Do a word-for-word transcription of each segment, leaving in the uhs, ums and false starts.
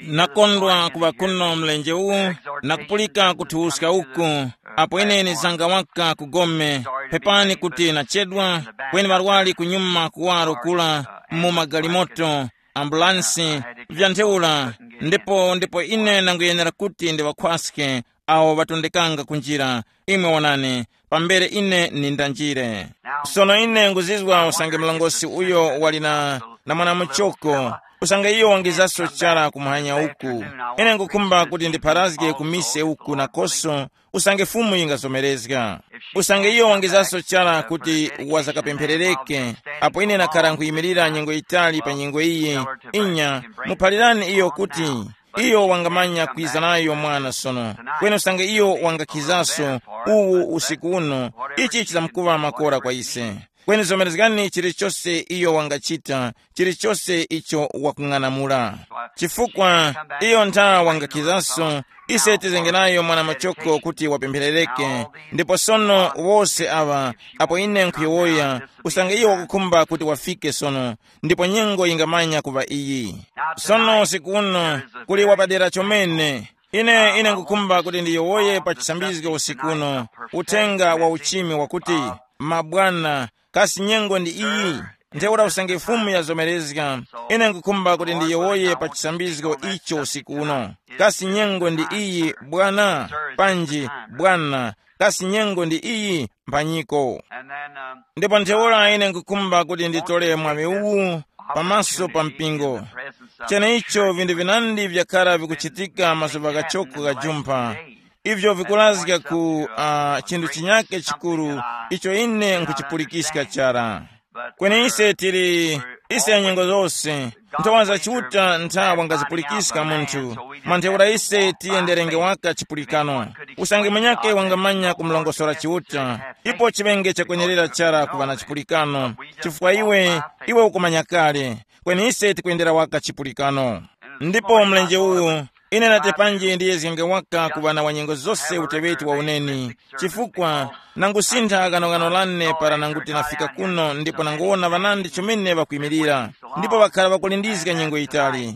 Nakondwa kuŵa kuno mlenje uwu na kupulika kuthuwuska uku, apo ine nizanga waka ku gome. Pepani kuti nachedwa, kweni ŵarwari kunyuma kuwaro kula, mu magalimoto, ambulansi, vya ntheura. Ndipo ndipo ine nanguyenera kuti ndiŵakhwaske awo ŵatondekanga ku njira. Imwe wonani, pambere ine nindanjire. Sono ine nguzizwa usange mlongosi uyo wali na, na mwanamuchoko, usange iyo wangizaso chara kumuhanya uku. Ine ngukhumba kuti ndipharazge ku mise uku nakoso, usange Fumu yingazomerezga. Usange iyo wangizaso chara kuti wazakapempherereke, apo ine nakhara nkhuyimirira nyengo yitali pa nyengo iyi, inya, muphalirani iyo kuti iyo wangamanya kwiza nayo mwana sono. Kweni usange iyo wangakhizaso uwu usiku uno, ichi chizamkuŵa makora kwa ise. Kweni zomerezgani chilichose iyo wangachita, chilichose icho wakung'anamula. Chifukwa iyo ntha wangakhizaso, ise tizenge nayo mwana machoko kuti wapempherereke. Ndipo sono wose awa, apo ine nkhuyowoya, usange iyo wakukhumba kuti wafike sono, ndipo nyengo yingamanya kuŵa iyi. Sono usiku uno kuli wapadera chomene. Ine ine ngukhumba kuti ndiyowoye pa chisambizgo usiku uno, uthenga wa uchimi wakuti, mabwana, kasi nyengo ndi iyi? Ntheura usange Fumu yazomerezga, ine ngukhumba kuti ndiyowoye pa chisambizgo icho usiku uno. Kasi nyengo ndi iyi, bwana? Panji, bwana, kasi nyengo ndi iyi, mphanyiko? Ndipo ntheura ine ngukhumba kuti nditole mwaŵi uwu pamaso pa mpingo. Cheneicho vinthu vinandi vyakhala vikuchitika mazuŵa ghachoko ghajumpha, ivyo vikurazga ku uh, chinthu chinyake chikuru icho ine nkhuchipulikiska chara. Kweni ise tili, ise nyengo zose, nthowa za Chiuta ntha wangazipulikiska munthu. Mwa ntheura ise tiyenderenge waka chipulikano. Usange munyakhe wangamanya kumulongosora Chiuta, ipo chiŵenge chakwenerera chara kuŵa na chipulikano, chifukwa iwe, iwe ukumanya kale. Kweni ise tikwendera waka chipulikano. Ndipo mlenje uwu, ine nati panji ndiyezgenge waka ku ŵana wa nyengo zose uteŵeti wa uneni, chifukwa nangusintha ghanoghano lane para nanguti nafika kuno ndipo nanguwona ŵanandi chomene ŵakwimirira, ndipo ŵakhala ŵakulindizga nyengo yitali.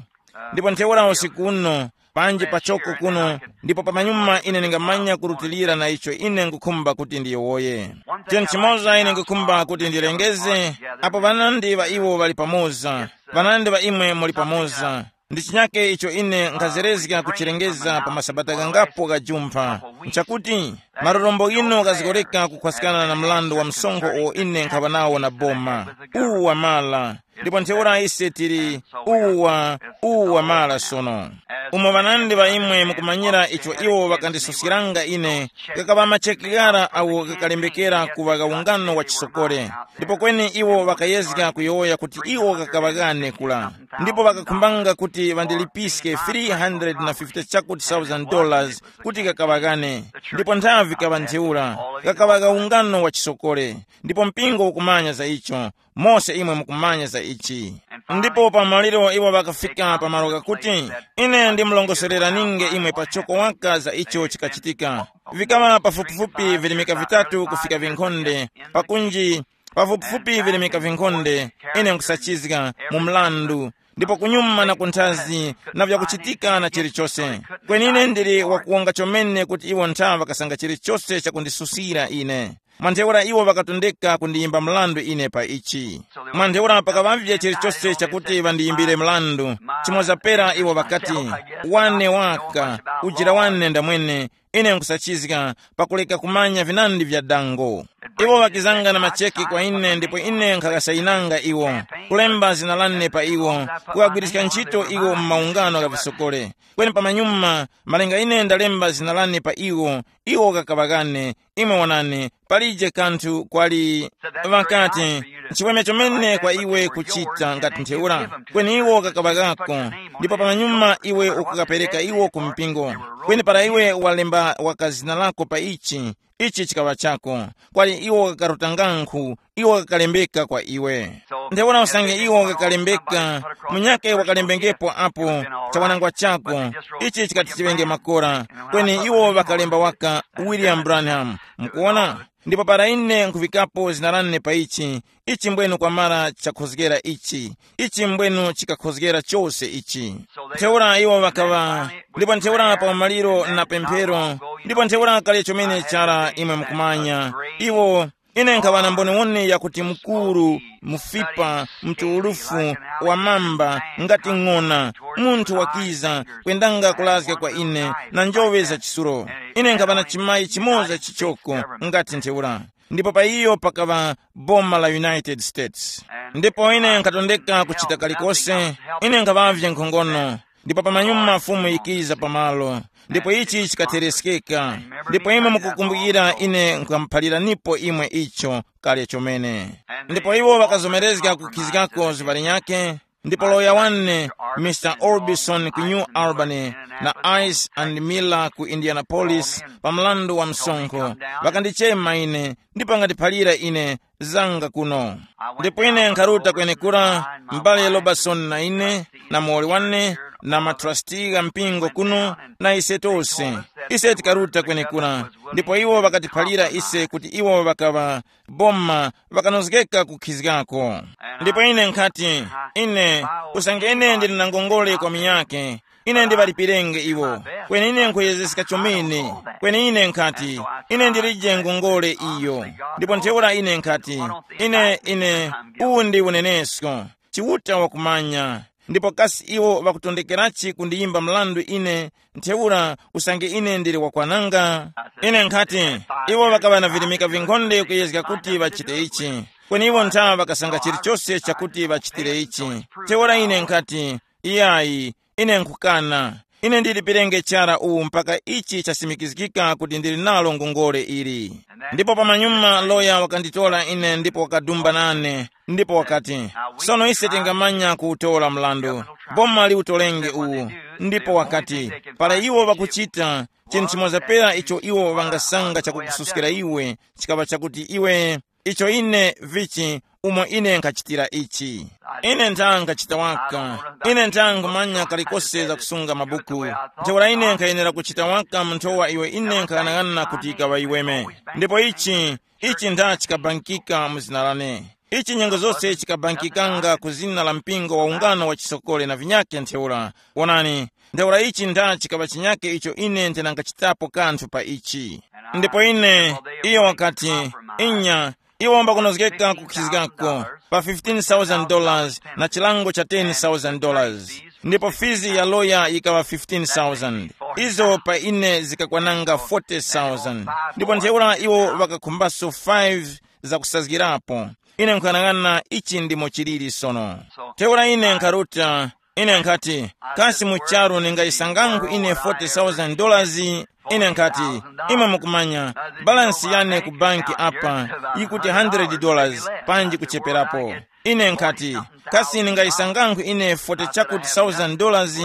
Ndipo ntheura usiku uno, panji pachoko kuno, ndipo pamanyuma ine ningamanya kurutilira na icho ine ngukhumba kuti ndiyowoye. Chinthu chimoza ine ngukhumba kuti ndilengeze, apo ŵanandi ŵa iwo ŵali pamoza, ŵanandi ŵa imwe muli pamoza, ndi chinyake icho ine nkhazerezga kuchilengeza pa masabata ghangapo ghajumpha, nchakuti malorombo ghino ghazgoreka kukhwaskana na mrandu wa msonkho uwo ine nkhaŵa nawo na boma. Uwu wamala. Ndipo ntheura ise tili, uwu wa, uwu wamala sono. Umo ŵanandi ŵa imwe mukumanyira icho iwo ŵakandisuskiranga ine, ghakaŵa macheke ghara agho ghakalembekera kuŵa ungano wa chisokole. Ndipo kweni iwo ŵakayezga kuyowoya kuti iwo ghakaŵa ghane kula, ndipo ŵakakhumbanga kuti ŵandilipiske three hundred na fifty chakuti thousand dollars kuti ghakaŵa ghane. Ndipo nthavi kaŵa ntheura, ghakaŵa gha ungano wa chisokole. Ndipo mpingo ukumanya za icho, mose imwe mukumanya za ichi. Ndipo pa maliro iwo ŵakafika pa malo ghakuti, ine ndimulongosoreraninge imwe pachoko waka za icho chikachitika. Vikaŵa pafupifupi virimika vitatu kufika vinkhonde, pakunji pafupifupi virimika vinkhonde, ine nkusachizga mu mlandu, ndipo kunyuma na kunthazi na vyakuchitika na chilichose. Kweni ine ndili wakuwonga chomene kuti iwo ntha ŵakasanga chilichose chakundisusira ine. Mwa ntheura iwo ŵakatondeka kundiyimba mrandu ine pa ichi. Mwa ntheura pakaŵavye chilichose chakuti ŵandiyimbire mrandu, chimoza pera iwo ŵakati, wane waka, ujira wane ndamwene, ine nkusachizga, pakuleka kumanya vinandi vya dango. Iwo ŵakizanga na macheke kwa ine ndipo ine nkhaghasayinanga iwo, kulemba zina lane pa iwo, kughagwiriska ntchito iwo mu maungano gha visokole. Kweni pamanyuma, malinga ine ndalemba zina lane pa iwo, iwo ghakaŵa ghane. Imwe wonani, palije kanthu kwali, ŵakati, nchiweme chomene kwa iwe kuchita ngati ntheura, kweni iwo ghakaŵa ghako. Ndipo pamanyuma iwe ukukapereka iwo ku mpingo, kweni para iwe walemba waka zina lako pa ichi, ichi chikaŵa chako. Kwali iwo ghakaruta ngankhu, iwo ghakalembeka kwa iwe. Ntheura usange iwo ghakalembeka, munyakhe wakalembengepo apo, chawanangwa chako, ichi chikati chiŵenge makora. Kweni iwo ŵakalemba waka William Branham. Mukuwona? Ndipo para ine nkhuvikapo zina lane pa ichi, ichi mbwenu kwamara chakhozgera ichi, ichi mbwenu chikakhozgera chose ichi. Ntheura iwo ŵakaŵa, ndipo ntheura pa umaliro na pemphero, ndipo ntheura kale chomene chara imwe mukumanya, iwo, ine nkhaŵa na mboniwoni yakuti mukuru, mufipa, mtuwulufu, wamamba, ngati ng'ona, munthu wakiza kwendanga kulazga kwa ine na njoŵe za chisulo. Ine nkhaŵa na chimayi chimoza chichoko, ngati ntheura. Ndipo pa iyo pakaŵa boma la United States. Ndipo ine nkhatondeka kuchita kalikose, ine nkhaŵavye nkhongono. Ndipo pamanyuma Fumu yikiza pamalo, ndipo ichi chikatereskeka. Ndipo imwe mukukumbukira ine nkamuphaliranipo imwe icho kale chomene. Ndipo iwo ŵakazomerezga kukhizgako zuŵa linyakhe. Ndipo loya wane, Mr Orbison ku New Albany, na Ice and Miller ku Indianapolis, pa mlandu wa msonkho, ŵakandichema ine, ndipo ŵakandiphalira ine zanga kuno. Ndipo ine nkharuta kwenekura, m'bale Robertson na ine, na muwoli wane, na matrasti gha mpingo kuno, na ise tose. Ise tikaruta kwenekura, ndipo iwo ŵakatiphalira ise kuti iwo ŵakaŵa boma, ŵakanozgeka kukhizgako. Ndipo ine nkhati, ine, usange ine ndili na ngongole kwa munyakhe, ine ndiŵalipirenge iwo. Kweni ine nkhuyezeska chomene. Kweni ine nkhati, ine ndilije ngongole iyo. Ndipo ntheura ine nkhati, ine ine, uwu ndi unenesko. Chiuta wakumanya. Ndipo kasi iwo ŵakutondekerachi kundiyimba mrandu ine? Ntheura usange ine ndili wakwananga, ine nkhati, iwo ŵakaŵa na virimika vinkhonde kuyezga kuti ŵachite ichi. Kweni iwo ntha ŵakasanga chilichose chakuti ŵachitire ichi. Ntheura ine nkhati, iyayi, ine nkhukana. Ine ndilipirenge chara uwu mpaka ichi chasimikizgika kuti ndili nalo ngongole ili. Ndipo pamanyuma loya wakanditora ine ndipo wakadumba nane, ndipo wakati, sono ise tingamanya kuwutora mlandu. Boma liwutolenge uwu. Ndipo wakati, para iwo ŵakuchita, chinthu chimoza pera icho iwo ŵangasanga chakukususkira iwe, chikaŵa chakuti iwe, icho ine vichi, umo ine nkhachitira ichi. Ine ntha nkhachita waka. Ine ntha nkhumanya kalikose za kusunga mabuku. Ntheura ine nkhayenera kuchita waka mu nthowa iwe ine nkhaghanagana kuti ikaŵa iweme. Ndipo ichi, ichi ntha chikabangikika mu zina lane. Ichi nyengo zose chikabangikikanga ku zina la mpingo wa ungano wa chisokole na vinyakhe ntheura. Wonani, ntheura ichi ntha chikaŵa chinyakhe icho ine ndinangachitapo kanthu pa ichi. Ndipo ine, iyo wakati, inya, iwo mbakunozgeka kukhizgako pa fifteen thousand dollars na chilango cha ten thousand dollars. Ndipo fizi ya loya yikaŵa fifteen thousand. Izo pa ine zikakwananga forty thousand. Ndipo ntheura iwo ŵakakhumbaso five zakusazgirapo. Ine nkhanang'ana ichi ndimo chiliri sono. Ntheura ine nkharuta, ine nkhati, kasi mu charu ningayisangangu ine forty thousand dollars? Ine nkhati, imwe mukumanya, balansi yane ku banki apa yikuti hundred dollars, panji kucheperapo. Ine nkhati, kasi ningayisangangu ine forty chakuti thousand dollars?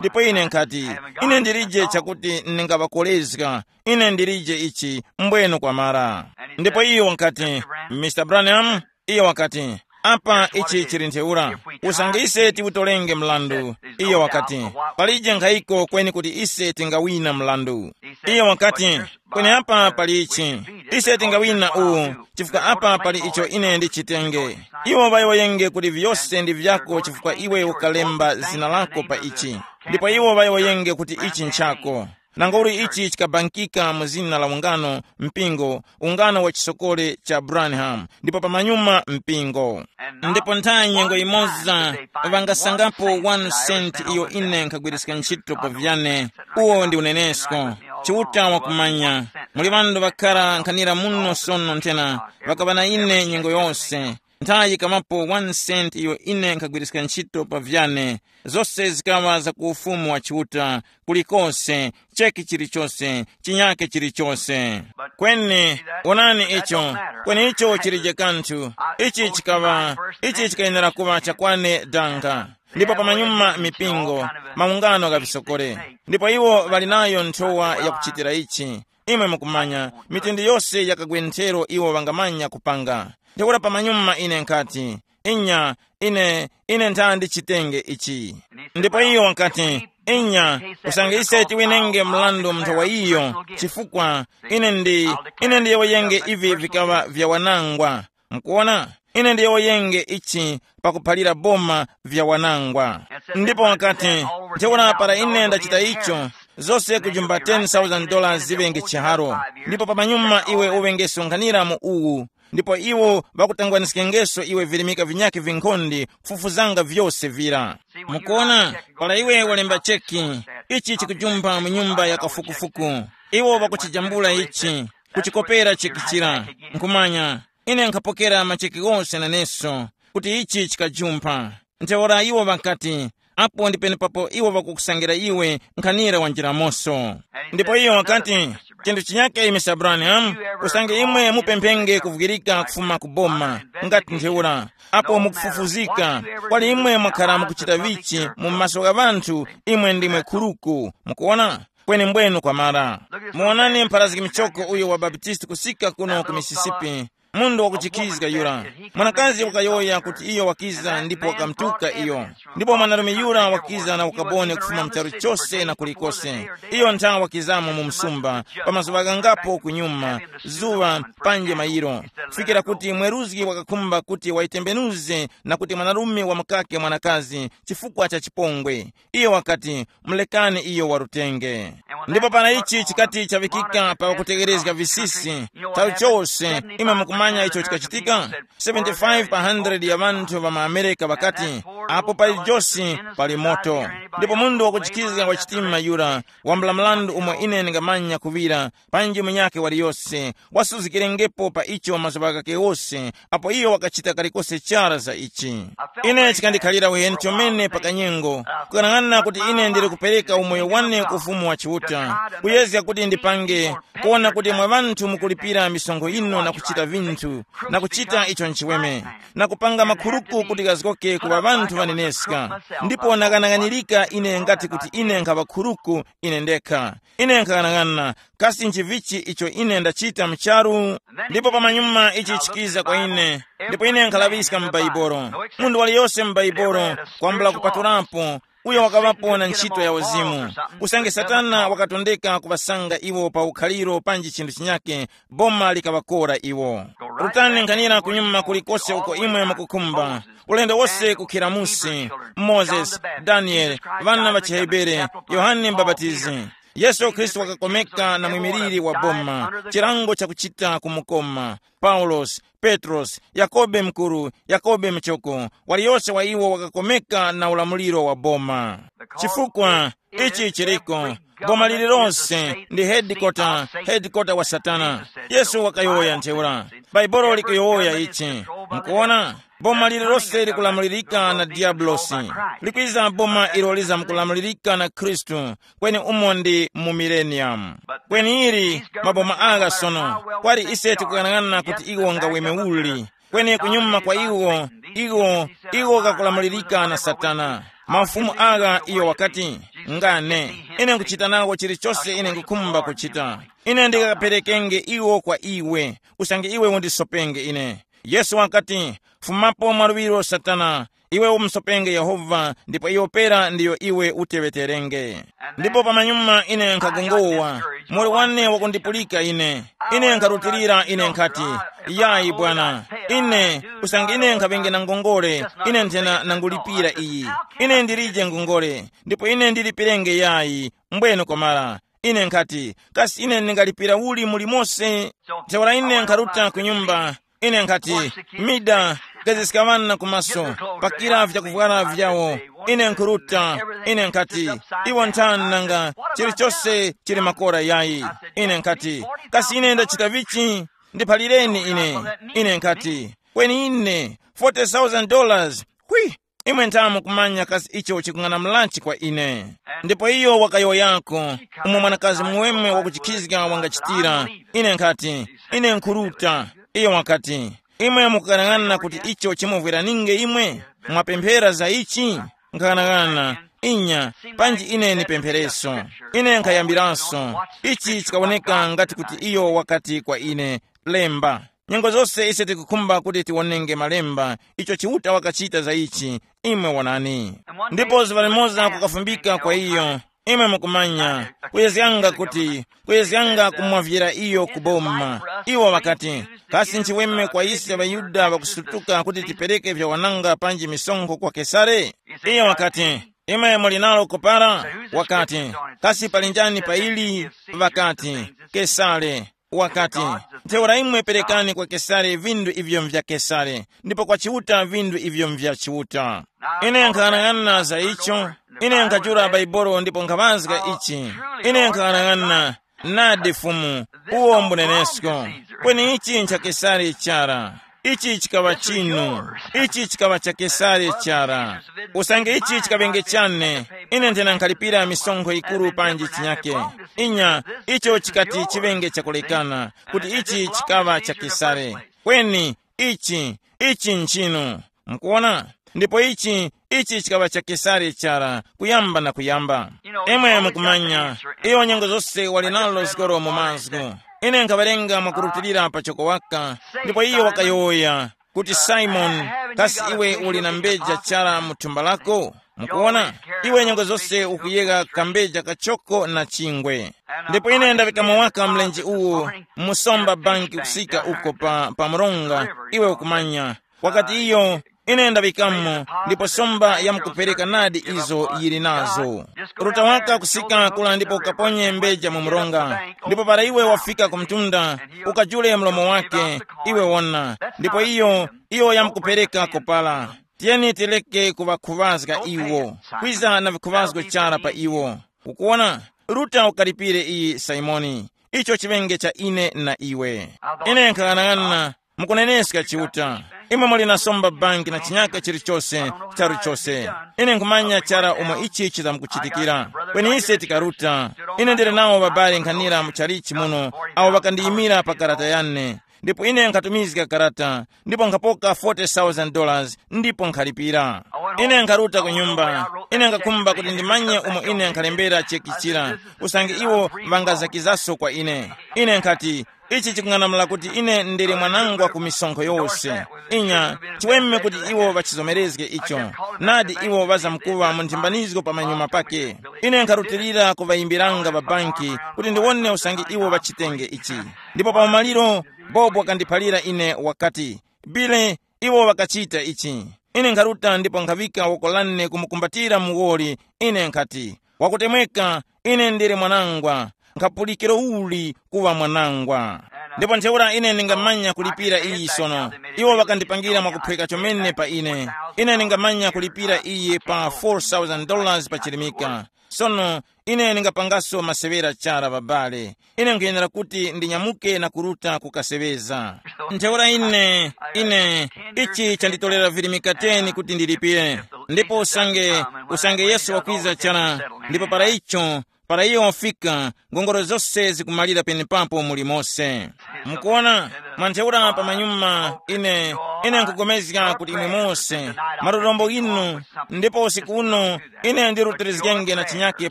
Ndipo ine nkhati, ine ndilije chakuti ndingaŵakolezga. Ine ndilije ichi, mbwenu kwamara. Ndipo iyo wakati, Mr Branham, iyo wakati, apa ichi chili ntheura, usange ise tiwutolenge mlandu. Iyo wakati, palije nkhayiko kweni kuti ise tingawina mlandu. Iyo wakati, kweni apa pali ichi, ise tingawina uwu, chifukwa apa pali icho ine ndichitenge. Iwo ŵayowoyenge kuti vyose ndi vyako chifukwa iwe ukalemba zina lako pa ichi. Ndipo iwo ŵayowoyenge kuti ichi nchako. Nangauli ichi chikabangika mu zina la ungano, mpingo, ungano wa chisokole cha Branham, ndipo pamanyuma mpingo. Ndipo nthawi nyengo imoza, ŵangasangapo one cent iyo ine nkhagwiriska ntchito pa vyane. Uwo ndi unenesko. Chiuta wakumanya. Muli ŵanthu ŵakhara nkhanira muno sono nthena, ŵakaŵa na ine nyengo yose. Nthawi yikamapo one cent iyo ine nkhagwiriska ntchito pa vyane, zose zikaŵa za ku ufumu wa Chiuta, kulikose, cheki chilichose, chinyake chilichose. Kweni, onani icho, kweni icho chilije kanthu. Ichi chikaŵa, ichi chikayenera kuŵa chakwane danga. Ndipo pamanyuma mipingo, maungano gha visokore. Ndipo iwo ŵali nayo nthowa yakuchitira ichi. Imwe mukumanya, mitundu yose yakagwe nthero iwo ŵangamanya kupanga. Ntheura pamanyuma ine nkhati, inya, ine, ine ntha ndichitenge ichi. Ndipo iyo wakati, Inya, usange ise tiwinenge mrandu mu nthawa iyo, chifukwa ine ndi ine ndiyowoyenge ivi vikaŵa vya wanangwa. Mukuona, ine ndiyowoyenge ichi pakuphalira boma vya wanangwa. Ndipo wakati, ntheura para ine ndachita icho, zose kujumba ten thousand dollars ziŵenge chiharo. Ndipo pamanyuma iwe uŵenge sonkhanira mu uwu, ndipo iwo ŵakutangwaniskengeso iwe virimika vinyakhe vinkhonde kufufuzanga vyose vira. Mukuona, para iwe walemba cheki, ichi chikujumpha mu nyumba ya kafukufuku. Iwo ŵakuchijambula ichi, kuchikopera cheki chira. Nkhumanya, ine nkhapokera macheki ghose naneso, kuti ichi chikajumpha. Ntheura iwo ŵakati, apo ndi penepapo iwo ŵakukusangira iwe nkhanira wa njiramoso. Ndipo iyo wakati, chinthu chinyake Mister Branham, usange imwe mupemphenge kuvwirika kufuma ku boma, ngati ntheura, apo mukufufuzika, kwali imwe mwakhara mukuchita vichi mu maso gha ŵanthu, imwe ndimwe khuruku. Mukuona, kweni mbwenu kwamara. Muwonani mpharazgi michoko uyo wa Baptisti kusika kuno ku Mississippi, mundu wakuchikizga yura. Mwanakazi wakayowoya kuti iyo wakiza ndipo wakamtuka iyo. Ndipo mwanarume yura wakiza na ukaboni kufuma mu charu chose na kulikose. Iyo nthawe wakizamo mu msumba, pa mazuŵa ghangapo kunyuma, zuŵa, panje mayiro, kufikira kuti mweruzgi wakakhumba kuti wayitembenuze na kuti mwanarume wamukake mwanakazi chifukwa cha chipongwe. Iyo wakati, mulekani iyo warutenge. Ndipo para ichi chikati chaŵikika pa kutegerezga visisi, nthawi chose imwe mukumanya icho chikachitika. Seventy-five pa hundred ya ŵanthu ŵa mu Amerika ŵakati, apo pali josi, pali moto. Ndipo munthu wakuchikizga wa chitima yura wambula mrandu umo ine ndingamanya kuŵira, panji munyakhe waliyose, wasuzikirengepo pa icho mazuŵa ghakhe ghose, apo iyo wakachita kalikose chara za ichi. Ine chikandikhalira uheni chomene pa kanyengo, kukang'ana kuti ine ndili kupereka umoyo wane ku Ufumu wa Chiuta, kuyezga kuti ndipange, kuona kuti mwa ŵanthu mukulipira misonkho yino na kuchita vinthu, na kuchita icho nchiweme, na kupanga makhuruku kuti ghazgoke ku ŵa ŵanthu ŵaneneska. Ndipo nakang'anang'anirika ine ngati kuti ine nkhaŵa khuruku ine ndekha. Ine nkhang'anang'ana, kasi nchivichi icho ine ndachita mu charu? Ndipo pamanyuma ichi chikiza kwa ine, ndipo ine nkhalaŵiska mu Baibolo. Munthu waliyose mu Baibolo, kwambula kupatulapo, uyo wakaŵapo na ntchito ya uzimu. Usange Satana wakatondeka kuŵasanga iwo pa ukhaliro panji chinthu chinyake, boma likaŵakora iwo. Rutani nkhanira kunyuma kulikose uko imwe mukukhumba, ulendo wose kukhira musi, Mozesi, Danieli, ŵana ŵa chiHebere, Yohane Mbapatizi. Yesu Khristu wakakomeka na mwimiliri wa boma, chilango chakuchita kumukoma. Paulosi, Petrosi, Yakobe Mukuru, Yakobe Muchoko, waliyose wa iwo wakakomeka na ulamuliro wa boma. Chifukwa ichi chiriko, boma lililonse ndi hedikota, hedikota wa Satana. Yesu wakayowoya ntheura. Bhaibuli likuyowoya ichi. Mukuona? Boma lililose likulamulirika na Diyabulosi. Likwiza boma ilo lizamkulamulirika na Khristu, kweni umo ndi mu mileniyamu. Kweni ili maboma agha sono, kwali ise tikuyang'ana kuti iwo ngaweme uli, kweni kunyuma kwa iwo, iwo, iwo ghakulamulirika na Satana. Mafumu agha iyo wakati, ngane, ine nkuchita nawo chilichose ine nkukhumba kuchita. Ine ndikaperekenge iwo kwa iwe, usange iwe undisopenge ine. Yesu wakati, fumapo mwaluŵiro Satana, iwe umusopenge Yehova, ndipo iyo pera ndiyo iwe uteŵeterenge. Ndipo pamanyuma ine nkhagongowa, muli wane wakundipulika ine. Ine nkharutilira ine nkhati, yayi bwana, ine, usange ine nkhaŵenge na ngongole, ine nthena nangulipira iyi. Ine ndilije ngongole, ndipo ine ndilipirenge yayi, mbwene kwamara. Ine nkhati, kasi ine ndingalipira uli mulimonse? Ntheura ine nkharuta ku nyumba, ine nkhati, mida, gaziska ŵana kumaso, pakira vyakuvwara vyawo. Ine nkhuruta, ine nkhati, iwo nthani nanga, chilichose chili makora yayi. Ine nkhati, kasi ine ndachita vichi? Ndiphalireni ine. Ine nkhati, kweni ine, forty thousand dollars, hwi! Imwe nthamu kumanya kasi icho chikung'anamulanchi kwa ine. Ndipo iyo wakayowoyako, umo mwanakazi muweme wakuchikhizga wangachitira. Ine nkhati, ine nkhuruta. Iyo wakati, imwe mukughanag'ana kuti icho chimuvweraninge imwe? Mwapemphera za ichi? Nkaghanag'ana, inya, panji ine nipemphereso. Ine nkhayambiranso. Ichi chikawoneka ngati kuti iyo wakati kwa ine, lemba. Nyengo zose ise tikukhumba kuti tiwonenge malemba, icho Chiuta wakachita za ichi. Imwe wonani. Ndipo zuŵa limoza kukafumbika kwa iyo, imwe mukumanya, kuyezganga kuti, kuyezganga kumwavyira iyo ku boma. Iwo ŵakati, kasi nchiweme kwa ise ŵaYuda ŵakusutuka kuti tipereke vyawananga panji misonkho kwa Kesare? Iye wakati, imwe muli nalo kupara? Wakati, kasi pali njani pa ili? Ŵakati, Kesare. Wakati, ntheura imwe perekani kwa Kesare vindu ivyo mvya Kesare, ndipo kwa Chiuta vindu ivyo mvya Chiuta. Ine nkhanang'ana za icho, ine nkhachura Baibolo ndipo nkhaŵazga ichi. Ine nkhanang'ana, nadi Fumu, uwo mbunenesko. Kweni ichi ncha Kesare chara. Ichi chikaŵa chinu. Ichi chikaŵa cha Kesare chara. Usange ichi chikaŵenge chane, ine nthena nkhalipira misonkho yikuru panji chinyake. Inya, icho chikati chiŵenge chakulekana, kuti ichi chikaŵa cha Kesare. Kweni, ichi, ichi nchinu. Mukuona? Ndipo ichi, ichi chikaŵa cha Kesare chara, kuyamba na kuyamba. Imwe mukumanya, iyo nyengo zose wali nalo zikoro mu mazgu. Ine nkhawerenga mwakurutilira pachoko waka, ndipo iyo wakayowoya, kuti, Simoni, kasi iwe uli na mbeja chara mu thumba lako? Mukuwona, iwe nyengo zose ukuyegha kambeja kachoko na chingwe. Ndipo ine ndaŵikamo waka mlenje uwu, musomba banki kusika uko pa, pa mronga, iwe ukumanya. Wakati iyo, ine ndaŵikamo, ndipo somba yamkupereka nadi izo yili nazo. Ruta waka kusika kula ndipo ukaponye mbeja mu mronga, ndipo para iwe wafika ku mtunda, ukajule mlomo wake, iwe wona, ndipo iyo, iyo yamkupereka kopala. Tiyeni tireke kuŵakhuŵazga iwo, kwiza na vikhuŵazgo chara pa iwo. Ukuwona, Ruta ukalipire iyi Simoni, icho chiŵenge cha ine na iwe. Ine nkhang'anang'ana, mukuneneska Chiuta. Imwe muli na somba banki na chinyaka chilichose, charu chose. Ine nkhumanya chara umo ichi chizamkuchitikira. Kweni ise tikaruta. Ine ndili nawo babali nkhanira mu chalichi muno, awo ŵakandiyimira pa karata yane. Ndipo ine nkhatumizga karata, ndipo nkhapoka forty thousand dollars, ndipo nkhalipira. Ine nkharuta ku nyumba. Ine nkhakhumba kuti ndimanye umo ine nkhalembera cheki chira, usange iwo ŵangazakizaso kwa ine. Ine nkhati, ichi chikung'anamula kuti ine ndili mwanangwa ku misonkho yose. Inya, chiweme kuti iwo ŵachizomerezge icho. Nadi iwo ŵazamkuŵa mu nthimbanizgo pamanyuma pake. Ine nkharutilira kuŵayimbiranga ŵa banki kuti ndiwone usange iwo ŵachitenge ichi. Ndipo pa umaliro, Bobo wakandiphalira ine wakati, Bile, iwo ŵakachita ichi. Ine nkharuta ndipo nkhaŵika woko lane kumukumbatira muwoli. Ine nkhati, wakutemweka, ine ndili mwanangwa, nkhapulikiro uli kuŵa mwanangwa. Ndipo ntheura ine ndingamanya kulipira iyi sono. Iwo ŵakandipangira mwakuphweka chomene pa ine. Ine ndingamanya kulipira iyi pa four thousand dollars pa chilimika. Sono, ine ndingapangaso masewera chara ŵabale. Ine nkhuyenera kuti ndinyamuke na kuruta kukaseŵeza. Ntheura ine, ine, ichi chanditolera virimika teni kuti ndilipire. Ndipo usange, usange Yesu wakwiza chara, ndipo para icho, para iyo wafika, ngongole zose zikumalira penepapo muli mose. Mukuona, mwa ntheura pamanyuma, ine, ine nkugomezga kuti imwe mose, marorombo inu, ndipo usiku uno, ine ndirutilizgenge na chinyake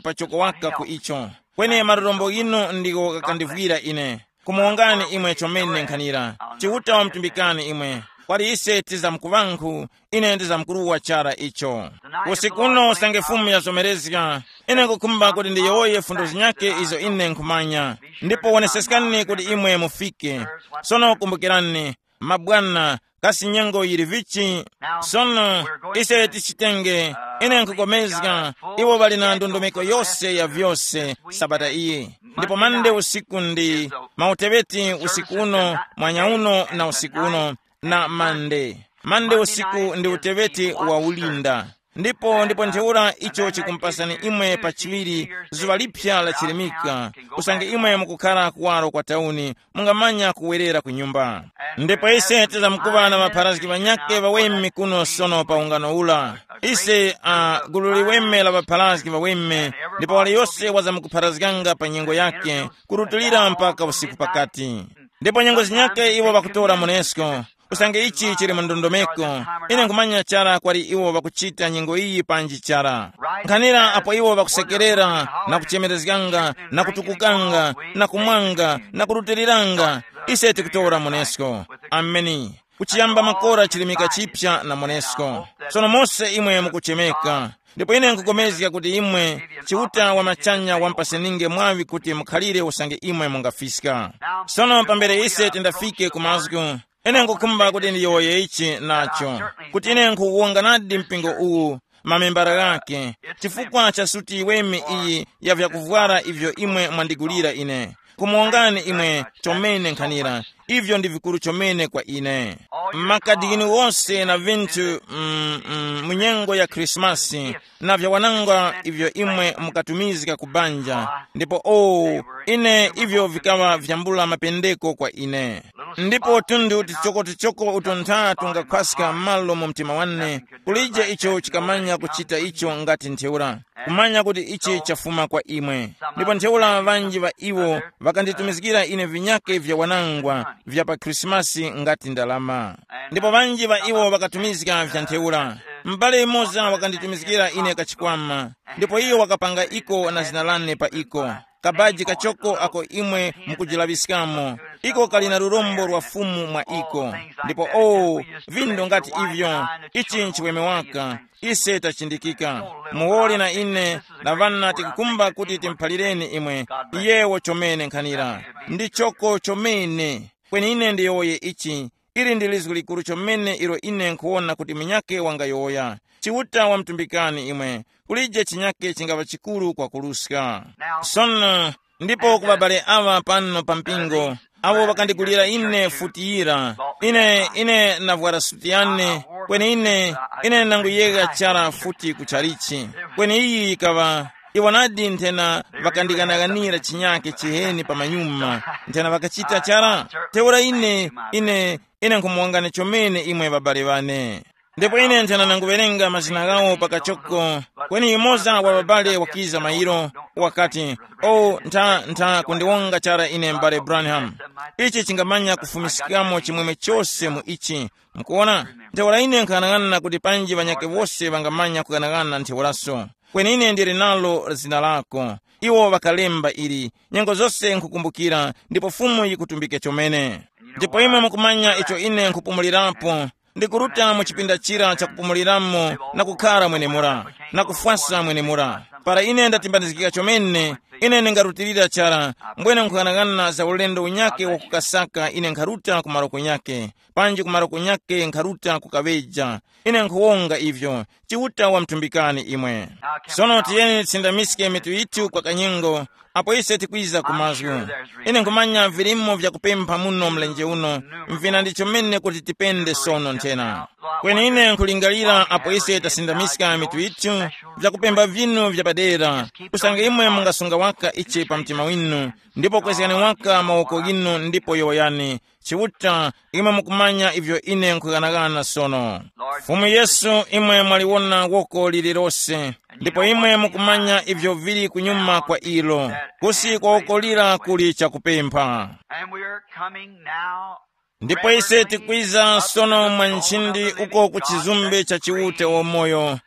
pachoko waka ku icho. Kweni marorombo ghinu ndigo ghakandivwira ine. Kumuwongani imwe chomene nkhanira. Chiuta wamtumbikani imwe. Kwali ise tizamkuŵankhu, ine ndizamkuruwa chara icho. Usiku uno usange Fumu yazomerezga, ine nkukhumba kuti ndiyowoye fundo zinyakhe izo ine nkhumanya. Ndipo woneseskani kuti imwe mufike. Sono kumbukirani, mabwana, kasi nyengo yili vichi? Sono, ise tichitenge, ine nkukomezga, iwo ŵali na ndondomeko yose ya vyose sabata iyi. Ndipo mande usiku ndi mauteŵeti usiku uno, mwanya uno na usiku uno, na mande. Mande usiku ndi uteŵeti wa ulinda. Ndipo, ndipo ntheura icho chikumpasani imwe pa chiŵiri zuŵa liphya la chilimika, usange imwe mukukhara kuwaro kwa tauni, mungamanya kuwerera ku nyumba. Ndipo ise tizamkuŵa na ŵapharazgi ŵanyakhe ŵaweme kuno sono pa ungano ula. Ise, uh, gulu liweme la ŵapharazgi ŵaweme, ndipo waliyose wazamkupharazganga pa nyengo yakhe, kurutulira mpaka usiku pakati. Ndipo nyengo zinyakhe iwo ŵakutora munesko, usange ichi chili mu ndondomeko. Ine nkhumanya chara kwali iwo ŵakuchita nyengo iyi panji chara. Nkhanira apo iwo ŵakusekerera, na kuchemerezganga, na kutukukanga, na kumwanga, na kurutiliranga, ise tikutora munesko. Ameni. Kuchiyamba makora chilimika chipya na monesko. Sono mose imwe mukuchemeka. Ndipo ine nkukomezga kuti imwe, Chiuta wa machanya wampaseninge mwaŵi kuti mukhalire usange imwe mungafiska. Sono pambere ise tindafike ku mazgu, ine nkukhumba kuti ndiyowoye ichi nacho, kuti ine nkhuwonganadi mpingo uwu, mamembara ghake, chifukwa cha suti iweme iyi ya vyakuvwara ivyo imwe mwandigulira ine. Kumuwongani imwe chomene nkhanira, ivyo ndi vikuru chomene kwa ine. Makadi ghinu wose na vinthu, mm, mm, mu nyengo ya Krismasi, na vyawananga ivyo imwe mukatumizga ku banja, ndipo o, ine ivyo vikaŵa vyambula mapendeko kwa ine. Ndipo tundu tichoko-tichoko uto ntha tungakhwaska malo mu mtima wane, kulije icho chikamanya kuchita icho ngati ntheura, kumanya kuti ichi chafuma kwa imwe. Ndipo ntheura ŵanji ŵa iwo ŵakanditumizgira ine vinyake vya wanangwa vya pa Khrisimasi ngati ndalama. Ndipo ŵanji ŵa iwo ŵakatumizga vya ntheura. M'bale yumoza wakanditumizgira ine kachikwama, ndipo iyo wakapanga iko na zina lane pa iko. Kabaji kachoko ako imwe mukujilaŵiskamo, iko kali na lurombo lwa Fumu mwa iko. Ndipo o, vindo ngati ivyo, ichi nchiweme waka, ise tachindikika. Muwoli na ine na ŵana tikukumba kuti timuphalireni imwe, iyewo chomene nkhanira. Ndi choko chomene. Kweni ine ndiyowoye ichi, ili ndi lizgu likuru chomene ilo ine nkhuwona kuti munyakhe wangayowoya. Chiuta wamtumbikani imwe, kulije chinyakhe chingaŵa chikuru kwakuruska. Sono, ndipo ku babale awa pano pa mpingo, awo ŵakandigulira ine futi yira, ine ine navwara suti yane, kweni ine ine nanguyegha chara futi ku chalichi. Kweni iyi yikaŵa, iwo nadi nthena ŵakandighanaghanira chinyakhe chiheni pamanyuma, nthena ŵakachita chara. Ntheura ine ine ine nkhumuwongani chomene imwe ŵabale ŵane. Ndipo ine nthena nanguwerenga mazina ghawo pakachoko. Kweni yumoza wa ŵabale wakiza mairo, wakati, o, ntha ntha kundiwonga chara ine m'bale Branham. Ichi chingamanya kufumiskamo chimwemwe chose mu ichi. Mukuona, ntheura ine nkhanang'ana kuti panji ŵanyakhe wose ŵangamanya kughanagana ntheuraso. Kweni ine ndili nalo zina lako. Iwo ŵakalemba ili, nyengo zose nkhukumbukira, ndipo Fumu yikutumbike chomene. Ndipo imwe mukumanya icho ine nkhupumulirapo, ndikuruta mu chipinda chira chakupumuliramo na kukhara mwenemura, na kufwasa mwenemura. Para ine ndatimbanizgika chomene, ine ndingarutilira chara, mbwene nkhughanagana za ulendo unyakhe wakukasaka ine nkharuta ku maroko nyakhe, panji ku maroko nyakhe nkharuta kukaŵeja. Ine nkhuwonga ivyo, Chiuta wamtumbikani imwe. Sono tiyeni tisindamiske mitu yithu kwa kanyengo, apo ise tikwiza ku mazgu. Ine nkhumanya vilimo vyakupempha muno mlenje uno, mvina ndi chomene kuti tipende sono nthena. Kweni ine nkhulingalira apo ise tasindamiska mitu yithu, vyakupempha vinu vyapadera, usange imwe mungasunga waka ichi pa mtima winu, ndipo kwezgani waka mawoko ghinu ndipo yowoyani, Chiuta, imwe mukumanya ivyo ine nkhughanaghana sono. Fumu Yesu, imwe mwaliwona woko lililose, ndipo imwe mukumanya ivyo vili kunyuma kwa ilo. Kusi kwa woko lira kuli chakupempha. And we are coming now. Ndipo ise tikwiza sono mwa nchindi uko ku chizumbe cha Chiuta wamoyo,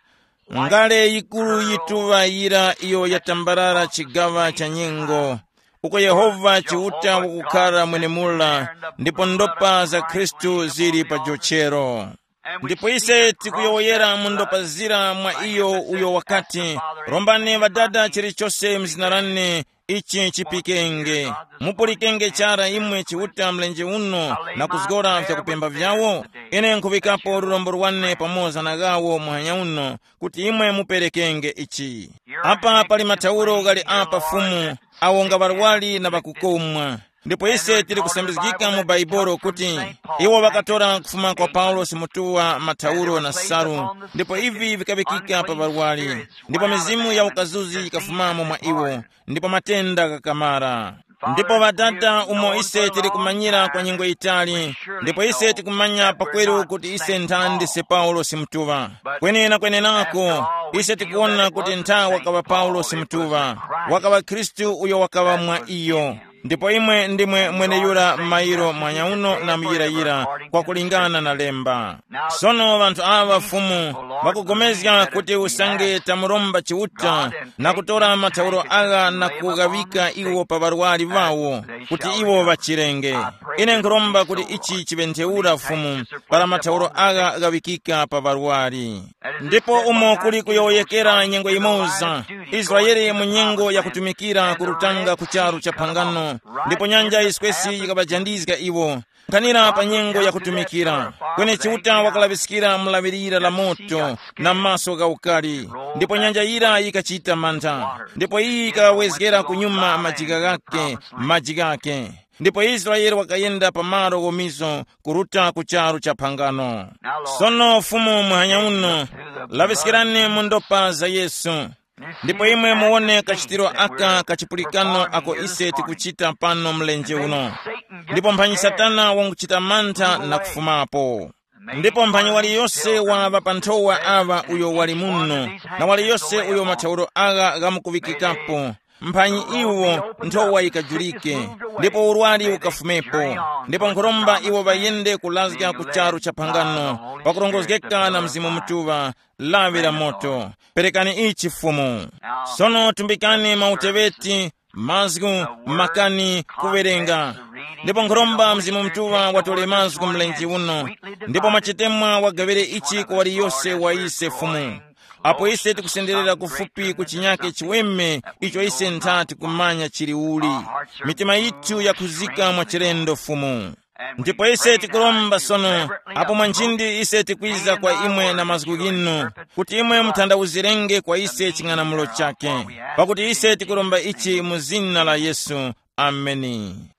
ngale yikuru yituŵa yira iyo yatambarara chigaŵa cha nyengo, uko Yehova Chiuta wakukhara mwenemura, ndipo ndopa za Khristu zili pa jochero. Ndipo ise tikuyowoyera mu ndopa zira mwa iyo uyo wakati, rombani Ŵadada chilichose mzina lane, ichi chipikenge. Mupulikenge chara imwe Chiuta mlenje uno na kuzgora vyakupemba vyawo. Ine nkhuŵikapo lurombo lwane pamoza na ghawo muhanya uno, kuti imwe muperekenge ichi. Apa pali mathauro ghali apa Fumu, awo nga ŵarwari na ŵakukomwa. Ndipo ise tili kusambizgika mu Baibolo kuti iwo ŵakatora kufuma kwa Paulosi mutuwa mathauro na salu, ndipo ivi vikaŵikika pa ŵarwari, ndipo mizimu ya ukazuzi yikafumamo mwa iwo, ndipo matenda ghakamara. Ndipo Ŵadada, umo ise tili kumanyira kwa nyengo yitali, ndipo ise tikumanya pakweru kuti ise nthandi se Paulosi mutuŵa. Kweni na kwenenako, ise tikuwona kuti ntha wakaŵa Paulosi mutuŵa, wakaŵa Khristu uyo wakaŵa mwa iyo. Ndipo imwe ndimwe mweneyura mairo mwanyauno na muyirayira, kwa kulingana na lemba. Sono ŵanthu aŵa Fumu ŵakugomezga kuti usange tamuromba Chiuta na kutora mathauro agha na kughawika iwo pa ŵarwari ŵawo, kuti iwo ŵachirenge. Ine nkhuromba kuti ichi chiŵe ntheura Fumu, para mathauro agha ghawikika pa ŵarwari. Ndipo umo kuli kuyowoyekera nyengo yimoza, Israele mu nyengo yakutumikira kurutanga ku charu cha phangano, ndipo nyanja yiswesi yikaŵajandizga iwo. Nkhanira pa nyengo yakutumikira, kweni Chiuta wakalaŵiskira mulaŵirira la moto na maso gha ukali, ndipo nyanja yira yikachita mantha, ndipo iyi yikawezgera kunyuma majika ghake, majika ghake. Ndipo Israele wakayenda pa malo ghomizo kuruta ku charu cha phangano. Sono Fumu muhanya uno, laŵiskirani mu ndopa za Yesu. Ndipo imwe muwone kachitiro aka kachipulikano ako ise tikuchita pano mlenje uno. Ndipo mphanyi Satana wanguchita mantha na kufumapo. Ndipo mphanyi waliyose wa ŵapanthowa aŵa uyo wali muno, na waliyose uyo mathauro agha ghamukuŵikikapo, mphanyi iwo nthowa yikajulike, ndipo urwari ukafumepo. Ndipo nkhuromba iwo ŵayende kulazga ku charu cha phangano, pakurongozgeka na Mzimu Mutuŵa, lawi la moto. Perekani ichi Fumu. Sono tumbikani mauteŵeti, mazgu, makani, kuwerenga. Ndipo nkhuromba Mzimu Mutuŵa watole mazgu mlenje uno, ndipo mwachitemwa wagawire ichi kwa waliyose wa ise Fumu. Apo ise tikusenderera kufupi ku chinyake chiweme icho ise ntha tikumanya chili uli, mitima yithu yakhuzika mwa chilendo Fumu. Ndipo ise tikuromba sono, apo mwanjindi ise tikwiza kwa imwe na mazgu ghinu, kuti imwe muthandawuzirenge kwa ise ching'anamulo chake, pakuti ise tikuromba ichi mu zina la Yesu. Ameni.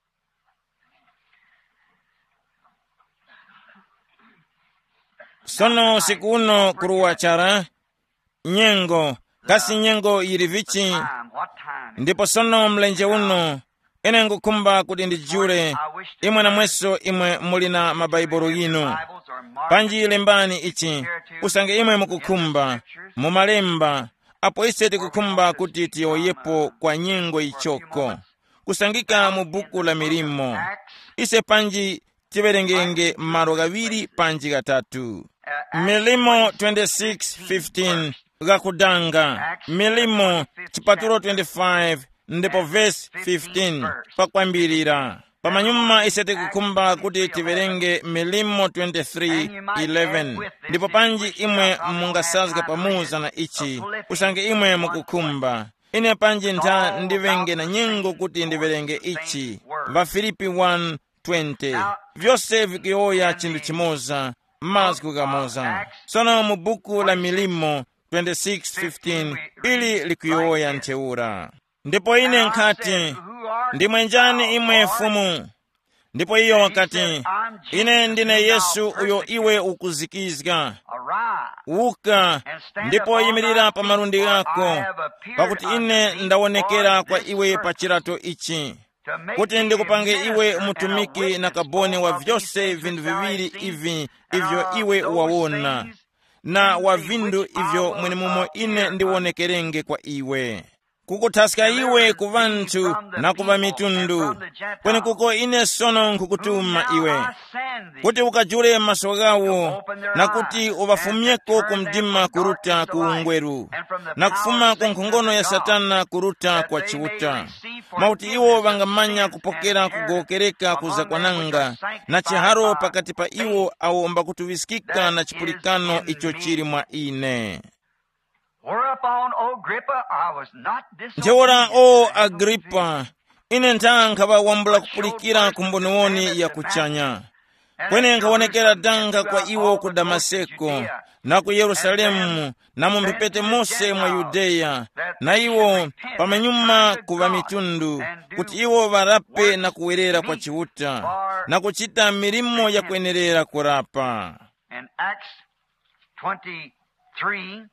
Sono usiku uno kuruwa chara, nyengo, kasi nyengo yili vichi? Ndipo sono mlenje uno, ine ngukhumba kuti ndijule, imwe namweso imwe muli na mabaibulo ghinu, panji lembani ichi, usange imwe mukukhumba, mu malemba, apo ise tikukhumba kuti tiyowoyepo kwa nyengo yichoko. Kusangika mu buku la milimo, ise panji tiwerengenge malo ghaŵiri panji ghatatu. Milimo twenty-six fifteen, ghakudanga. Milimo, chipatulo twenty-five, ndipo vesi fifteen, pakwambirira. Pamanyuma ise tikukhumba kuti tiwerenge Milimo twenty-three eleven, ndipo panji imwe mungasazga pamuza na ichi, usange imwe mukukhumba. Ine panji ntha ndiŵenge na nyengo kuti ndiwerenge ichi, ŵaFilipi one twenty. Vyose vikuyowoya chinthu chimoza, mazgu ghamoza. Sono mu buku la Milimo twenty-six fifteen, ili likuyowoya ntheura. Ndipo ine nkhati, "Ndimwe njani imwe Fumu?" Ndipo iyo wakati, "Ine ndine Yesu uyo iwe ukuzikizga. Wuka, ndipo yimirira pa malundi ghako, pakuti ine ndawonekera kwa iwe pa chirato ichi, kuti ndikupange iwe mutumiki na kaboni wa vyose vinthu viŵiri ivi ivyo iwe wawona, na wa vinthu ivyo mwenemumo ine ndiwonekerenge kwa iwe, kukuthaska iwe ku ŵanthu na ku ŵamitundu, kwenekuko ine sono nkhukutuma iwe, kuti ukajule maso ghawo, na kuti uŵafumyeko ku mdima kuruta ku ungweru, na kufuma ku nkhongono ya Satana kuruta kwa Chiuta, mwakuti iwo ŵangamanya kupokera kugowokereka ku zakwananga, na chiharo pakati pa iwo awo mbakutuŵiskika na chipulikano icho chili mwa ine." Whereupon, O Agrippa, I was not disobedient. Ntheura, o Agripa, ine ntha nkhaŵa wambula kupulikira ku mboniwoni ya kuchanya. Kweni nkhawonekera danga kwa iwo ku Damaseko, na ku Yerusalemu, na mu mphepete mose mwa Yudeya, na iwo pamanyuma ku ŵamitundu, kuti iwo ŵarape na kuwerera kwa Chiuta, na kuchita milimo yakwenerera kurapa. In Acts twenty-three,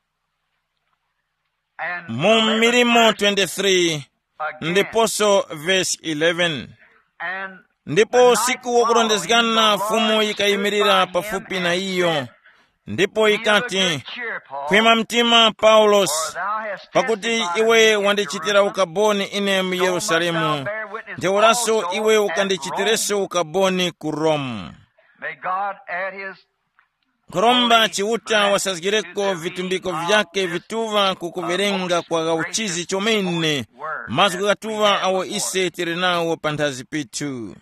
and mu Milimo twenty-three, again, ndiponso vesi eleven. And ndipo usiku wokurondezgana Fumu yikayimirira pafupi na iyo, Ndipo ikati, "Khwima mtima, Paulosi, pakuti iwe wandichitira ukaboni ine mu Yerusalemu, ntheuraso iwe ukandichitireso ukaboni ku Rome." May God add his Nkhoromba Chiuta wasazgireko vitumbiko vyake vituŵa ku kuwerenga kwa gauchizi chomene, mazgu ghatuŵa awo ise tili nawo panthazi pithu.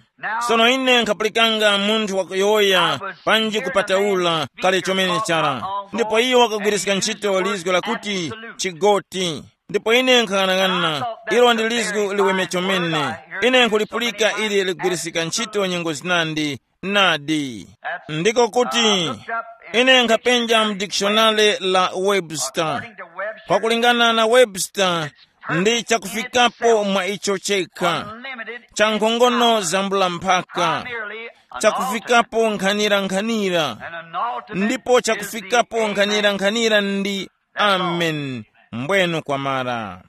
Sono ine nkhapulikanga munthu wakuyowoya panji kupataula kale chomene chara, ndipo iyo wakagwiriska ntchito lizgo lakuti chigoti. Ndipo ine nkhang'anang'ana, ilo ndi lizgu liweme chomene. Ine nkhulipulika ili ligwirisika ntchito nyengo zinandi. Nadi. Ndiko kuti ine nkhapenja mu dikishonale la Webster. Kwakulingana na Webster, ndi chakufikapo mwa icho chekha, cha nkhongono zambula mphaka, chakufikapo nkhanira-nkhanira, ndipo chakufikapo nkhanira-nkhanira ndi amen. Mbwenu kwamara.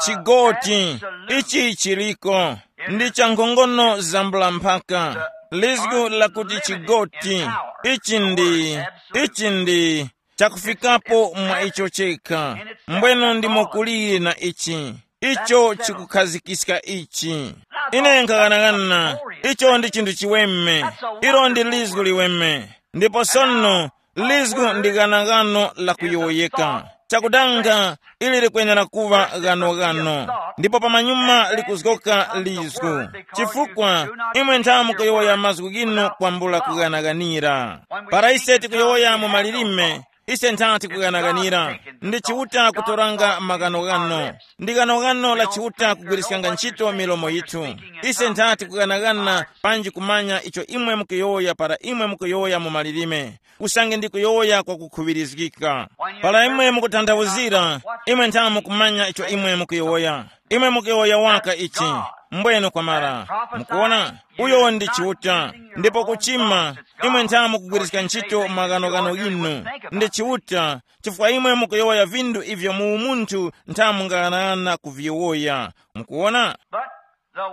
Chigoti ichi chiliko ndi cha nkhongono zambula mphaka. Lizgu lakuti chigoti ichi ndi ichi ndi chakufikapo mwa icho chekha. Mbwenu ndimo kuliri na ichi, icho chikukhazikiska ichi. Ine nkaghanaghanana, icho ndi chinthu chiweme. Ilo ndi lizgu liweme. Ndipo sono lizgu ndi ghanaghano la kuyowoyeka. Chakudanga ili likwenera kuŵa ghanoghano, ndipo pamanyuma likuzgoka lizgu, chifukwa imwe ntha mukuyowoya mazgu ghinu kwambula kughanaghanira. Para ise tikuyowoya mu malilime, ise ntha tikughanaghanira. Ndi Chiuta kutoranga maghanoghano. Ndi ghanoghano la Chiuta kugwiriskanga ntchito milomo yithu. Ise ntha tikughanaghanira panji kumanya icho imwe mukuyowoya para imwe mukuyowoya mu malilime. Usange ndikuyowoya kwakukhuŵirizgika. Para imwe mukutanthauzira, imwe ntha mukumanya icho imwe mukuyowoya. Imwe mukuyowoya waka ichi. Mbweno kwamara. Mukuona? Uyo ndi Chiuta. Ndipo kuchima, imwe ntha mukugwiriska ntchito maghanoghano ghinu. Ndi Chiuta, chifukwa imwe mukuyowoya vinthu ivyo mu umunthu ntha mungaghanaghanana kuviyowoya. Mukuona?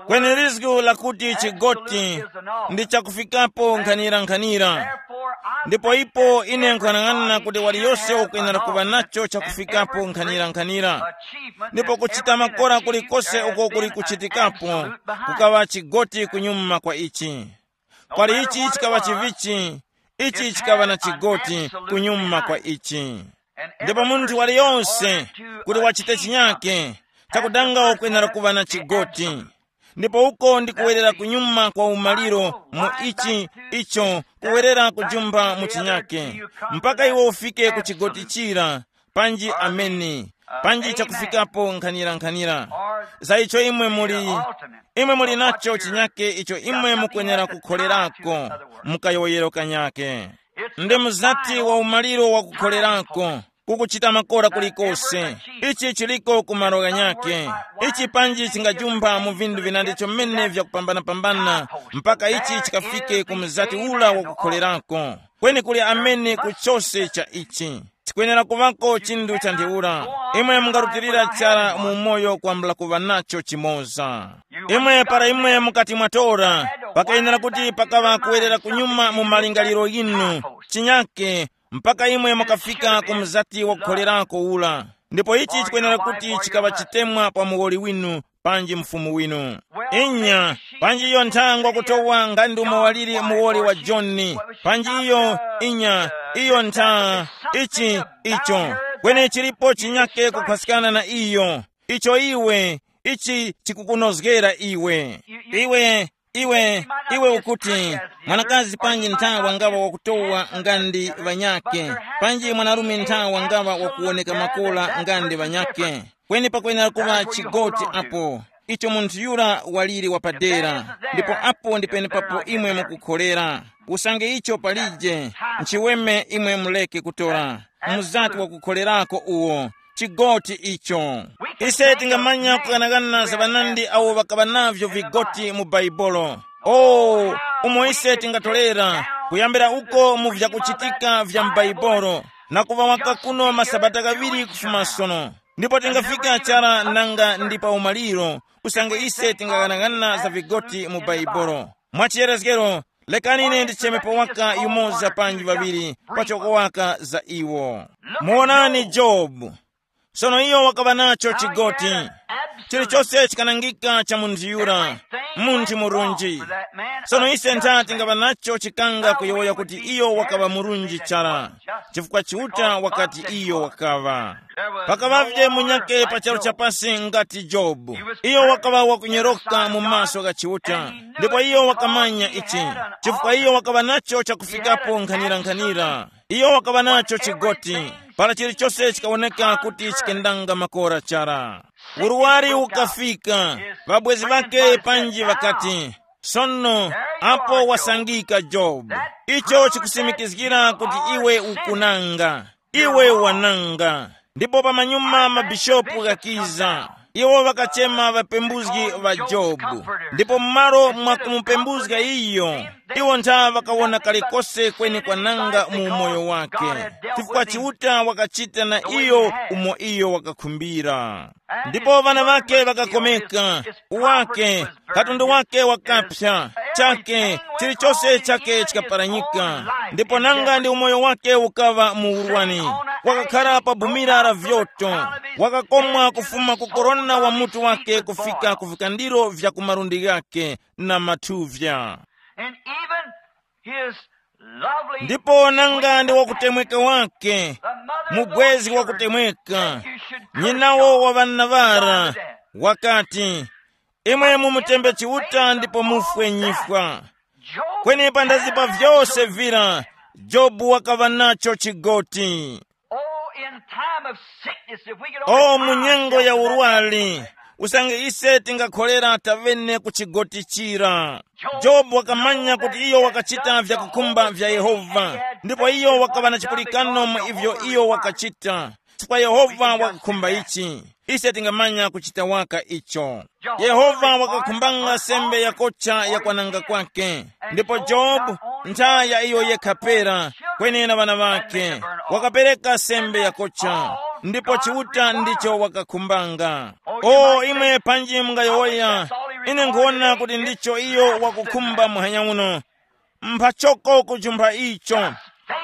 Kweni lizgu lakuti chigoti ndi chakufikapo nkhanira-nkhanira. Ndipo ipo ine nkhanang'ana kuti waliyose ukwenera kuŵa nacho chakufikapo nkhanira-nkhanira. Ndipo kuchita makora kulikose uko kuli kuchitikapo, kukaŵa chigoti kunyuma kwa ichi. Kwali ichi chikaŵa chivichi, ichi chikaŵa na chigoti kunyuma kwa ichi. Ndipo munthu waliyonse kuti wachite chinyake, chakudanga wakwenera kuŵa na chigoti. Ndipo uko ndi kuwerera kunyuma kwa umaliro mu ichi, icho kuwerera kujumba mu chinyake, mpaka iwe ufike ku chigoti chira, panji ameni, panji chakufikapo nkhanira-nkhanira. Za icho imwe muli, imwe muli nacho chinyake icho imwe mukwenera kukholerako, mukayowoyero kanyake. Ndi mzati wa umaliro wa kukholerako, kukuchita makora kulikose. Ichi chiliko ku malo ghanyake. Ichi panji chingajumba mu vinthu vinandi chomene vyakupambana-pambana, mpaka ichi chikafike ku mzati ula wa kukholerako. Kweni kuli amene ku chose cha ichi. Chikwenera kuŵako chinthu cha ntheura. Imwe mungarutilira chara mu umoyo kwambula kuŵa nacho chimoza. Imwe para imwe mukati mwatora, pakayenera kuti pakaŵa kuwerera kunyuma mu malingaliro yinu, chinyake, mpaka imwe mukafika ku mzati wakukholerako ula. Ndipo ichi chikwenera kuti chikaŵa chitemwa pa muwoli winu, panji mfumu winu. Inya, panji iyo nthangwa kutowa nga ndi umo waliri muwoli wa Joni, panji iyo, inya, iyo ntha, ichi, icho. Kweni chilipo chinyake kuphaskana na iyo, icho iwe, ichi chikukunozgera iwe. Iwe, iwe, iwe ukuti, mwanakazi panji ntha wangawa wakutowa nga ndi ŵanyake, panji mwanarume ntha wangawa wakuwoneka makola nga ndi ŵanyake. Kweni pakwenera kuŵa chigoti apo, icho munthu yura waliri wapadera, ndipo apo ndi penepapo imwe mukukholera. Usange icho palije, nchiweme imwe muleke kutora. Muzati wakukholerako uwo, chigoti icho. Ise tingamanya kughanaghana za ŵanandi awo ŵakaŵa navyo vigoti mu Bhaibuli. O, umo ise tingatolera, kuyambira uko mu vyakuchitika vya m'Bhaibuli, na kuŵa waka kuno masabata ghaŵiri kufuma sono. Ndipo tingafika chara nanga ndi pa umaliro, usange ise tingaghanaghana za vigoti mu Bhaibuli. Mwa chiyerezgero, Lekani ine ndichemepo waka yumoza panji ŵaŵiri pachoko waka za iwo. Muwonani Jobu. Sono iyo wakaŵa nacho chigoti. Chilichose chikanangika cha munthu yura, munthu murunji. Sono ise ntha tingaŵa nacho chikanga kuyowoya kuti iyo wakaŵa murunji chara, chifukwa Chiuta wakati iyo wakaŵa. Pakaŵavye munyakhe pa charu chapasi ngati Jobu. Iyo wakaŵa wakunyoroka mu maso gha Chiuta, ndipo iyo wakamanya ichi, chifukwa iyo wakaŵa nacho chakufikapo nkhanira-nkhanira. Iyo wakaŵa nacho chigoti, para chilichose chikawoneka kuti chikendanga makora chara. Uruwari ukafika, ŵabwezi ŵake panji ŵakati, sono, apo wasangika Jobu. Icho chikusimikizgira kuti iwe ukunanga. Iwe wananga. Ndipo pamanyuma mabishopu ghakiza, iwo ŵakachema ŵapembuzgi ŵa Jobu. Ndipo m'malo mwa kumupembuzga iyo, iwo ntha ŵakawona kalikose kweni kwananga mu umoyo wake, chifukwa Chiuta wakachita na iyo umo iyo wakakhumbira. Ndipo ŵana ŵake ŵakakomeka, wake, katundu wake wakapsa, chake, chilichose chake chikaparanyika. Ndipo nanga ndi umoyo wake ukaŵa mu urwani, wakakhara pa bumira la vyoto, wakakomwa kufuma ku korona wa mutu wake kufika ku vikandiro vya ku malundi ghake na mathuvya. And even his lovely ndipo nanga ndi wakutemweka wake, mubwezi wakutemweka, nyinawo wa ŵana ŵara, wakati, imwe mumutembe Chiuta ndipo mufwe nyifwa. Kweni pandazi pa vyose vira, Jobu wakaŵa nacho chigoti. Oh, in time of sickness, if we could only o mu nyengo ya urwali, usange ise tingakholera tavene ku chigoti chira. Jobu wakamanya kuti iyo wakachita vyakukhumba vya Yehova, ndipo iyo wakaŵa na chipulikano mu ivyo iyo wakachita, chifukwa Yehova wakakhumba ichi. Ise tingamanya kuchita waka icho. Yehova wakakhumbanga sembe yakocha ya kwananga kwake, ndipo Jobu, ntha ya iyo yekha pera, kweni na ŵana ŵakhe, wakapereka sembe yakocha, ndipo Chiuta ndicho wakakhumbanga. O imwe panji mungayowoya, ine nkhuwona kuti ndicho iyo wakukhumba muhanya uno. Mphachoko kujumpha icho,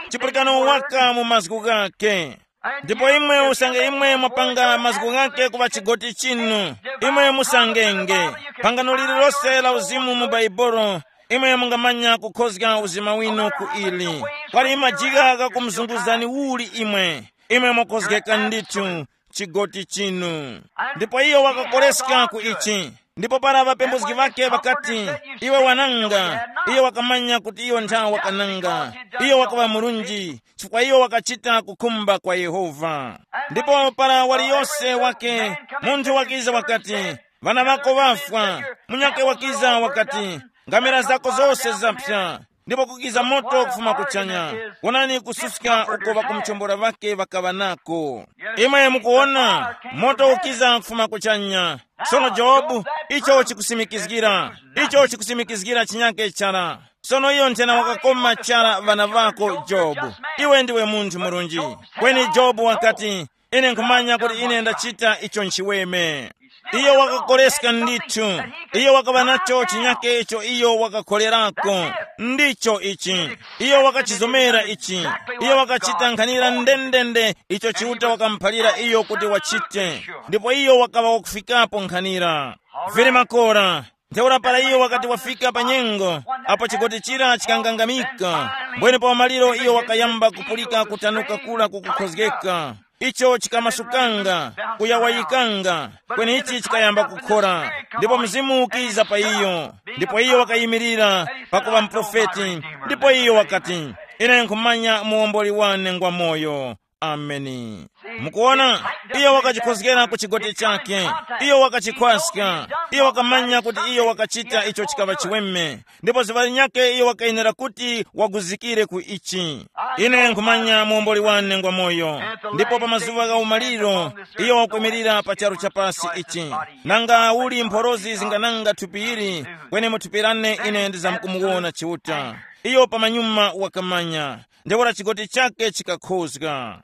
chipulikano waka mu mazgu ghake. Ndipo imwe usange imwe mwapanga mazgu ghake kuŵa chigoti chinu, imwe musangenge. Pangano lililose la uzimu mu Baibolo, imwe mungamanya kukhozga uzima winu ku ili. Kwali majigha ghakumuzunguzani uli imwe, imwe mwakhozgeka ndithu chigoti chinu. Ndipo iyo wakakoleska ku ichi. Ndipo para ŵapembuzgi ŵakhe ŵakati, iwe wananga, iyo wakamanya kuti iyo nthawi wakananga, iyo wakaŵa murunji, chifukwa iyo wakachita kukhumba kwa Yehova. Ndipo para waliyose wake, munthu wakiza wakati, ŵana ŵako ŵafwa. Munyakhe wakiza wakati, ngamira zako zose zaphya. Ndipo kukiza moto kufuma kuchanya. Wonani kususka uko ŵakumuchombora ŵake ŵakaŵa nako. Imwe mukuwona, moto ukiza kufuma kuchanya. Sono Jobu, icho chikusimikizgira, icho chikusimikizgira chinyake chara. Sono iyo nthena wakakoma chara ŵana ŵako Jobu. Iwe ndiwe munthu murunji. Kweni Jobu wakati, ine nkhumanya kuti ine ndachita icho nchiweme. Iyo wakakoleska ndithu. Iyo wakaŵa nacho chinyake icho iyo wakakholerako. Ndicho ichi. Iyo wakachizomera ichi. Iyo wakachita nkhanira ndendende icho Chiuta wakamuphalira iyo kuti wachite. Ndipo iyo wakaŵa wakufikapo nkhanira. Vili makora. Ntheura para iyo wakati wafika pa nyengo, apo chigoti chira chikangangamika, mbwene pa umaliro iyo wakayamba kupulika kutanuka kura kukukhozgeka. Icho chikamasukanga, kuyawayikanga, kweni ichi chikayamba kukhora. Ndipo Mzimu ukiza pa iyo, ndipo iyo wakayimirira pakuŵa muprofeti. Ndipo iyo wakati, ine nkhumanya muwomboli wane ngwa moyo. Ameni. Mukuona, iyo wakachikhozgera ku chigoti chake. Iyo wakachikhwaska. Iyo wakamanya kuti iyo wakachita icho chikaŵa chiweme. Ndipo ziŵa linyakhe iyo wakayenera kuti waguzikire ku ichi. Ine nkhumanya muomboli wane ngwa moyo. Ndipo pa mazuŵa gha umaliro, iyo wakwimirira pa charu cha pasi ichi. Nanga uli mphorozi zingananga thupi ili, kweni mu thupi lane ine ndizamkumuwona Chiuta. Iyo pamanyuma wakamanya. Ntheura chigoti chake chikakhozga.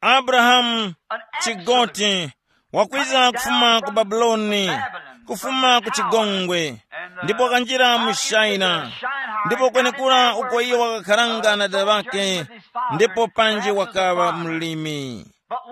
Abrahamu, an chigoti, wakwiza kufuma ku Babuloni, kufuma ku chigongwe, ndipo wakanjira mu Shaina. Ndipo kwenekura uko iyo wakakharanga na dada ŵakhe, ndipo panji wakaŵa mlimi.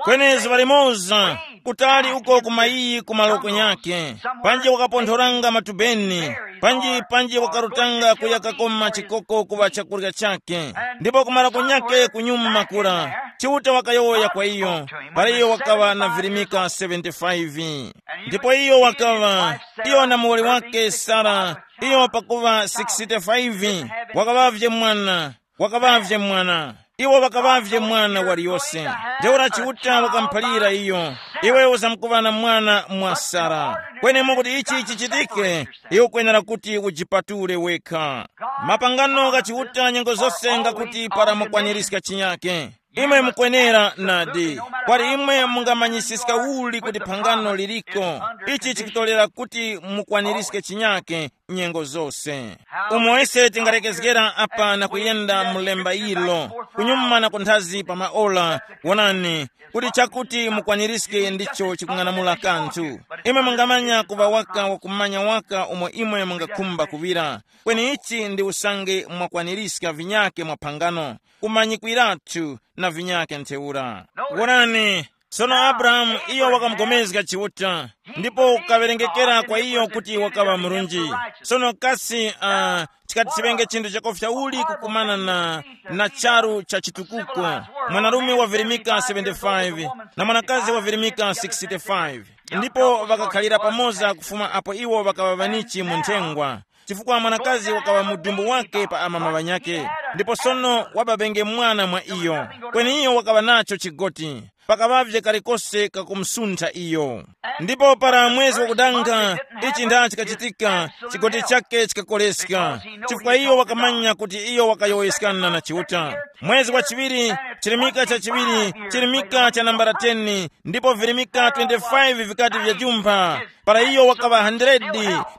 Kweni zuŵa limoza, kutali uko ku mayiyi ku maloko nyakhe, panji wakaponthoranga matubeni, panji panji wakarutanga kuya kakoma chikoko kuŵa chakurya chakhe, ndipo kumara kunyakhe kunyuma kura, Chiuta wakayowoya kwa iyo, para iyo wakaŵa na virimika seventy-five. Ndipo iyo wakaŵa, iyo na muwoli wake Sara, iyo pakuŵa sixty-five, wakaŵavye mwana, wakaŵavye mwana. Iwo ŵakaŵavye mwana waliyose. Ntheura Chiuta wakamuphalira iyo, iwe uzamkuŵa na mwana mwa Sara. Kweni mwakuti ichi chichitike, iwe ukwenera kuti ujipatule wekha. Mapangano gha Chiuta nyengo zose ngakuti para mukwanirizga chinyake. Imwe mukwenera nadi, kwali imwe mungamanyisiska uli kuti phangano liliko, ichi chikutolera kuti mukwanirizge chinyake nyengo zose. Umo ise tingalekezgera apa na kuyenda mu lemba ilo, kunyuma na kunthazi pa maola, wonani, kuti chakuti mukwanirizge ndicho chikung'anamula kanthu. Imwe mungamanya kuŵa waka wakumanya waka umo imwe mungakhumba kuŵira, kweni ichi ndi usange mwakwanirizga vinyake mwa phangano, kumanyikwiratu na vinyake ntheura. Wonani, sono Abrahamu iyo wakamupulikana Chiuta, ndipo kukawerengekera kwa iyo kuti wakaŵa murunji. Sono kasi uh, chikati chiŵenge chinthu chakofya uli kukumana na, na charu cha chitukuko, mwanarume wavirimika seventy-five na mwanakazi wavirimika sixty-five, ndipo ŵakakhalira pamoza kufuma apo iwo ŵakaŵa ŵanichi mu nthengwa, chifukwa mwanakazi wakaŵa mudumbu wake pa amama ŵanyakhe, ndipo sono wababenge mwana mwa iyo, kweni iyo wakaŵa nacho chigoti, pakaŵavye kalikose kakumusuntha iyo. Ndipo para mwezi wakudanga, ichi nda chikachitika, chigoti chake chikakoleska, chifukwa iyo wakamanya kuti iyo wakayowoyeskana na Chiuta. Mwezi wa chiŵiri, chirimika cha chiŵiri, chirimika cha nambala ten, ndipo virimika twenty-five vikati vyajumpha, para iyo wakaŵa hundred,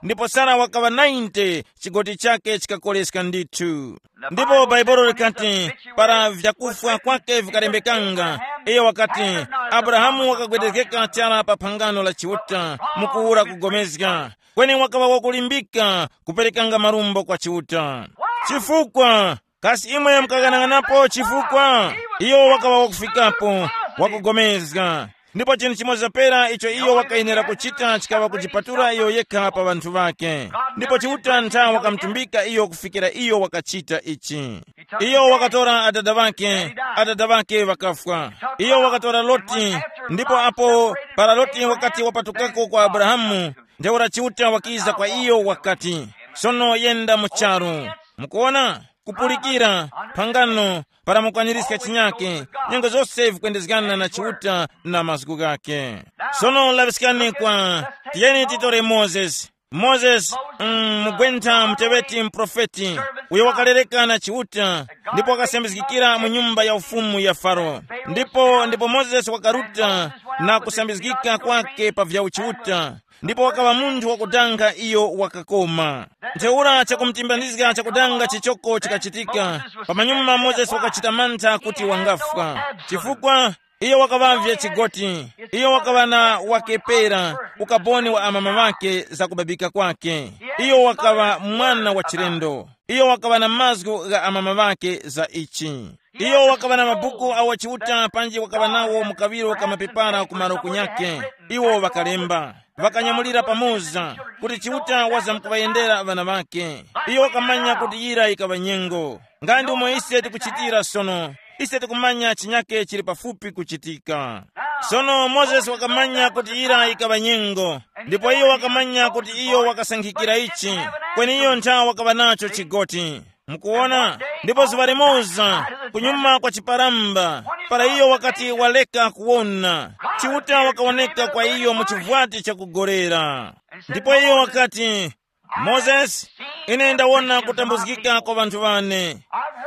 ndipo Sara wakaŵa ninety, chigoti chake chikakoleska ndithu. Ndipo Bhaibuli likati, para vyakufwa kwake vikalembekanga, iyo wakati, Abrahamu wakagwedezgeka chara pa phangano la Chiuta, mukuwura kugomezga, kweni wakaŵa wakulimbika kuperekanga marumbo kwa Chiuta. Chifukwa, kasi imwe mukaghanag'anapo chifukwa? Iyo wakaŵa wakufikapo, wakugomezga. Ndipo chinthu chimoza pera icho iyo wakayenera kuchita chikaŵa kujipatula iyo yekha pa ŵanthu ŵake. Ndipo Chiuta ntha wakamutumbika iyo kufikira iyo wakachita ichi. Iyo wakatora adada ŵake, adada ŵake ŵakafwa. Iyo wakatora Loti, ndipo apo para Loti wakati wapatukako kwa Abrahamu, ntheura Chiuta wakiza kwa iyo wakati, sono yenda mu charu. Mukuona? Kupulikira, phangano, para mukwanirizga chinyake, nyengo zose vikwendezgana na Chiuta na mazgu ghake. Sono laŵiskani kwa, tiyeni titore Mozesi. Mozesi, mm, mugwentha muteŵeti muprofeti, uyo wakalereka na Chiuta, ndipo wakasambizgikira mu nyumba ya ufumu ya Faro. Ndipo, ndipo Mozesi wakaruta na kusambizgika kwake pa vya uchiuta, ndipo wakaŵa munthu wakudanga iyo wakakoma. Ntheura chakumutimbanizga chakudanga chichoko chikachitika. Pamanyuma Mozesi wakachita mantha kuti wangafwa, chifukwa iyo wakaŵavye chigoti, iyo wakaŵa na wakepera, ukaboni wa amama ŵake za kubabika kwake. Iyo wakaŵa mwana wa chilendo, iyo wakaŵa na mazgu gha amama ŵake za ichi. Iyo wakaŵa na mabuku awo Chiuta panji wakaŵa nawo mu kaŵiro ka mapepara ku malo kunyakhe. Iwo ŵakalemba, ŵakanyamulira pamoza kuti Chiuta wazamkuŵayendera ŵana ŵakhe. Iyo wakamanya kuti yira yikaŵa nyengo. Nga ndi umo ise tikuchitira sono, ise tikumanya chinyakhe chili pafupi kuchitika. Sono Mozesi wakamanya kuti yira yikaŵa nyengo, ndipo iyo wakamanya kuti iyo wakasankhikira ichi, kweni iyo ntha wakaŵa nacho chigoti. Mukuwona? Ndipo zuŵa limoza, kunyuma kwa chiparamba, para iyo wakati waleka kuwona, Chiuta wakawoneka kwa iyo mu chivwati chakugorera. Ndipo iyo wakati, Mozesi, ine ndawona kutambuzgika kwa ŵanthu ŵane.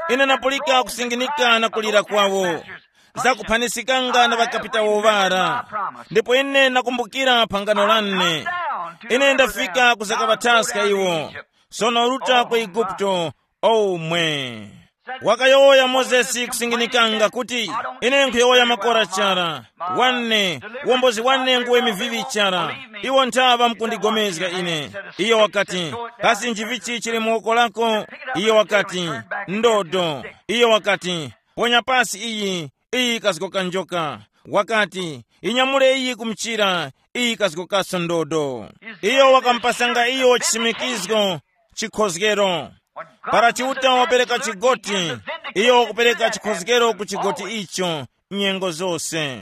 Ine ndapulika kusinginika na kulira kwawo, zakuphanisikanga na ŵakapitawo ŵara. Ndipo ine ndakumbukira phangano lane. Ine ndafika kuzakaŵathaska iwo. Sono ruta ku Eguputo, omwe. Wakayowoya Mozesi kusinginikanga kuti, ine nkhuyowoya makora chara, wane, uwombozi wane nguwe mivivi chara. Iwo nthawa mukundigomezga ine. Iyo wakati, kasi nchivichi chili mu woko lako? Iyo wakati, ndodo. Iyo wakati, ponya pasi iyi, iyi kazgoka njoka. Wakati, inyamule iyi ku mchira, iyi kazgokaso ndodo. Iyo wakamupasanga iyo chisimikizgo, chikhozgero. Para Chiuta wapereka chigoti, iyo wakupereka chikhozgero ku chigoti icho nyengo zose.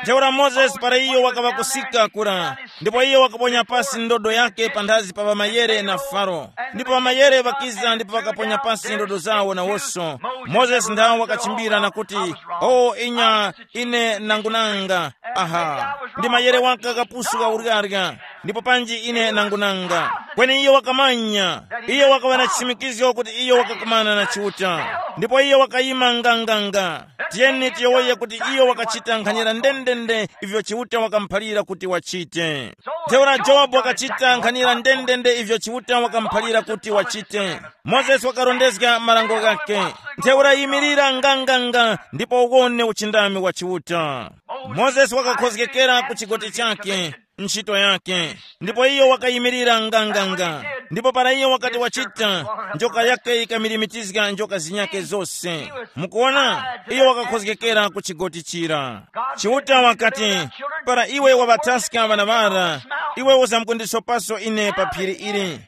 Ntheura Mozesi para iyo wakaŵa kusika kura, ndipo iyo wakaponya pasi ndodo yake panthazi pa ŵamayere na Faro. Ndipo ŵamayere ŵakiza ndipo ŵakaponya pasi ndodo zawo nawonso. Mozesi ndawo wakachimbira na kuti, o inya, ine nangunanga. Aha, ndi mayere waka kapusu ka uryarya. Ndipo panji ine nangunanga. Kweni iyo wakamanya, iyo wakaŵa na chisimikizgo kuti iyo wakakumana na Chiuta. Ndipo iyo wakayima nganganga. Tiyeni tiyowoye kuti iyo wakachita nkhanira ndendende ivyo Chiuta wakamuphalira kuti wachite. Ntheura Jobu wakachita nkhanira ndendende ivyo Chiuta wakamuphalira kuti wachite. Mozesi wakarondezga marango ghakhe. Ntheura yimirira nganganga ndipo uwone uchindami wa Chiuta. Mozesi wakakhozgekera ku chigoti chake, ntchito yake, ndipo iyo wakayimirira nganganga. Ndipo para iyo wakati wachita, njoka yake yikamilimitizga njoka zinyake zose. Mukuona, iyo wakakhozgekera ku chigoti chira. Chiuta wakati, para iwe waŵathaska ŵana ŵara, iwe uzamkundisopaso ine pa phiri ili.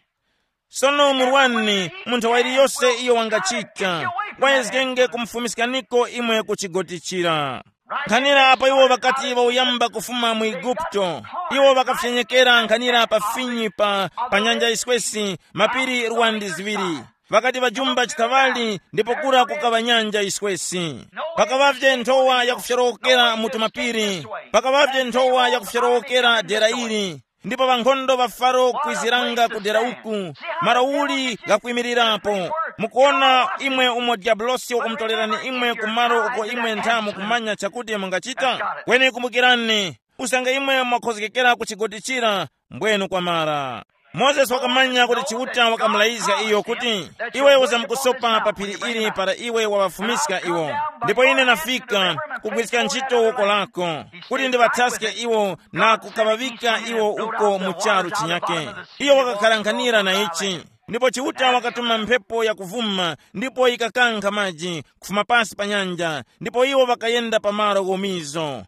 Sono murwani, mu nthawa iliyose iyo wangachita, wayezgenge kumufumiskaniko imwe ku chigoti chira. Nkhanira apo iwo ŵakati ŵauyamba kufuma mu Eguputo, iwo ŵakafyenyekera nkhanira pa finyi pa, pa nyanja yiswesi, mapiri luwandi ziŵiri. Ŵakati ŵajumba chithaŵali ndipo kura kukaŵa nyanja yiswesi. Pakaŵavye nthowa yakufyorowokera mu tumapiri, pakaŵavye nthowa yakufyorowokera dera ili. Ndipo ŵankhondo ŵa Faro kwiziranga ku dera uku, malo uli ghakwimirirapo. Mukuona imwe umo diabolosi wakumutorerani imwe ku malo uko imwe ntha mukumanya chakuti mungachita? Kweni kumbukirani, usange imwe mwakhozgekera ku chigoti chira, mbwenu kwamara. Mozesi wakamanya kuti Chiuta wakamulayizga iyo kuti, iwe uzamukusopa pa phiri ili para iwe waŵafumiska iwo. Ndipo ine nafika kugwiska ntchito woko lako, kuti ndiŵathaske iwo na kukaŵaŵika iwo uko mu charu chinyake. Iyo wakakharankhanira na ichi. Ndipo Chiuta wakatuma mphepo yakuvuma, ndipo yikakankha maji kufuma pasi pa nyanja, ndipo iwo ŵakayenda pa malo ghomizo.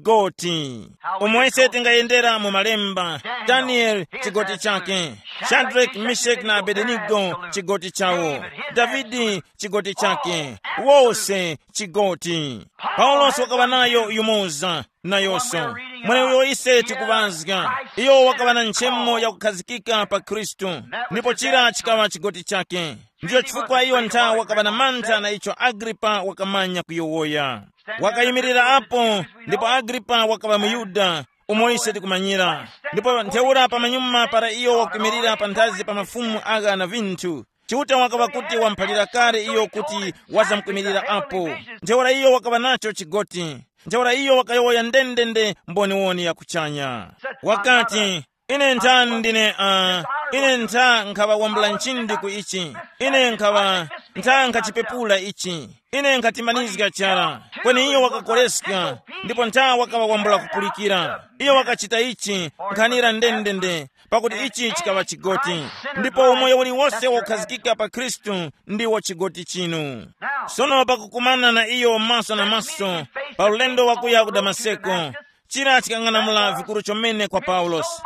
Chigoti. Umo ise tingayendera mu malemba, Danieli chigoti chake, Shadraki, Meshaki na Abedenigo chigoti chawo, Davidi chigoti chake, wose chigoti. Paulosi wakaŵa nayo yumoza nayonso. Mweneuyo ise tikuŵazga, iyo wakaŵa na nchemo yakukhazikika pa Khristu, ndipo chira chikaŵa chigoti chake. Ndicho chifukwa iyo ntha wakaŵa na mantha na icho Agripa wakamanya kuyowoya. Wakayimirira apo, ndipo Agripa wakaŵa muYuda, umo ise tikumanyira. Ndipo ntheura pamanyuma para iyo wakuyimirira panthazi pa mafumu agha na vinthu, Chiuta wakaŵa kuti wamuphalira kale iyo kuti wazamkuyimirira apo. Ntheura iyo wakaŵa nacho chigoti. Ntheura iyo wakayowoya ndendende mboniwoni ya kuchanya. Wakati, ine nthani ndine, uh, ine ntha nkhaŵa wambula nchindi ku ichi. Ine nkhaŵa ntha nkhachipepula ichi. Ine nkhatimanizga chara. Kweni iyo wakakoreska, ndipo ntha wakaŵa wambula kupulikira. Iyo wakachita ichi nkhanira ndendende, pakuti ichi chikaŵa chigoti. Ndipo umoyo uliwose wokhazikika pa Khristu ndiwo chigoti chinu. Sono pakukumana na iyo maso na maso, pa ulendo wakuya ku Damaseko, chira chikang'anamula vikuru chomene kwa Paulosi.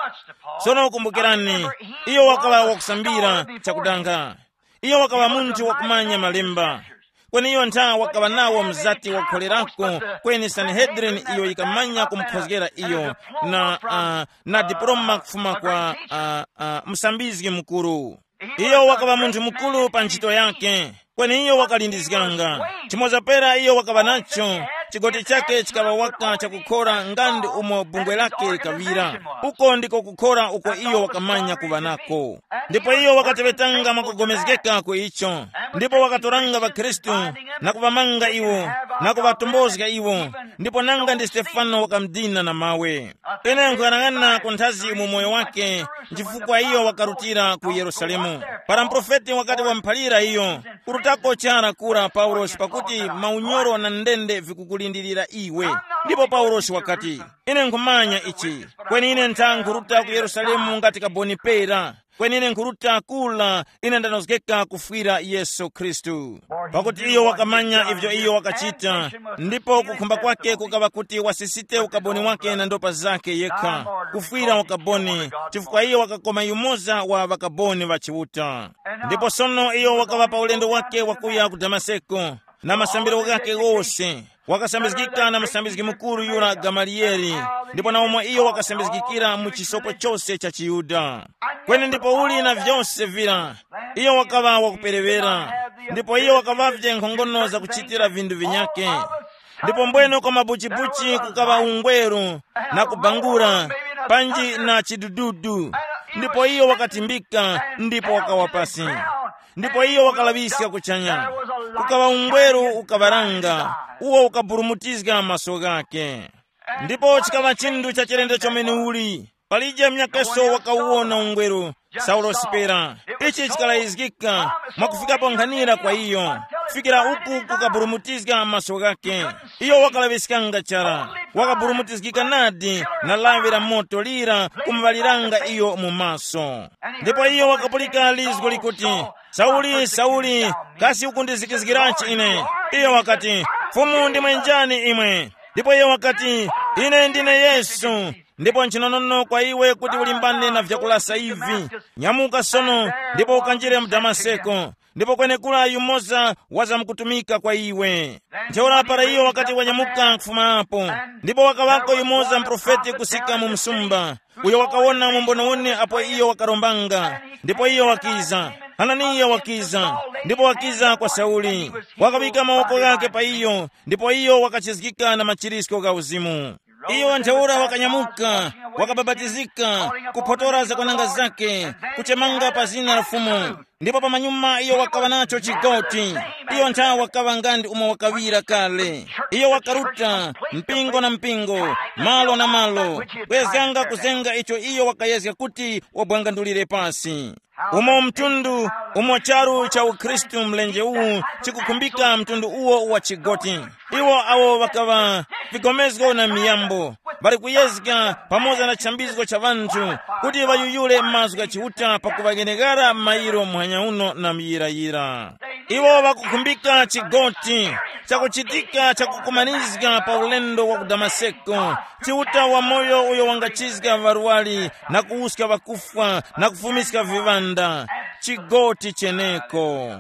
Sono kumbukirani, iyo wakaŵa wakusambira chakudanga. Iyo wakaŵa munthu wakumanya malemba. Kweni iyo ntha wakaŵa nawo mzati wakukholerako, kweni Sanehedrini iyo yikamanya kumukhozgera iyo na, uh, na diploma kufuma kwa, uh, uh, musambizgi mukuru. Iyo wakaŵa munthu mukuru pa ntchito yake, kweni iyo wakalindizganga. Chimoza pera iyo wakaŵa nacho, Chigoti chake chikaŵa waka chakukhora nga ndi umo bungwe lake likaŵira. Uko ndiko kukhora uko iyo wakamanya kuŵa nako. Ndipo iyo wakateŵetanga mwakugomezgeka ku icho, ndipo wakatoranga ŵakhristu na kuŵamanga iwo, na kuŵatombozga iwo, ndipo nanga ndi Stefano wakamudina na mawe. Ine nkuyang'ana ku nthazi mu moyo wake, chifukwa iyo wakarutira ku Yerusalemu. Para muprofeti wakati wamuphalira iyo, kurutako chara kura Paulosi, pakuti maunyoro na ndende vikukulindirira iwe. Ndipo Paulosi wakati, ine nkhumanya ichi, kweni ine ntha nkhuruta ku Yerusalemu ngati kaboni pera. Kweni ine nkhuruta kula, ine ndanozgeka kufwira Yesu Khristu. Pakuti iyo wakamanya ivyo iyo wakachita, ndipo kukhumba kwake kukaŵa kuti wasisite ukaboni wake na ndopa zake yekha, kufwira ukaboni, chifukwa iyo wakakoma yumoza wa ŵakaboni ŵa Chiuta. Ndipo sono iyo wakaŵa pa ulendo wake wakuya ku Damaseko, na masambiro ghake ghose, wakasambizgika na musambizgi mukuru yura Gamaliyeli, ndipo na umo iyo wakasambizgikira mu chisopo chose cha chiYuda. Kweni ndipo uli na vyose vira, iyo wakaŵa wakuperewera, ndipo iyo wakaŵavye nkhongono zakuchitira vinthu vinyake. Ndipo mbwene kwa mabuchibuchi kukaŵa ungweru, na kubangura, panji na chidududu. Ndipo iyo wakatimbika, ndipo wakawa pasi. Ndipo iyo wakalaŵiska kuchanya. Kukaŵa ungweru ukaŵaranga, uwo ukaburumutizga maso ghake. Ndipo chikaŵa chinthu cha chilendo chomene uli. Palije mnyakeso wakawuwona ungweru, Saulo sipera. Ichi chikalayizgika mwakufikapo nkhanira kwa iyo, kufikira uku kukaburumutizga maso ghake. Iyo wakalaŵiskanga chara, wakaburumutizgika nadi, na lawi la moto lira kumuŵaliranga iyo mu maso. Ndipo iyo wakapulika lizgo likuti, sauli, sauli, kasi ukundizikizgiranji ine? Iyo wakati, fumu ndimwe njani imwe? Ndipo iyo wakati, ine ndine Yesu. Ndipo nchinonono kwa iwe kuti ulimbane na vyakulasa ivi. Nyamuka sono, ndipo ukanjire mu Damaseko, ndipo kwenekura yumoza wazamkutumika kwa iwe. Ntheura para iyo wakati wanyamuka nkufuma apo, ndipo wakaŵako yumoza muprofeti kusika mu msumba, uyo wakawona mu mbonewone apo iyo wakarombanga. Ndipo iyo wakiza, Hananiya wakiza, ndipo wakiza kwa Sauli, wakaŵika mawoko ghake pa iyo, ndipo iyo wakachizgika na machirisko gha uzimu. Iyo ntheura wakanyamuka, wakabapatizika, kuphotora zakwananga zake, kuchemanga pa zina la Fumu. Ndipo pamanyuma iyo wakaŵa nacho chigoti. Iyo nthawe wakaŵa nga ndi umo wakaŵira kale. Iyo wakaruta mpingo na mpingo, malo na malo, kwezganga kuzenga icho iyo wakayezga kuti wabwangandulire pasi. Umo mtundu, umo charu cha ukhristu mlenje uwu chikukhumbika mtundu uwo wa chigoti. Iwo awo ŵakaŵa vigomezgo na miyambo, ŵali kuyezga pamoza na chambizgo cha ŵanthu kuti ŵayuyule mazgu gha Chiuta pakuŵaghenekera mairo muhanya uno na muyirayira. Iwo ŵakukhumbika chigoti chakuchitika chakukumanizga pa ulendo wa ku Damaseko, Chiuta wamoyo uyo wangachizga ŵarwari na kuwuska ŵakufwa na kufumiska viŵanda. Chigoti cheneko.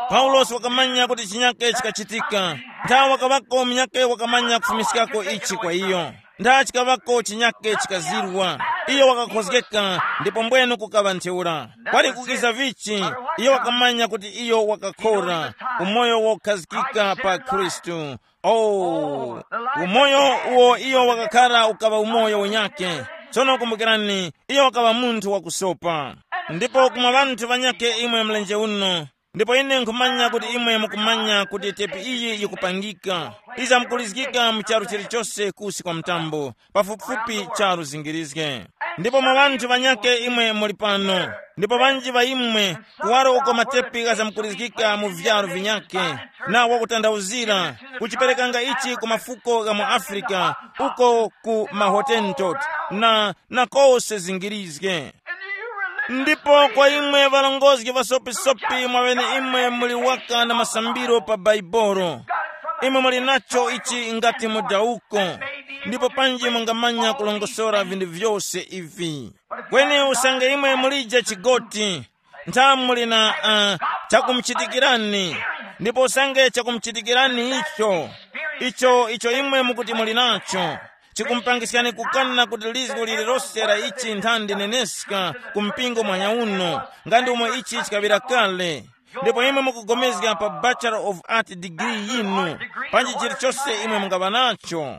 Paulosi wakamanya kuti chinyake chikachitika. Nthawe wakaŵako munyake wakamanya kufumiskako ichi kwa iyo. Ntha chikaŵako chinyake chikazirwa. Iyo wakakhozgeka, ndipo mbwenu kukaŵa ntheura. Kwali kukiza vichi, iyo wakamanya kuti iyo wakakhora umoyo wokhazikika pa Khristu. Oh, umoyo uwo iyo wakakhara ukaŵa umoyo unyake. Tsono kumbukirani, iyo wakaŵa munthu wakusopa. Ndipo kumwa ŵanthu ŵanyakhe imwe mlenje uno, ndipo ine nkhumanya kuti imwe mukumanya kuti tepi iyi yikupangika, izamkulizgika mu charu chilichose kusi kwa mtambo, pafupifupi charu zingirizge. Ndipo mwa ŵanthu ŵanyakhe imwe muli pano, ndipo ŵanji ŵa imwe, kuwaro uko matepi ghazamkulizgika mu vyaru vinyakhe, na wakutandawuzira, kuchiperekanga ichi ku mafuko gha mu Afrika, uko ku mahotentot, na, na kose zingirizge. Ndipo kwa imwe ŵarongozgi ŵasopisopi mwaŵeneimwe muli waka na masambiro pa Baibolo, imwe muli nacho ichi ngati mudawuko, ndipo panji mungamanya kulongosora vinthu vyose ivi. Kweni usange imwe mulije chigoti, ntha muli na uh, chakumuchitikirani, ndipo usange chakumuchitikirani icho, icho icho imwe mukuti muli nacho, chikumupangiskani kukana kuti lizgu lililose la ichi ntha ndineneska ku mpingo mwanya uno, nga ndi umo ichi chikaŵira kale. Ndipo imwe mukugomezga pa Bachelor of Art degree yinu, panji chilichonse imwe mungaŵa nacho.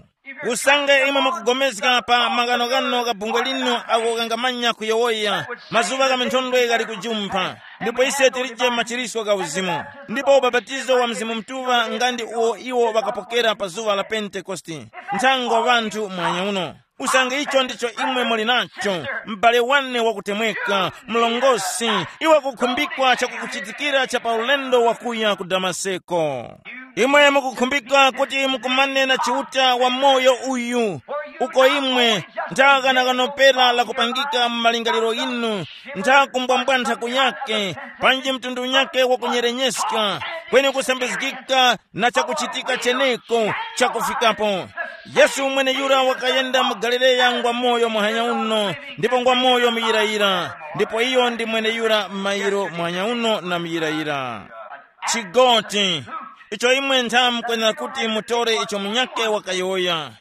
Usange imwe mukugomezga pa maghanoghano gha bungwe linu, awo ghangamanya kuyowoya, mazuŵa gha minthondwe ghali kujumpha, ndipo ise tilije machiriswa gha uzimu. Ndipo ubapatizo wa Mzimu Mutuŵa nga ndi uwo iwo ŵakapokera pa zuŵa la Pentekoste, nthango ŵanthu mwanya uno. Usange icho ndicho imwe muli nacho, m'bale wane wakutemweka, mlongosi, iwe kukhumbikwa chakukuchitikira cha pa ulendo wakuya ku Damaseko. Imwe mukukhumbika kuti mukumane na Chiuta wa moyo uyu, uko imwe nthaghana kanopera lakupangika mu malingaliro yinu, ntha kumbwambwantha kunyake, panji mtundu unyake wakunyerenyeska, kweni kusambizgika na chakuchitika cheneko chakufikapo. Yesu mweneyura wakayenda mu Galileya ngwa moyo muhanya uno, ndipo ngwa moyo muyirayira, ndipo iyo ndi mweneyura m'mayiro muhanya uno na muyirayira. Chigoti, icho imwe ntha mukwenera kuti mutore icho munyake wakayowoya.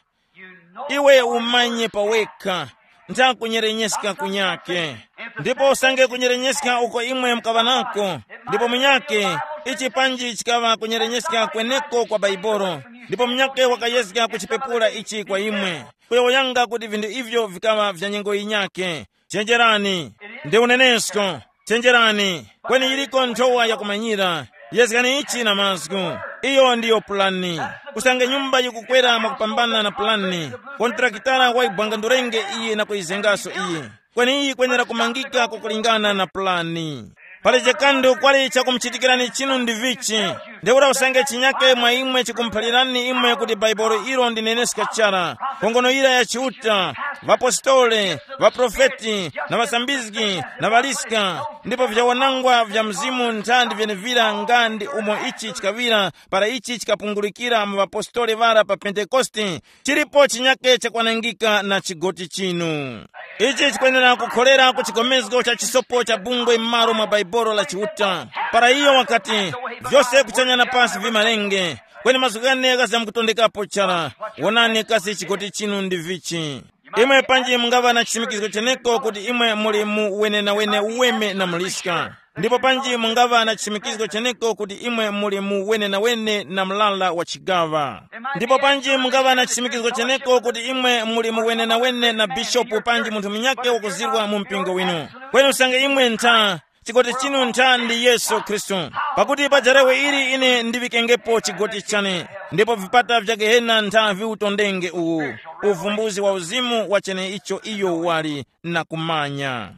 Iwe umanye pawekha, ntha kunyerenyeska kunyake. Ndipo usange kunyerenyeska uko imwe mukaŵa nako, ndipo munyake, ichi panji chikaŵa kunyerenyeska kweneko kwa Baibolo, ndipo munyake wakayezga kuchipepura ichi kwa imwe, kuyowoyanga kuti vinthu ivyo vikaŵa vya nyengo yinyake. Chenjerani, ndi unenesko. Chenjerani, kweni yiliko nthowa yakumanyira. Yezgani ichi na mazgu. Iyo ndiyo pulani. Usange nyumba yikukwera mwakupambana na pulani, kontrakitara wayibwangandurenge iyi na kuyizengaso iyi. Kweni iyi yikwenera kumangika kukulingana na pulani. Pali chikandu kwali chakumuchitikirani chinu ndi vichi? Ntheura usange chinyake mwa imwe chikumuphalirani imwe kuti Baibolo ilo ndi neneska chara, nkhongono yira ya Chiuta, ŵapostole, ŵaprofeti, na ŵasambizgi, na ŵaliska, ndipo vyawanangwa vya Mzimu nthandi vyenevira nga ndi umo ichi chikaŵira para ichi chikapungulikira mu ŵapostole ŵara pa Pentekoste, chilipo chinyake chakwanangika na chigoti chinu. Ichi chikwenera kukhorera ku chigomezgo cha chisopo cha bungwe m'malo mwa Baibolo la Chiuta. Para iyo wakati, vyose kuchanya na pasi vimalenge, kweni mazgu ghane ghazamkutondekapo chara. Wonani kasi chigoti chinu ndi vichi. Imwe panji mungaŵa na chisimikizgo cheneko kuti imwe muli mu wenenawene uweme na muliska. Ndipo panji mungaŵa na chisimikizgo cheneko kuti imwe muli mu wenenawene na mlala wa chigaŵa. Ndipo panji mungaŵa na chisimikizgo cheneko kuti imwe muli mu wenenawene na bishopu panji munthu munyake wakuzirwa mu mpingo winu. Kweni usange imwe ntha, chigoti chinu ntha ndi Yesu Khristu. Pakuti pa darewe ili ine ndiŵikengepo chigoti chane, ndipo vipata vya Gehena ntha viwutondenge uwu. Uvumbuzi wa uzimu wa cheneicho iyo wali na kumanya.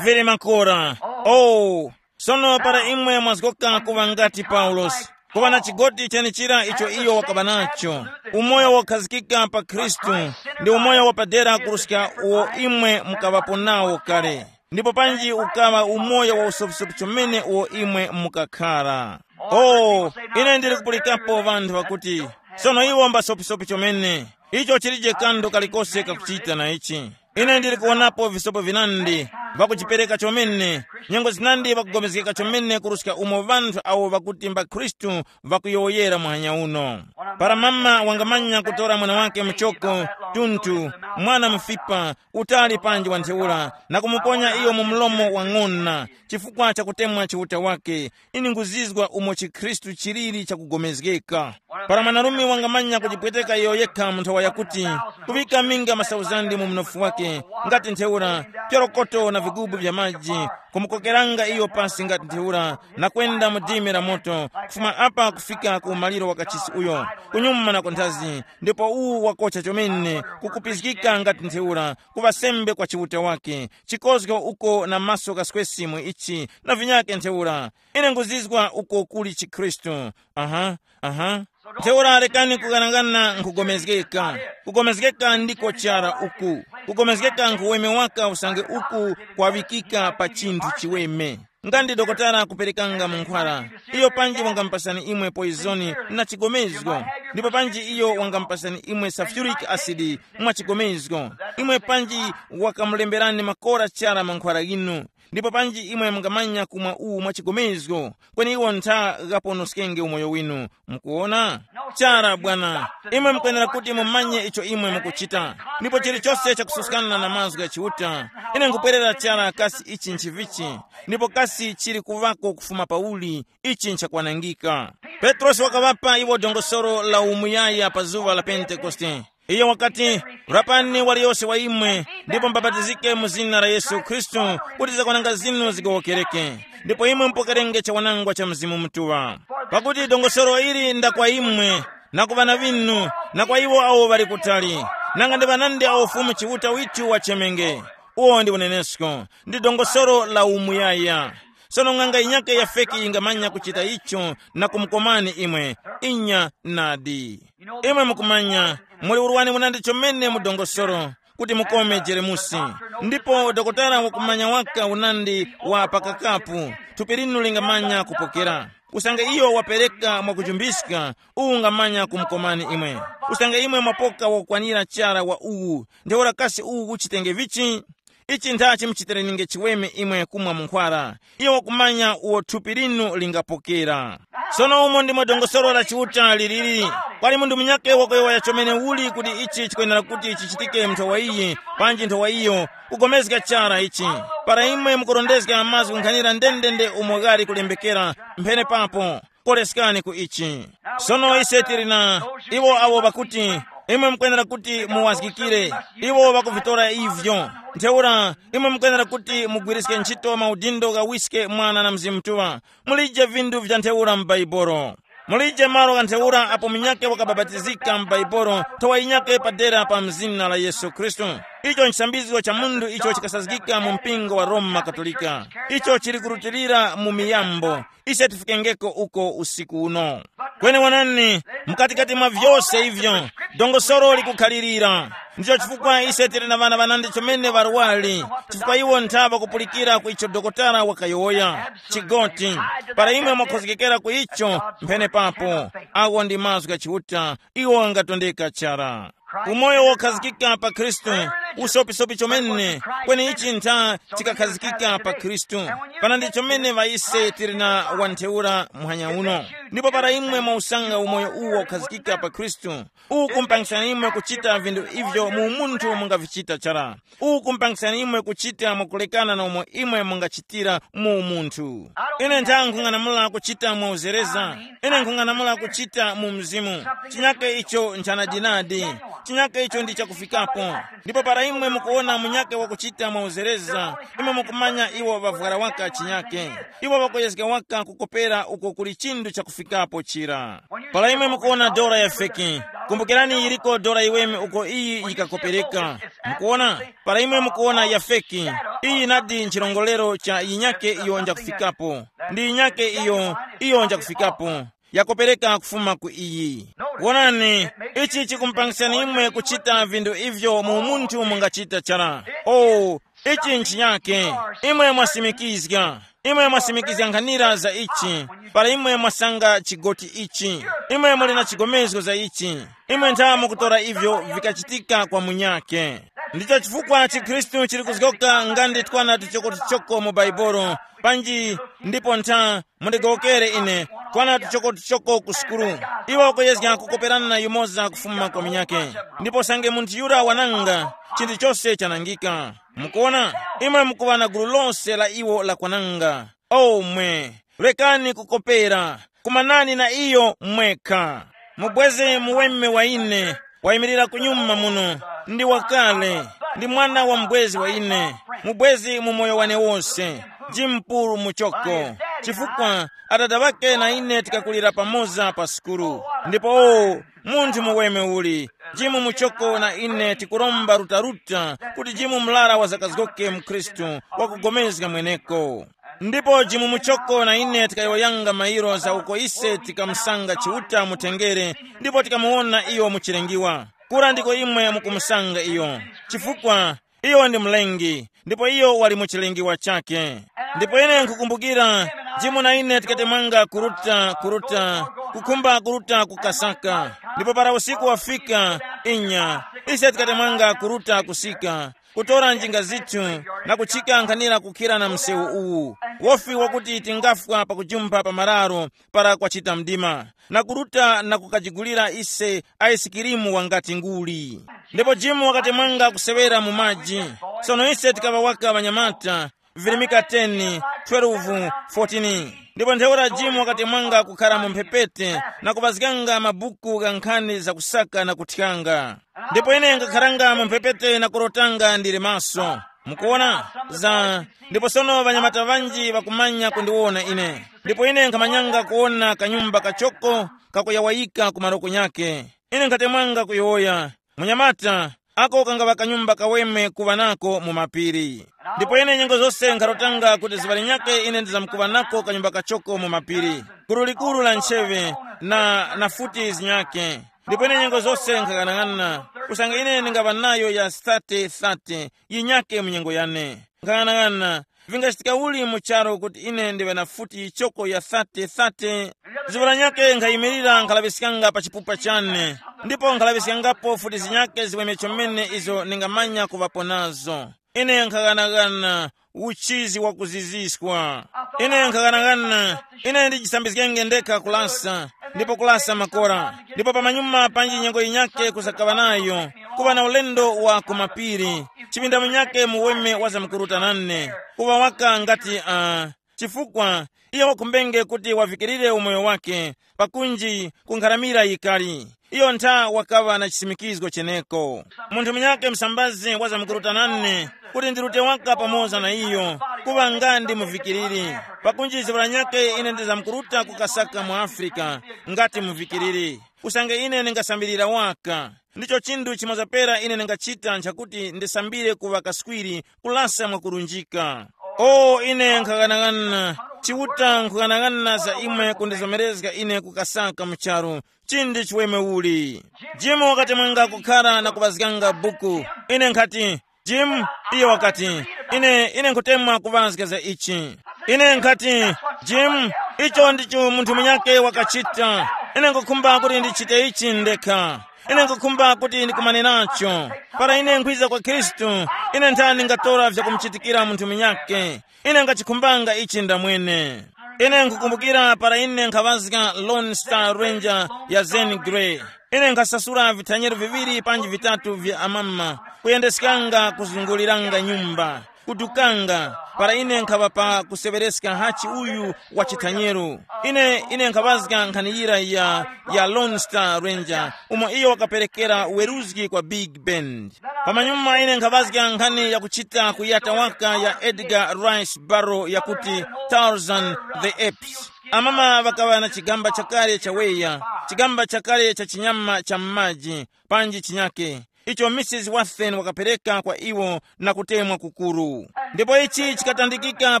Vili makora. Oh, sono para imwe mwazgoka kuŵa ngati Paulosi, kuŵa na chigoti chenichira icho iyo wakaŵa nacho, umoyo wokhazikika pa Khristu, ndi umoyo wapadera kuruska uwo imwe mukaŵapo nawo kale. Ndipo panji ukaŵa umoyo wa usopisopi chomene uwo imwe mukakhara. Oh, ine ndili kupulikapo ŵanthu ŵakuti, sono iwo mbasopisopi chomene. Icho chilije kanthu kalikose kakuchita na ichi. Ine ndili kuwonapo visopo vinandi, vakujipereka chomene, nyengo zinandi vakugomezgeka chomene kuruska umo ŵanthu awo vakuti mba Khristu vakuyowoyera muhanya uno. Para mama wangamanya kutora mwana wake muchoko, tunthu, mwana mufipa, utali panji wa ntheura, na kumuponya iyo mu mlomo wa ng'ona, chifukwa cha kutemwa Chiuta wake, ine nguzizwa umo chikhristu chiliri chakugomezgeka. Para mwanarume wangamanya kujipweteka iyo yekha mu nthawa yakuti, kuŵika minga masauzandi mu mnofu wake, ngati ntheura, pyorokoto na vigubu vya maji, kumukokeranga iyo pasi ngati ntheura, na kwenda mu dimi la moto, kufuma apa kufika ku umaliro wa kachisi uyo, kunyuma na kunthazi, ndipo uwu wakocha chomene, kukupizgika ngati ntheura, kuŵa sembe kwa Chiuta wake, chikozgo uko na maso kaswesi mu ichi, na vinyake ntheura. Ine nguzizwa uko kuli chikhristu. Aha, aha. Ntheura lekani kughanagana nkhugomezgeka. Kugomezgeka ndiko chara uku. Kugomezgeka nkhuweme waka usange uku kwaŵikika pa chinthu chiweme. Nga ndi dokotala kuperekanga munkhwala, iyo panji wangamupasani imwe poizoni na chigomezgo, ndipo panji iyo wangamupasani imwe sulfuric acid mwa chigomezgo, imwe panji wakamulemberani makora chara mankhwala inu. Ndipo panji imwe mungamanya kumwa uwu mwa chigomezgo, kweni iwo ntha ghaponoskenge umoyo winu. Mukuona? Chara bwana, imwe mukwenera kuti mumanye icho imwe mukuchita. Ndipo chilichonse chakususkana na mazgu gha Chiuta, ine nkupwerera chara kasi ichi nchivichi, ndipo kasi chili kuvako kufuma pauli, ichi nchakwanangika. Petrosi wakaŵapa iwo dongosolo la umuyaya pa zuŵa la Pentekoste. Iyo wakati, rapani waliyose wa imwe, ndipo mbabatizike mu zina la Yesu Khristu, kuti zakwananga zinu zigowokereke, ndipo imwe mupokerenge chawanangwa cha Mzimu Mutuŵa. Pakuti dongosolo ili nda kwa imwe, na ku ŵana ŵinu, na kwa iwo awo ŵali kutali, nanga ndi ŵanandi awo Fumu Chiuta withu wachemenge. Uwo ndi unenesko, ndi dongosolo la umuyaya. Sono ng'anga yinyakhe ya feki yingamanya kuchita icho na kumukomani imwe. Inya nadi. Imwe mukumanya, muli urwani unandi chomene mu dongosolo, kuti mukome jeremusi. Ndipo dokotala wakumanya waka unandi wa pakakapu, thupi linu lingamanya kupokera. Usange iyo wapereka mwakuchumbiska, uwu ungamanya kumukomani imwe. Usange imwe mwapoka wakukwanira chara wa uwu, ntheura kasi uwu uchitenge vichi? Ichi nthachi muchitereninge chiweme imwe kumwa munkhwara, iyo wakumanya uwo thupi linu lingapokera. Sono umo ndimo dongosolo la Chiuta liliri. Kwali munthu munyakhe wakuyowoya chomene uli kuti ichi chikwenera kuti chichitike nthowa iyi, panji nthowa iyo, kugomezga chara ichi. Para imwe mukurondezga mazgu nkhanira ndendende umo ghali kulembekera, mphene papo, koleskani ku ichi. Sono ise tili na iwo awo pakuti, imwe mukwenera kuti muwazgikire, iwo ŵakuvitora ivyo. Ntheura, imwe mukwenera kuti mugwiriske ntchito maudindo ghawiske Mwana na Mzimu Mutuŵa. Mulije vinthu vya ntheura mu Baibolo. Mulije malo gha ntheura apo munyakhe wakabapatizika mu Baibolo, nthowa yinyakhe padera pa mzina la Yesu Khristu. Icho nchisambizgo cha munthu icho chikasazgika mu mpingo wa Roma Katolika. Icho chili kurutilira mu miyambo. Ise tifikengeko uko usiku uno. Kweni wonani, mukatikati mwa vyose ivyo, dongosolo likukhalirira. Ndicho chifukwa ise tili na ŵana ŵanandi chomene ŵarwari, chifukwa iwo nthaŵa kupulikira ku icho dokotala wakayowoya. Chigoti, para imwe mwakhozgekera ku icho, mphene papo, awo ndi mazgu gha Chiuta, iwo angatondeka chara. Umoyo wokhazikika pa Khristu, usopisopi chomene, kweni ichi ntha chikakhazikika pa Khristu. Pana ndi chomene ŵaise tili na wantheura muhanya uno. Ndipo para imwe mwausanga umoyo uwo ukhazikika pa Khristu, uwu kumpangisani imwe kuchita vinthu ivyo mu umunthu mungavichita chara. Uwu kumpangisani imwe kuchita mwakulekana na umo imwe mungachitira mu umunthu. Ine ntha nkhung'anamula kuchita mwauzereza. Ine nkhung'anamula kuchita mu mzimu. Chinyake icho nchanadinadi. Chinyake icho ndi chakufikapo. Ndipo para imwe mukuwona munyake wakuchita mwauzereza, imwe mukumanya iwo ŵavwara waka chinyake. Iwo ŵakuyezga waka kukopera uko kuli chinthu chakufikapo chira. Para imwe mukuwona dora ya feki, kumbukirani yiriko dora yiweme uko iyi yikakopereka. Mukuwona? Para imwe mukuwona ya feki, iyi nadi nchilongolero cha yinyake iyo njakufikapo. Ndi yinyake iyo, iyo njakufikapo. Yakopereka kufuma ku iyi. Wonani, ichi chikumupangisani imwe kuchita vinthu ivyo mu munthu mungachita chara. Oh, ichi nchinyake. Imwe mwasimikizga. Imwe mwasimikizga nkhanira za ichi. Para imwe mwasanga chigoti ichi, imwe muli na chigomezgo za ichi. Imwe ntha mukutora ivyo vikachitika kwa munyake. Ndicho chifukwa chikhristu chili kuzgoka nga ndi twana tuchokotuchoko mu Baibolo. Panji, ndipo ntha, mundigowokere ine, twana tuchokotuchoko ku sukulu. Iwo kuyezga kukoperana yumoza kufuma kwa munyake. Ndipo sange munthu yura wananga, chinthu chose chanangika. Mukuona, imwe mukuŵa na gulu lose la iwo lakwananga. O mwe, rekani kukopera, kumanani na iyo mwekha. Mubweze muweme wa ine, wayimirira kunyuma muno, ndi wakale, ndi mwana wa mubwezi wa ine, mubwezi mu moyo wane wose, Jim Puru Muchoko. Chifukwa, adada ŵake na ine tikakulira pamoza pa sukulu. Ndipo, o, munthu muweme uli, Jim Muchoko na ine tikuromba rutaruta kuti Jim mlara wazakazgoke mu Khristu, wakugomezga mweneko. Ndipo Jim Muchoko na ine tikayowoyanga mairo za uko ise tikamusanga Chiuta mu tengere, ndipo tikamuwona iyo mu chilengiwa. Kura ndiko imwe mukumusanga iyo. Chifukwa, iyo ndi mlengi, ndipo iyo wali mu chilengiwa chake. Ndipo ine nkukumbukira, Jim na ine tikatemwanga kuruta, kuruta, kukhumba kuruta ku Kasaka. Ndipo para usiku wafika, inya, ise tikatemwanga kuruta kusika. kutora njinga zithu, na kuchika nkhanira kukhira na msewu uwu, wofi wakuti tingafwa pakujumpha pa mararo para kwachita mdima, na kuruta na kukajigulira ise aisikirimu wangati nguli. Ndipo Jimu wakati mwanga kuseŵera mu maji. Sono ise tikaŵa waka ŵanyamata, virimika ten, twelve, fourteen. Ndipo ntheura Jimu wakati mwanga kukhara mu mphepete na kupazganga mabuku gha nkhani zakusaka na kuthyanga. Ndipo ine nkakharanga mu mphepete na kurotanga ndili maso. Mukuona? Za ndipo sono ŵanyamata ŵanji ŵakumanya kundiwona ine. Ndipo ine nkhamanyanga kuwona kanyumba kachoko kakuyawayika ku maroko nyakhe. Ine nkhatemwanga kuyowoya, munyamata, ako kangaŵa kanyumba kaweme kuŵa nako mu mapiri. Ndipo ine nyengo zose nkharotanga kuti zuŵa linyakhe ine ndizamkuŵa nako kanyumba kachoko mu mapiri, gulu likuru la ncheŵe, na, na futi zinyakhe. Ndipo ine nyengo zose nkhang'anang'ana, kusanga ine ndingaŵa nayo ya thirty thirty yinyakhe mu nyengo yane. Nkhang'anang'ana, vingachitika uli mu charu kuti ine ndiŵe na futi yichoko ya thirty thirty? Zuŵa lanyakhe nkhayimirira nkhalaŵiskanga pa chipupa chane, ndipo nkhalaŵiskangapo futi zinyakhe ziweme chomene izo ningamanya kuŵapo nazo. Ine nkhaghanagana uchizi wakuziziswa. Ine nkhaghanagana, ine ndijisambizgenge ndekha kulasa, ndipo kulasa makora, ndipo pamanyuma panji nyengo yinyakhe kusakaŵa nayo, kuŵa na ulendo wa kumapiri, chipinda munyakhe muweme wazamkuruta nane, kuŵa waka ngati uh, chifukwa iyo wakhumbenge kuti wavikirire umoyo wake, pakunji kunkharamira yikali. Iyo ntha wakaŵa na chisimikizgo cheneko. Munthu munyakhe msambazi wazamkuruta nane kuti ndirute waka pamoza na iyo, kuŵa nga ndi muvikiriri, pakunji zivura nyakhe ine ndizamkuruta kukasaka mu Afrika ngati muvikiriri, usange ine ndingasambirira waka. Ndicho chinthu chimoza pera ine ndingachita nchakuti ndisambire kuŵa kaswiri kulasa mwakurunjika. O ine nkhaghanaghanana, Chiuta nkhughanaghanana za imwe kundizomerezga ine kukasaka mu charu, chindi chiweme uli. Jim wakati mwanga kukhara na kuŵazganga buku. Ine nkhati, Jim, iyo wakati, ine ine nkhutemwa kuŵazga za ichi. Ine nkhati, Jim, icho ndicho munthu munyake wakachita. Ine nkhukhumba kuti ndichite ichi ndekha. Ine nkhukhumba kuti ndikumane nacho. Para ine nkhwiza kwa Khristu, ine nthani ngatora vyakumuchitikira munthu munyake. Ine ngachikhumbanga ichi ndamwene. Ine nkhukumbukira para ine nkhaŵazga Lone Star Ranger ya Zane Grey. Ine nkhasasula vithanyero viŵiri panji vitatu vya amama, kuyendeskanga kuzunguliranga nyumba, kudukanga, para ine nkhaŵa pa kuseŵereska hachi uyu wa chithanyero. Ine ine nkhaŵazga nkhani yira ya, ya Lone Star Ranger, umo iyo wakaperekera weruzgi kwa Big Band. Pamanyuma ine nkhaŵazga nkhani yakuchita kuyata waka ya Edgar Rice Burroughs yakuti Tarzan the Apes. Amama ŵakaŵa na chigamba chakale cha weya, chigamba chakale cha chinyama cha m'maji, panji chinyake, icho Mrs Watson wakapereka kwa iwo na kutemwa kukuru. Ndipo ichi chikatandikika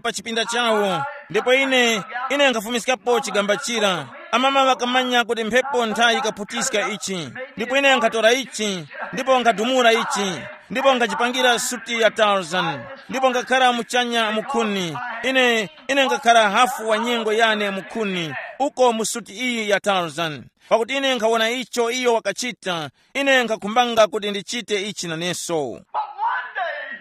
pa chipinda chawo. Ndipo ine ine nkhafumiskapo chigamba chira. Amama ŵakamanya kuti mphepo nthayi ikaphutiska ichi. Ndipo ine nkhatora ichi, ndipo nkhadumula ichi, ndipo nkhachipangira suti ya Tarzan, ndipo nkhakhala muchanya mukhuni. Ine ine nkhakhala hafu wa nyengo yane mukhuni, uko mu suti iyi ya Tarzan, pakuti ine nkhawona icho iyo wakachita. Ine nkhakhumbanga kuti ndichite ichi naneso. But one day,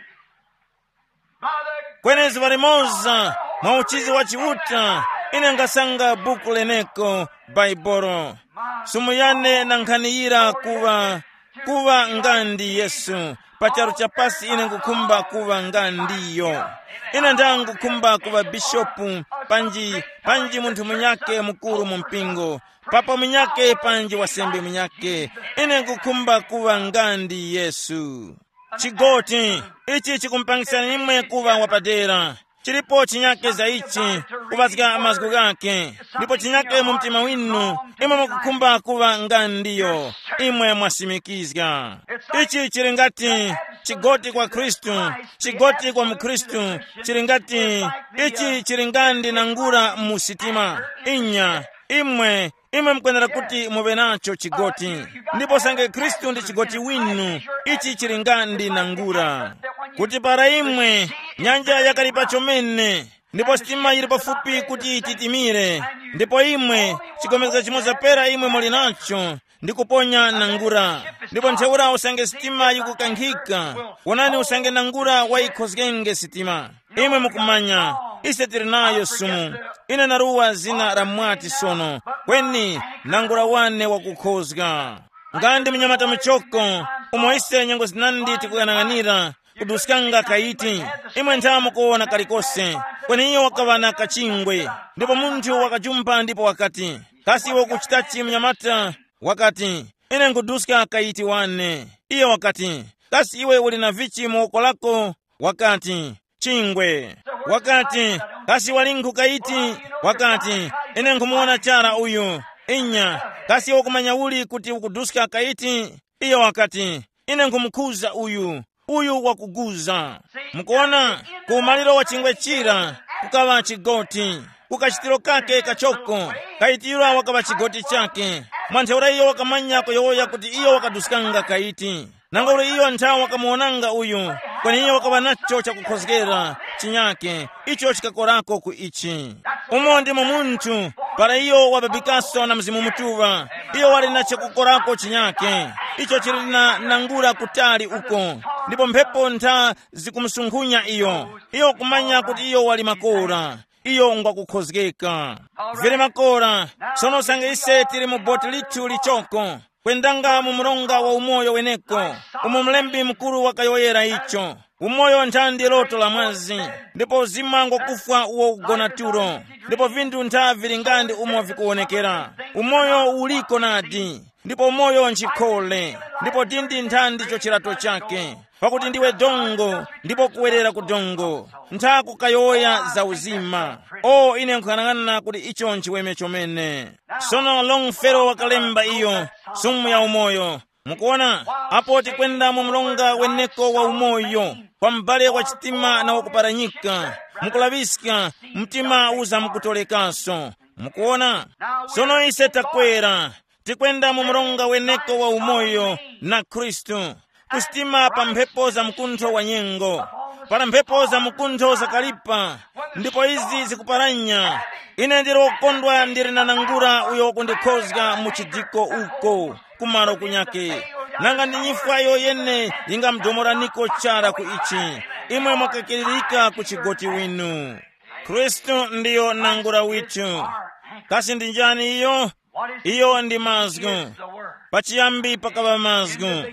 by the kwenezi palimoza, mwa uchizi wa Chiuta, ine nkhasanga buku leneko, Baibolo. Sumu yane na nkhani yira kuŵa, kuŵa nga ndi Yesu. Pa charu cha pasi ine nkukhumba kuŵa nga ndiyo. Ine ndangkukhumba kuŵa bishopu, panji panji munthu munyake mukuru mu mpingo, papa munyake panji wasembe munyake. Ine nkukhumba kuŵa nga ndi Yesu. Chigoti, ichi chikumupangisani imwe kuŵa wapadera. Chilipo chinyake za ichi, kuŵazga mazgu ghake. Ndipo chinyake mu mtima winu, imwe mukukhumba kuŵa nga ndiyo, imwe mwasimikizga. Ichi chili ngati chigoti kwa Khristu, chigoti kwa mukhristu, chili ngati ichi chili nga ndi nangura mu sitima. Inya, imwe imwe mukwenera kuti muŵe nacho chigoti. Ndipo sange Khristu ndi chigoti winu, ichi chili nga ndi nangura. Kuti para imwe, nyanja yakali pachomene, ndipo sitima yili pafupi kuti titimire, ndipo imwe, chigomezga chimoza pera imwe muli nacho, ndi kuponya nangura. Ndipo ntheura usange sitima yikukankhika, wonani usange nangura wayikhozgenge sitima. Imwe mukumanya, ise tili nayo sumu. Ine naruwa zina la mwati sono, kweni nangura wane wakukhozga. Nga ndi munyamata muchoko, umo ise nyengo zinandi tikuyang'anira, kuduskanga kaiti, imwe ntha mukuwona kalikose, kweni iyo wakaŵa na kachingwe. Ndipo munthu wakajumpa ndipo wakati, kasi iwe ukuchitachi munyamata? Wakati, ine nkuduska kaiti wane. Iyo wakati, kasi iwe uli na vichi mu woko lako? Wakati, chingwe. Wakati, kasi walinkhu kaiti? Wakati, ine nkhumuwona chara uyu. Inya, kasi iwe ukumanya uli kuti ukuduska kaiti? Iyo wakati, ine nkhumukhuza uyu, uyu wakuguza. Mukuona, ku umaliro wa chingwe chira kukaŵa chigoti, ku kachitiro kake kachoko, kaitira wakaŵa chigoti chake. Mwa ntheura iyo wakamanya kuyowoya kuti iyo wakaduskanga kaiti. Nanga uli iyo nthawi wakamuwonanga uyu, kweni iyo wakaŵa nacho chakukhozgera chinyake, icho chikakorako ku ichi. Umo ndimo munthu, para iyo wababikaso na Mzimu Mutuŵa, iyo wali na chakukorako chinyake, icho chili na nangula kutali uko, ndipo mphepo ntha zikumusunkhunya iyo. Iyo kumanya kuti iyo wali makora, iyo ngwakukhozgeka. Vili makora, sono usange ise tili mu boti lithu lichoko, kwendanga mu mronga wa umoyo weneko, umo mlembi mukuru wakayowoyera icho. Umoyo nthandi loto la mwazi, ndipo uzima ngwakufwa uwo ukugona tulo, ndipo vinthu ntha vili nga ndi umo vikuwonekera. Umoyo uliko nadi, ndipo umoyo nchikhole, ndipo dindi nthandi cho chirato chake, pakuti ndiwe dongo, ndipo kuwerera ku dongo, ntha kukayowoya za uzima. O, ine nkhuyang'ana kuti icho nchiweme chomene. Sono Longfellow wakalemba iyo, sumu ya umoyo. Mukuona, apo tikwenda mu mlonga weneko wa umoyo, kwa m'bale wa chitima na wakuparanyika, mukulaŵiska, mtima uza mukutolekaso. Mukuona, sono ise takwera, tikwenda mu mlonga weneko wa umoyo na Khristu, kusitima pa mphepo za mkuntho wa nyengo, para mphepo za mkuntho zakalipa, ndipo izi zikuparanya. Ine ndili wokondwa ndili na nangura uyo wakundikhozga mu chidiko uko, kumaro kunyake. Nanga ndi nyifwa yoyene yingamdomoraniko chara ku ichi, imwe mwakakiririka ku chigoti winu. Khristu ndiyo nangura withu. Kasi ndi njani iyo? Iyo ndi mazgu. Pachiyambi pakaŵa mazgu,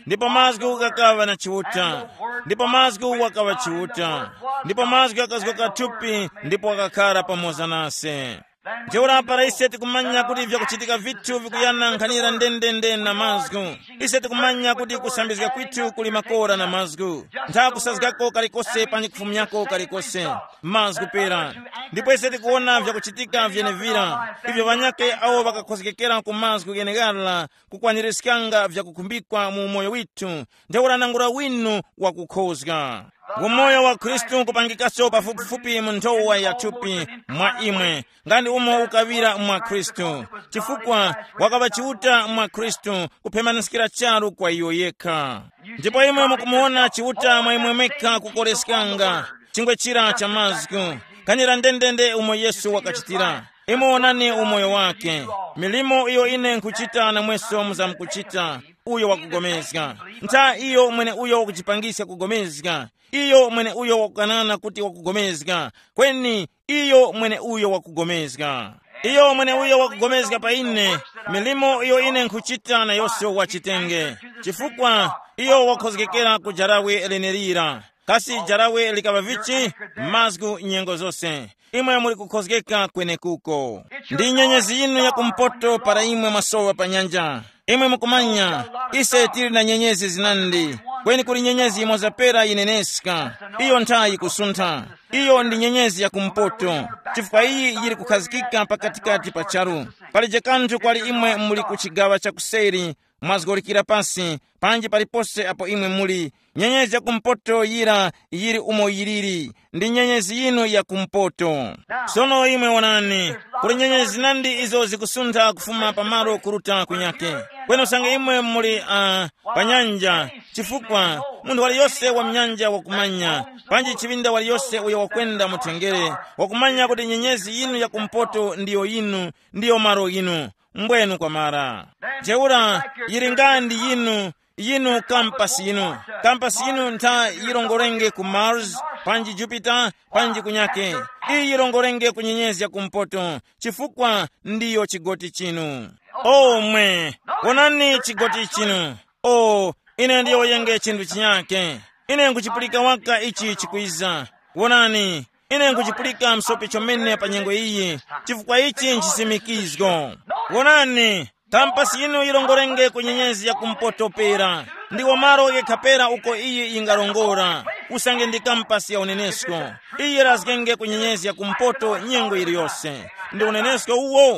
ndipo mazgu ghakaŵa na chiuta, ndipo mazgu wakaŵa chiuta, ndipo mazgu akazgoka thupi ndipo wakakhara pamoza nase. Ntheura para ise tikumanya kuti vyakuchitika vithu vikuyana nkhanira ndendende na mazgu, ise tikumanya kuti kusambizga kwithu kuli makora na mazgu. Ntha kusazgako kalikose panji kufumyako kalikose, mazgu pera. Ndipo ise tikuwona vyakuchitika vyenevira, ivyo ŵanyakhe awo ŵakakhozgekera ku mazgu gheneghara kukwanirizganga vyakukhumbikwa mu umoyo withu, ntheura nangura winu wakukhozga. Umoyo wa Khristu nkupangikaso pafupifupi mu nthowa ya thupi mwa imwe, nga ndi umo ukaŵira mwa Khristu, chifukwa wakaŵa Chiuta mwa Khristu kuphemaniskira charu kwa iyo yekha. Ndipo imwe mukumuwona Chiuta mwa imwe mwekha kukoreskanga chingwe chira cha mazgu, kanyira ndendende umo Yesu wakachitira. Imwe wonani umoyo wake, milimo iyo ine nkhuchita namweso muzamkuchita, uyo wakugomezga. Ntha iyo mwene uyo wakujipangiska kugomezga, iyo mwene uyo wakukanana kuti wakugomezga, kweni iyo mwene uyo wakugomezga. Iyo mwene uyo wakugomezga pa ine, milimo iyo ine nkhuchita nayose wachitenge, chifukwa iyo wakhozgekera ku jarawe lenelira. Kasi jarawe likaŵa vichi? Mazgu nyengo zose. Imwe muli kukhozgeka kwenekuko. Ndi nyenyezi yinu ya kumpoto para imwe mwasowa pa nyanja. Imwe mukumanya, ise tili na nyenyezi zinandi, kweni kuli nyenyezi yimoza pera yineneska. Iyo nthayi kusuntha. Iyo ndi nyenyezi ya kumpoto, chifukwa iyi yili kukhazikika pakatikati pa charu. Palije kanthu kwali imwe muli ku chigaŵa cha kuseri, mwazgolikira pasi, panji palipose apo imwe muli. Nyenyezi ya kumpoto yira yili umo yiliri, ndi nyenyezi yinu ya kumpoto. Sono imwe wonani, kuli nyenyezi zinandi izo zikusuntha kufuma pamalo kuruta kunyake. Kweni usange imwe muli uh, pa nyanja, chifukwa munthu waliyose wa mnyanja wakumanya, panji chiŵinda waliyose uyo wakwenda muthengere, wakumanya kuti nyenyezi yinu ya kumpoto ndiyo yinu, ndiyo malo yinu. Mbwenu kwamara. Ntheura, yili nga ndi yinu, yinu kampasi yinu. Kampasi yinu ntha yirongorenge ku Mars, panji Jupiter, panji kunyake. Iyi yirongorenge ku nyenyezi ya kumpoto, chifukwa ndiyo chigoti chinu. O mwe, wonani chigoti chinu. O, ine ndiyowoyenge chinthu chinyake. Ine nkuchipulika waka ichi chikwiza. Wonani, ine nkuchipulika msope chomene pa nyengo iyi, chifukwa ichi nchisimikizgo. Wonani, kampasi yinu yirongorenge ku nyenyezi ya kumpoto pera. Ndiwo malo yekha pera uko iyi yingarongora. Usange ndi kampasi ya unenesko, iyi yirazgenge ku nyenyezi ya kumpoto nyengo yiliyose. Ndi unenesko uwo.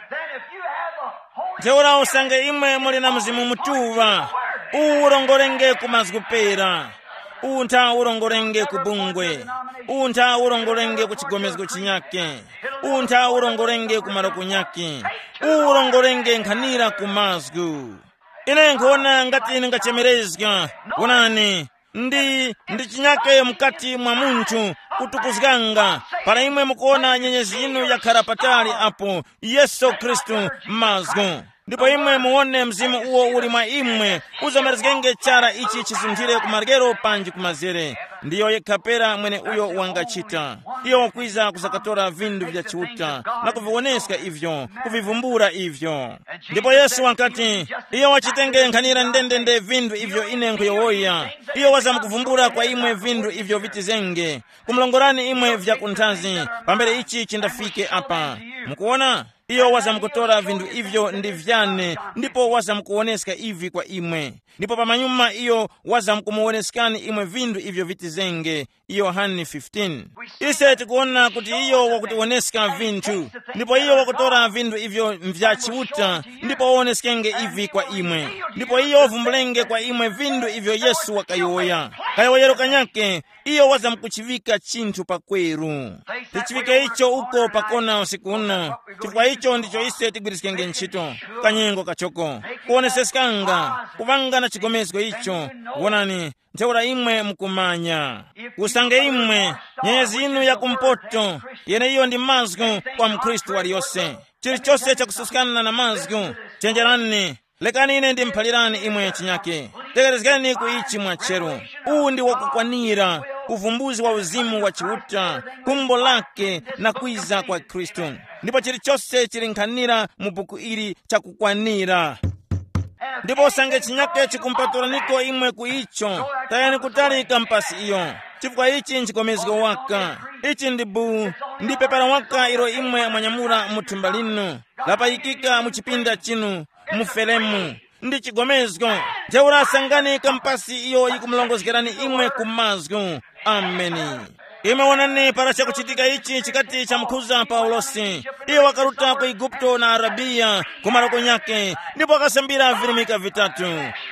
Then if you have a Holy Ntheura usange imwe muli na Mzimu Mutuŵa, uwu urongorenge ku mazgu pera, uwu ntha urongorenge ku bungwe, uwu ntha urongorenge ku chigomezgo chinyake, uwu ntha urongorenge ku maroko nyake, uwu urongorenge nkhanira ku mazgu. Ine nkhona ngati ndingachemerezga. Wonani, ndi ndi chinyake mukati mwa munthu kutukuzganga. Para imwe mukuona nyenyezi yinu yakhara patali apo, Yesu Khristu, mazgu. Ndipo imwe muwone mzimu uwo uli mwa imwe, uzamerezgenge chara ichi chisunthire ku maryero panji ku mazere. Ndiyo yekha pera mwene uyo wangachita. Iyo wakwiza kuzakatora vinthu vya Chiuta na kuviwoneska ivyo, kuvivumbula ivyo. Ndipo Yesu wakati, iyo wachitenge nkhanira ndendende vinthu ivyo ine nkhuyowoya. Iyo wazamkuvumbula kwa imwe vinthu ivyo vitizenge, kumulongorani imwe vyakunthazi, pambere ichi chindafike apa. Mukuona, iyo wazamkutora vinthu ivyo ndi vyane, ndipo wazamkuwoneska ivi kwa imwe. Ndipo pamanyuma iyo wazamkumuwoneskani imwe vinthu ivyo vitizenge. Yohane fifteen. Ise tikuwona kuti iyo wakutiwoneska vinthu, ndipo iyo wakutora vinthu ivyo nvya Chiuta, ndipo wawoneskenge ivi kwa imwe. Ndipo iyo wavumbulenge kwa imwe vinthu ivyo Yesu wakayowoya. Kayowoyero kanyake, iyo wazamkuchiŵika chinthu pakweru. Tichiŵike icho uko pakona usiku uno, chifukwa icho ndicho ise tigwiriskenge ntchito. Kanyengo kachoko, kuwoneseskanga, kuŵanga na chigomezgo icho. Wonani, ntheura imwe mukumanya. Usange imwe, nyenyezi yinu ya kumpoto, yeneiyo ndi mazgu kwa mkhristu waliyose. Chilichose chakususkana na mazgu, chenjerani. Lekani ine ndimuphalirani imwe chinyake. Tegherezgani ku ichi mwacheru. Uwu ndi wakukwanira, uvumbuzi wa uzimu wa Chiuta, khumbo lake na kwiza kwa Khristu. Ndipo chilichose chili nkhanira mu buku ili chakukwanira. Ndipo usange chinyake chikumpatulaniko imwe ku icho, tayani kutali kampasi iyo, chifukwa ichi nchikomezgo waka. Ichi ndi bu, ndi pepala waka ilo imwe mwanyamula mu thumba linu, lapayikika mu chipinda chinu, mu felemu. Ndi chigomezgo. Ntheura sangani kampasi iyo yikumulongozgerani imwe ku mazgu. Ameni. Imwe wonani para chakuchitika ichi chikati chamukhuza Paulosi. Iye wakaruta ku Eguputo na Arabiya ku maroko nyake, ndipo wakasambira virimika vitatu.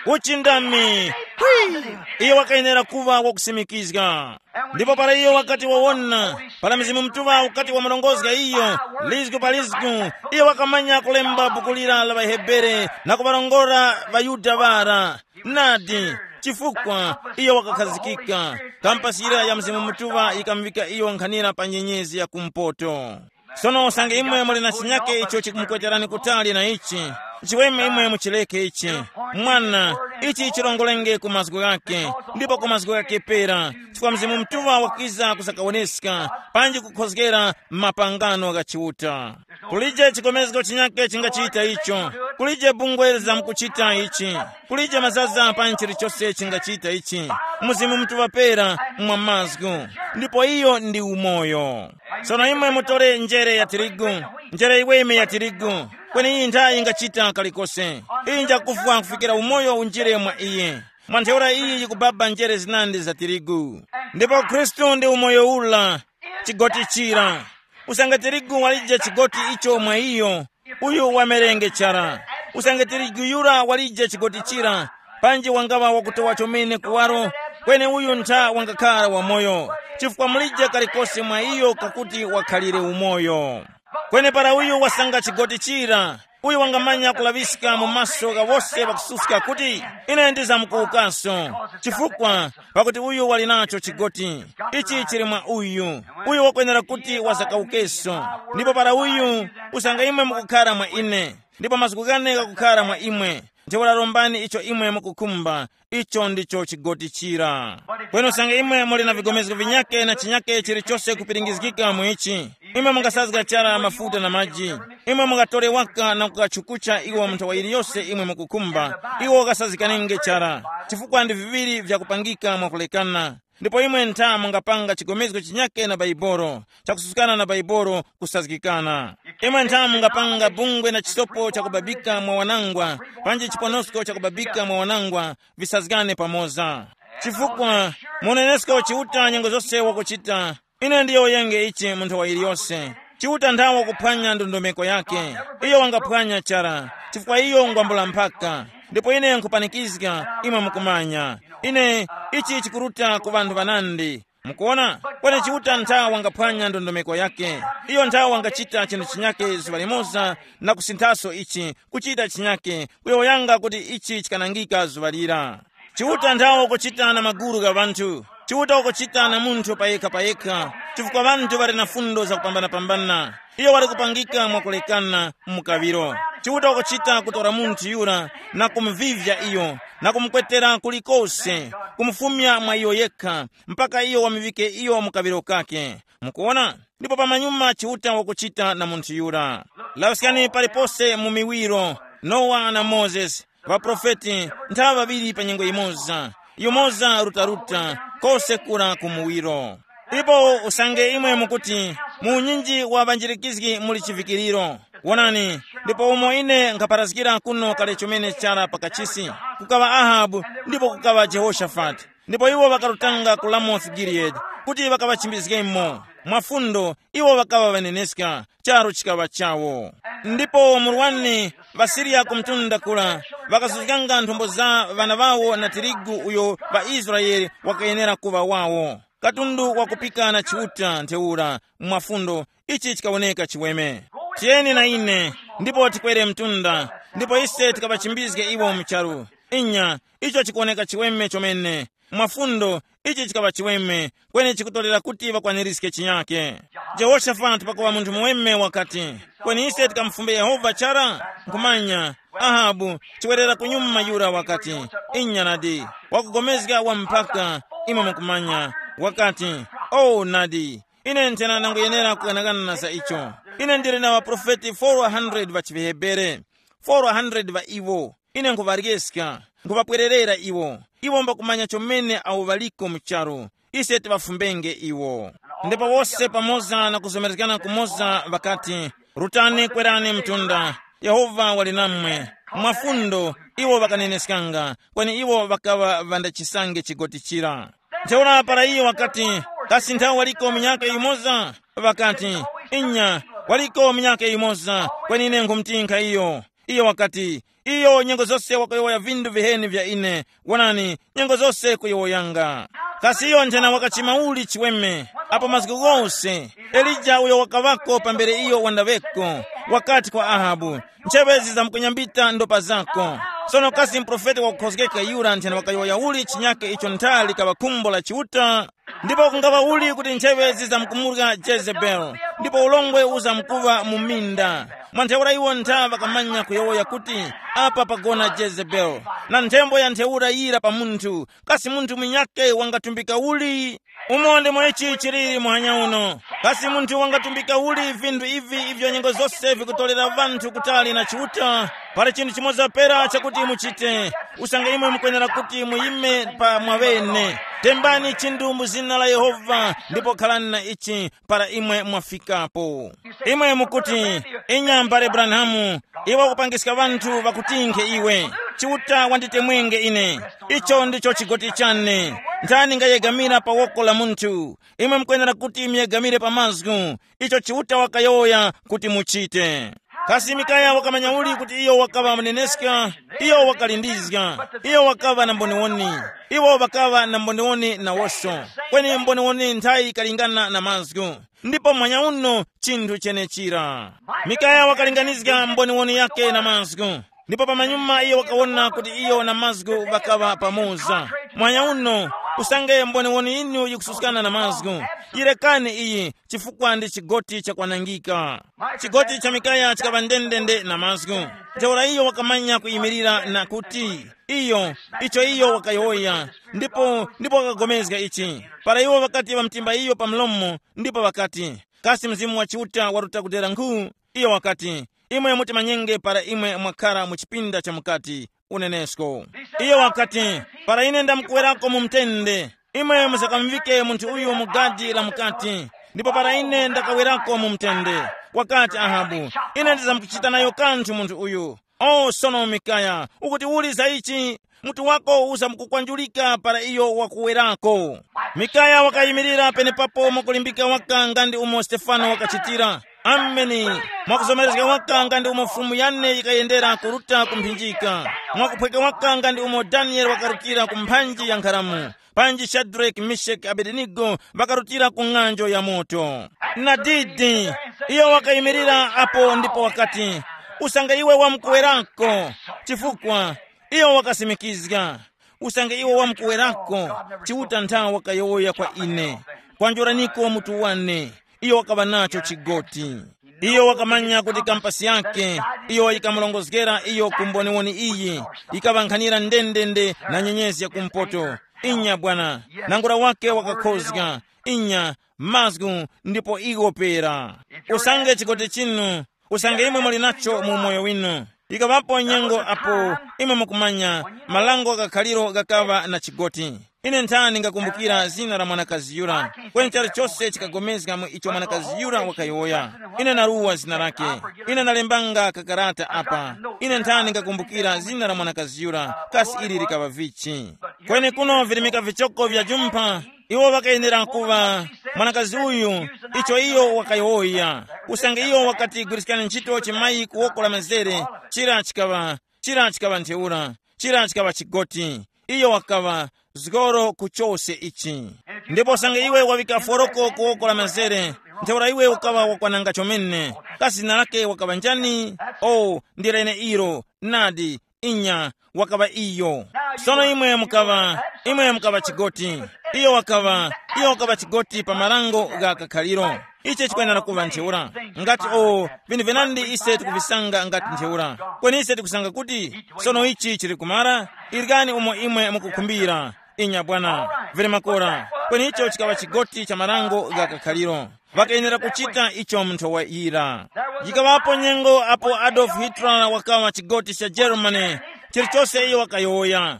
Uchindami. Hwi! Iye wakayenera kuva wakusimikizga. Ndipo para iyo wakati wawona, para Mzimu Mutuŵa ukati wamurongozga iyo, lizgu pa lizgu, iyo wakamanya kulemba buku lira la ŵaHebere na kuŵarongora ŵaYuda ŵara. Nadi, chifukwa iyo wakakhazikika, kampasi yira ya Mzimu Mutuŵa yikamuŵika iyo nkhanira pa nyenyezi ya kumpoto. Sono usange imwe muli na chinyake icho chikumukweterani kutali na ichi, chiweme imwe muchileke ichi. Mwana, ichi chirongolenge ku mazgu ghake, ndipo ku mazgu ghake pera, chifukwa Mzimu Mutuŵa wakiza kusakawoneska, panji kukhozgera mapangano gha Chiuta. Kulije chikomezgo chinyake chingachita icho. Kulije bungwe lizamkuchita ichi. Kulije mazaza panji chilichose chingachita ichi. Mzimu Mutuŵa pera mwa mazgu. Ndipo iyo ndi umoyo. Sono imwe mutore njere ya tirigu, njere iweme ya tirigu, kweni iyi nthayi ingachita kalikose. Iyi njakufwa kufikira umoyo unjire mwa iye. Mwa ntheura iyi yikubaba njere zinandi za tirigu. Ndipo Khristu ndi umoyo ula, chigoti chira. Usange tirigu walije chigoti icho mwa iyo, uyu wamerenge chara. Usange tirigu yura walije chigoti chira, panji wangaŵa wakutowa chomene kuwaro, kweni uyu ntha wangakhala wamoyo, chifukwa mulije kalikose mwa iyo kakuti wakhalire umoyo. Kweni para uyu wasanga chigoti chira, uyu wangamanya kulaŵiska mu maso gha wose ŵakususka kuti, ine ndizamkuwukaso, chifukwa pakuti uyu wali nacho chigoti. Ichi chili mwa uyu, uyu wakwenera kuti wazakawukeso. Ndipo para uyu, usange imwe mukukhara mwa ine, ndipo mazgu ghane ghakukhara mwa imwe. Ntheura rombani icho imwe mukukhumba, icho ndicho chigotichira. Kweni usange imwe muli na vigomezgo vinyake na chinyake chilichose kupiringizgika mu ichi, imwe mungasazga chara mafuta na maji. Imwe mungatore waka na kukachukucha iwo munthawa yiliyose imwe mukukhumba, iwo ukasazikanenge chara, chifukwa ndi viŵiri vyakupangika mwakulekana. Ndipo imwe ntha mungapanga chigomezgo chinyake na Baibolo, chakususkana na Baibolo kusazgikana. Imwe ntha mungapanga bungwe na chisopo chakubabika mwa wanangwa, panji chiponosko chakubabika mwa wanangwa, visazgane pamoza. Chifukwa munenesko Chiuta nyengo zose wakuchita, ine ndiyowoyenge ichi munthu wa iliyose. Chiuta nthawe wakuphwanya ndondomeko yake. Iyo wangaphwanya chara, chifukwa iyo ngwambula mphaka. Ndipo ine nkhupanikizga imwe mukumanya, ine ichi chikuruta ku ŵanthu ŵanandi. Mukuona? Kweni Chiuta nthawe wangaphwanya ndondomeko yake. Iyo nthawe wangachita chinthu chinyake zuŵa limoza, na kusinthaso ichi, kuchita chinyake, kuyowoyanga kuti ichi chikanangika zuŵa lira. Chiuta nthawe ukuchita na magulu gha ŵanthu. Chiuta ukuchita na munthu payekha payekha, chifukwa ŵanthu ŵali na fundo zakupambanapambana. Iyo wali kupangika mwakulekana mu kaŵiro. Chiuta ukuchita kutora munthu yura, na kumuvivya iyo, na kumukwetera kulikose, kumufumya mwa iyo yekha, mpaka iyo wamuŵike iyo mu kaŵiro kake. Mukuona? Ndipo pamanyuma Chiuta wakuchita na munthu yura. Laŵiskani palipose mu miwiro, Nowa na Mozesi, ŵaprofeti nthaŵa ŵaŵiri pa nyengo yimoza, yumoza rutaruta, kose kura ku muwiro. Ipo usange imwe mukuti, mu unyinji wa ŵanjirikizgi muli chivikiriro. Wonani, ndipo umo ine nkhaparazgira kuno kale chomene chara pa kachisi, kukaŵa Ahabu, ndipo kukaŵa Jehoshafati. Ndipo iwo ŵakarutanga ku Ramosi Giliyadi kuti ŵakaŵachimbizgemo. Mwafundo, iwo ŵakaŵa ŵaneneska, charu chikaŵa chawo. Ndipo murwani ŵaSiriya ku mtunda kura ŵakasuzganga nthombo za ŵana ŵawo na tirigu uyo ŵaIsraele wakayenera kuŵa wawo. Katundu wakupika na Chiuta ntheura mwafundo, ichi chikawoneka chiweme. Tiyeni na ine, ndipo tikwere mtunda, ndipo ise tikaŵachimbizge iwo mu charu. Inya, icho chikuwoneka chiweme chomene. Mwafundo, ichi chikaŵa chiweme, kweni chikutorera kuti ŵakwanirizge chinyake. Jehoshafati pakuŵa munthu muweme wakati, kweni ise tikamufumbe Yehova chara? Nkhumanya, Ahabu, chiwerera kunyuma yura wakati, inya nadi, wakugomezga wa mpaka, imwe mukumanya, wakati, oh nadi, ine nthena nangoyenera kuganagana na za icho. Ine ndili na ŵaprofeti four hundred ŵa chiHebere, four hundred ŵa iwo. Ine nkhuŵaryeska, nkhuŵapwererera iwo. Iwo mbakumanya chomene awo ŵaliko mu charu. Ise tiŵafumbenge iwo. Ndipo wose pamoza na kuzomerezgana kumoza ŵakati, rutani kwerani mtunda. Yehova wali namwe. Mwafundo, iwo ŵakaneneskanga, kweni iwo ŵakaŵa ŵandachisange chigoti chira. Ntheura para iyo wakati, kasi nthawe waliko minyaka yimoza? Ŵakati, inya, waliko minyaka yimoza, kweni ine nkhumutinkha iyo. Iyo wakati, iyo nyengo zose wakayowoya vindu viheni vya ine. Wonani, nyengo zose kuyowoyanga. Kasi iyo nthena wakachima uli chiweme, apo mazgu ghose? Elija uyo wakaŵako pambere iyo wandaŵeko, wakati kwa Ahabu, ncheŵe zizamkunyambita ndopa zako. Sono kasi muprofeti wakukhozgeka yura nthena wakayowoya uli chinyake icho nthali kaŵa khumbo la Chiuta? Ndipo kungaŵa uli kuti ncheŵe zizamkumurya Jezebeli, ndipo ulongwe uzamkuŵa mu minda. Mwa ntheura iwo ntha ŵakamanya kuyowoya kuti, apa pagona Jezebeli. Na nthembo ya ntheura yira pa munthu, kasi munthu munyakhe wangatumbika uli? Umo ndimo ichi chiliri muhanya uno. Kasi munthu wangatumbika uli vindu ivi ivyo nyengo zose vikutorera ŵanthu kutali na Chiuta? Pali chinthu chimoza pera chakuti muchite. Usange imwe mukwenera kuti muyime pa mwaŵene. Tembani chinthu mu zina la Yehova ndipo khalani na ichi para imwe mwafikapo. Imwe mukuti, inya mbale Branhamu, iwe ukupangiska ŵanthu ŵakutinkhe iwe. Chiuta wanditemwenge ine. Icho ndicho chigoti chane. Ndani ngayegamira pa woko la munthu? Imwe mukwenera kuti muyegamire pa mazgu. Icho Chiuta wakayowoya kuti muchite. Kasi Mikaya wakamanya uli kuti iyo wakaŵa muneneska? Iyo wakalindizga. Iyo wakaŵa na mboniwoni. Iwo ŵakaŵa na mboniwoni nawoso. Kweni mboniwoni nthayi ikalingana na mazgu. Ndipo mwanya uno chinthu chenechira. Mikaya wakalinganizga mboniwoni yake na mazgu. Ndipo pamanyuma iyo wakawona kuti iyo na mazgu ŵakaŵa pamoza. Mwanya uno, Usange mboniwoni yinu yikususkana na mazgu, yirekani iyi, chifukwa ndi chigoti chakwanangika. Chigoti cha Mikaya chikaŵa ndendende na mazgu. Ntheura iyo wakamanya kuyimirira na kuti, iyo, icho iyo wakayowoya, ndipo ndipo wakagomezga ichi. Para iwo ŵakati ŵamtimba iyo pa mlomo, ndipo ŵakati, kasi Mzimu wa Chiuta waruta kudera nkhu? Iyo wakati, imwe mutimanyenge para imwe mwakhara mu chipinda cha mukati, unenesko. Iyo wakati, para ine ndamukuwerako mu mtende, imwe muzakamuvike munthu uyu mu gadi la mukati. Ndipo para ine ndakawerako mu mtende, wakati Ahabu, ine ndizamkuchita nayo kanthu munthu uyu. O sono Mikaya, ukuti uli za ichi? Mutu wako uzamkukwanjulika para iyo wakuwerako. Mikaya wakayimirira penepapo mwakulimbika waka nga ndi umo Stefano wakachitira. Ameni. Mwakuzomerezga waka nga ndi umo fumu yane yikayendera kuruta ku mphinjika. Mwakuphweka waka nga ndi umo Daniele wakarutira ku mphanji ya nkharamu. Panji Shadrake, Meshake, Abedenigo ŵakarutira ku ng'anjo ya moto. Nadidi, iyo wakayimirira apo ndipo wakati, usange iwe wamkuwerako, chifukwa iyo wakasimikizga, usange iwe wamkuwerako, Chiuta nthawi wakayowoya kwa ine, kwanjoraniko mutu wane. Iyo wakaŵa nacho chigoti. Iyo wakamanya kuti kampasi yake iyo yikamurongozgera iyo ku mboniwoni iyi, yikaŵankhanira ndendende na nyenyezi ya kumpoto. Inya bwana, nangura wake wakakhozga. Inya, mazgu, ndipo iwo pera. Usange chigoti chinu, usange imwe muli nacho mu umoyo winu. Ikaŵapo nyengo apo imwe mukumanya, malango gha khaliro ghakaŵa na chigoti. Ine nthani ngakumbukira zina la mwanakazi yura, kweni chalichose chikagomezga mu icho mwanakazi yura wakayowoya. Ine naruwa zina lake. Ine nalembanga kakarata apa. Ine nthani ngakumbukira zina la mwanakazi yura, kasi ili likaŵa vichi. Kweni kuno virimika vichoko vya jumpha. Iwo ŵakayenera kuŵa mwanakazi uyu, icho iyo wakayowoya. Usange iyo wakati gwirizgani ntchito chimayi ku woko la mazere, chira chikaŵa, chira chikaŵa ntheura, chira chikaŵa chigoti. Iyo wakaŵa zgoro ku chose ichi. Ndipo usange iwe wawika foroko ku woko la mazere, ntheura iwe ukaŵa wakwananga chomene. Kasi zina lake wakaŵa njani? O, ndi leneilo. Nadi, inya, wakaŵa iyo. Sono imwe mukaŵa, imwe mukaŵa chigoti. Iyo wakaŵa, iyo wakaŵa chigoti pa marango gha kakhaliro. Ichi chikwenera kuŵa ntheura. Ngati o, vinthu vinandi ise tikuvisanga ngati ntheura. Kweni ise tikusanga kuti, sono ichi chili kumara, irikani umo imwe mukukhumbira. Inya bwana, vili makora. Kweni icho chikaŵa chigoti cha marango gha kakhaliro. Ŵakayenera kuchita icho munthu wa ira. Yikaŵapo nyengo apo Adolf Hitler wakaŵa chigoti cha Germany, chilichose iyo wakayowoya.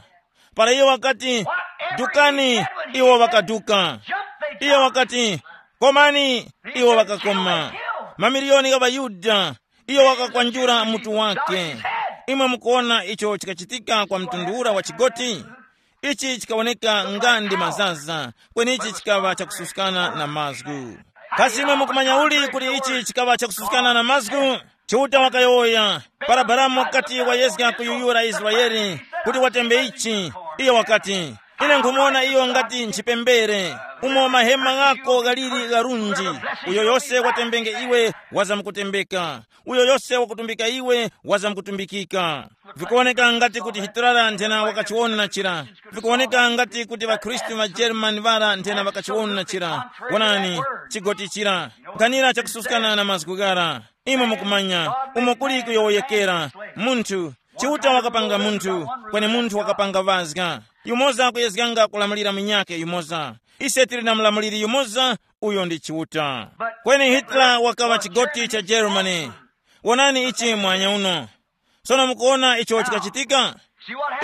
Para iyo wakati, dukani, iwo ŵakaduka. Iyo wakati, komani, iwo ŵakakoma. Mamiliyoni gha ŵaYuda, iyo wakakwanjura mutu wake. Imwe mukuwona icho chikachitika kwa mtundu ura wa chigoti? Ichi chikawoneka nga ndi mazaza, kweni ichi chikaŵa chakususkana na mazgu. Kasi imwe mukumanya uli kuti ichi chikaŵa chakususkana na mazgu? Chiuta wakayowoya, para Balamu wakati wayezga kuyuyura Israele kuti watembe ichi, iyo wakati, ine nkhumuwona iyo ngati nchipembere, umo mahema ghako ghaliri gharunji. Uyo yose watembenge iwe wazamkutembeka, uyo yose wakutumbika iwe wazamkutumbikika. Vikuwoneka ngati kuti Hitler nthena wakachiwona chira. Vikuwoneka ngati kuti ŵakhristu ŵa German ŵara nthena ŵakachiwona chira. Wonani, chigoti chira, nkhanira chakususkana na mazgu ghara. Imwe mukumanya umo kuli kuyowoyekera. Munthu, Chiuta wakapanga munthu, kweni munthu wakapanga ŵazga. Yumoza kuyezganga kulamulira munyakhe yumoza. Ise tili na mulamuliri yumoza, uyo ndi Chiuta. Kweni Hitler wakaŵa chigoti cha Germany. Wonani ichi mwanya uno. Sono mukuwona icho chikachitika?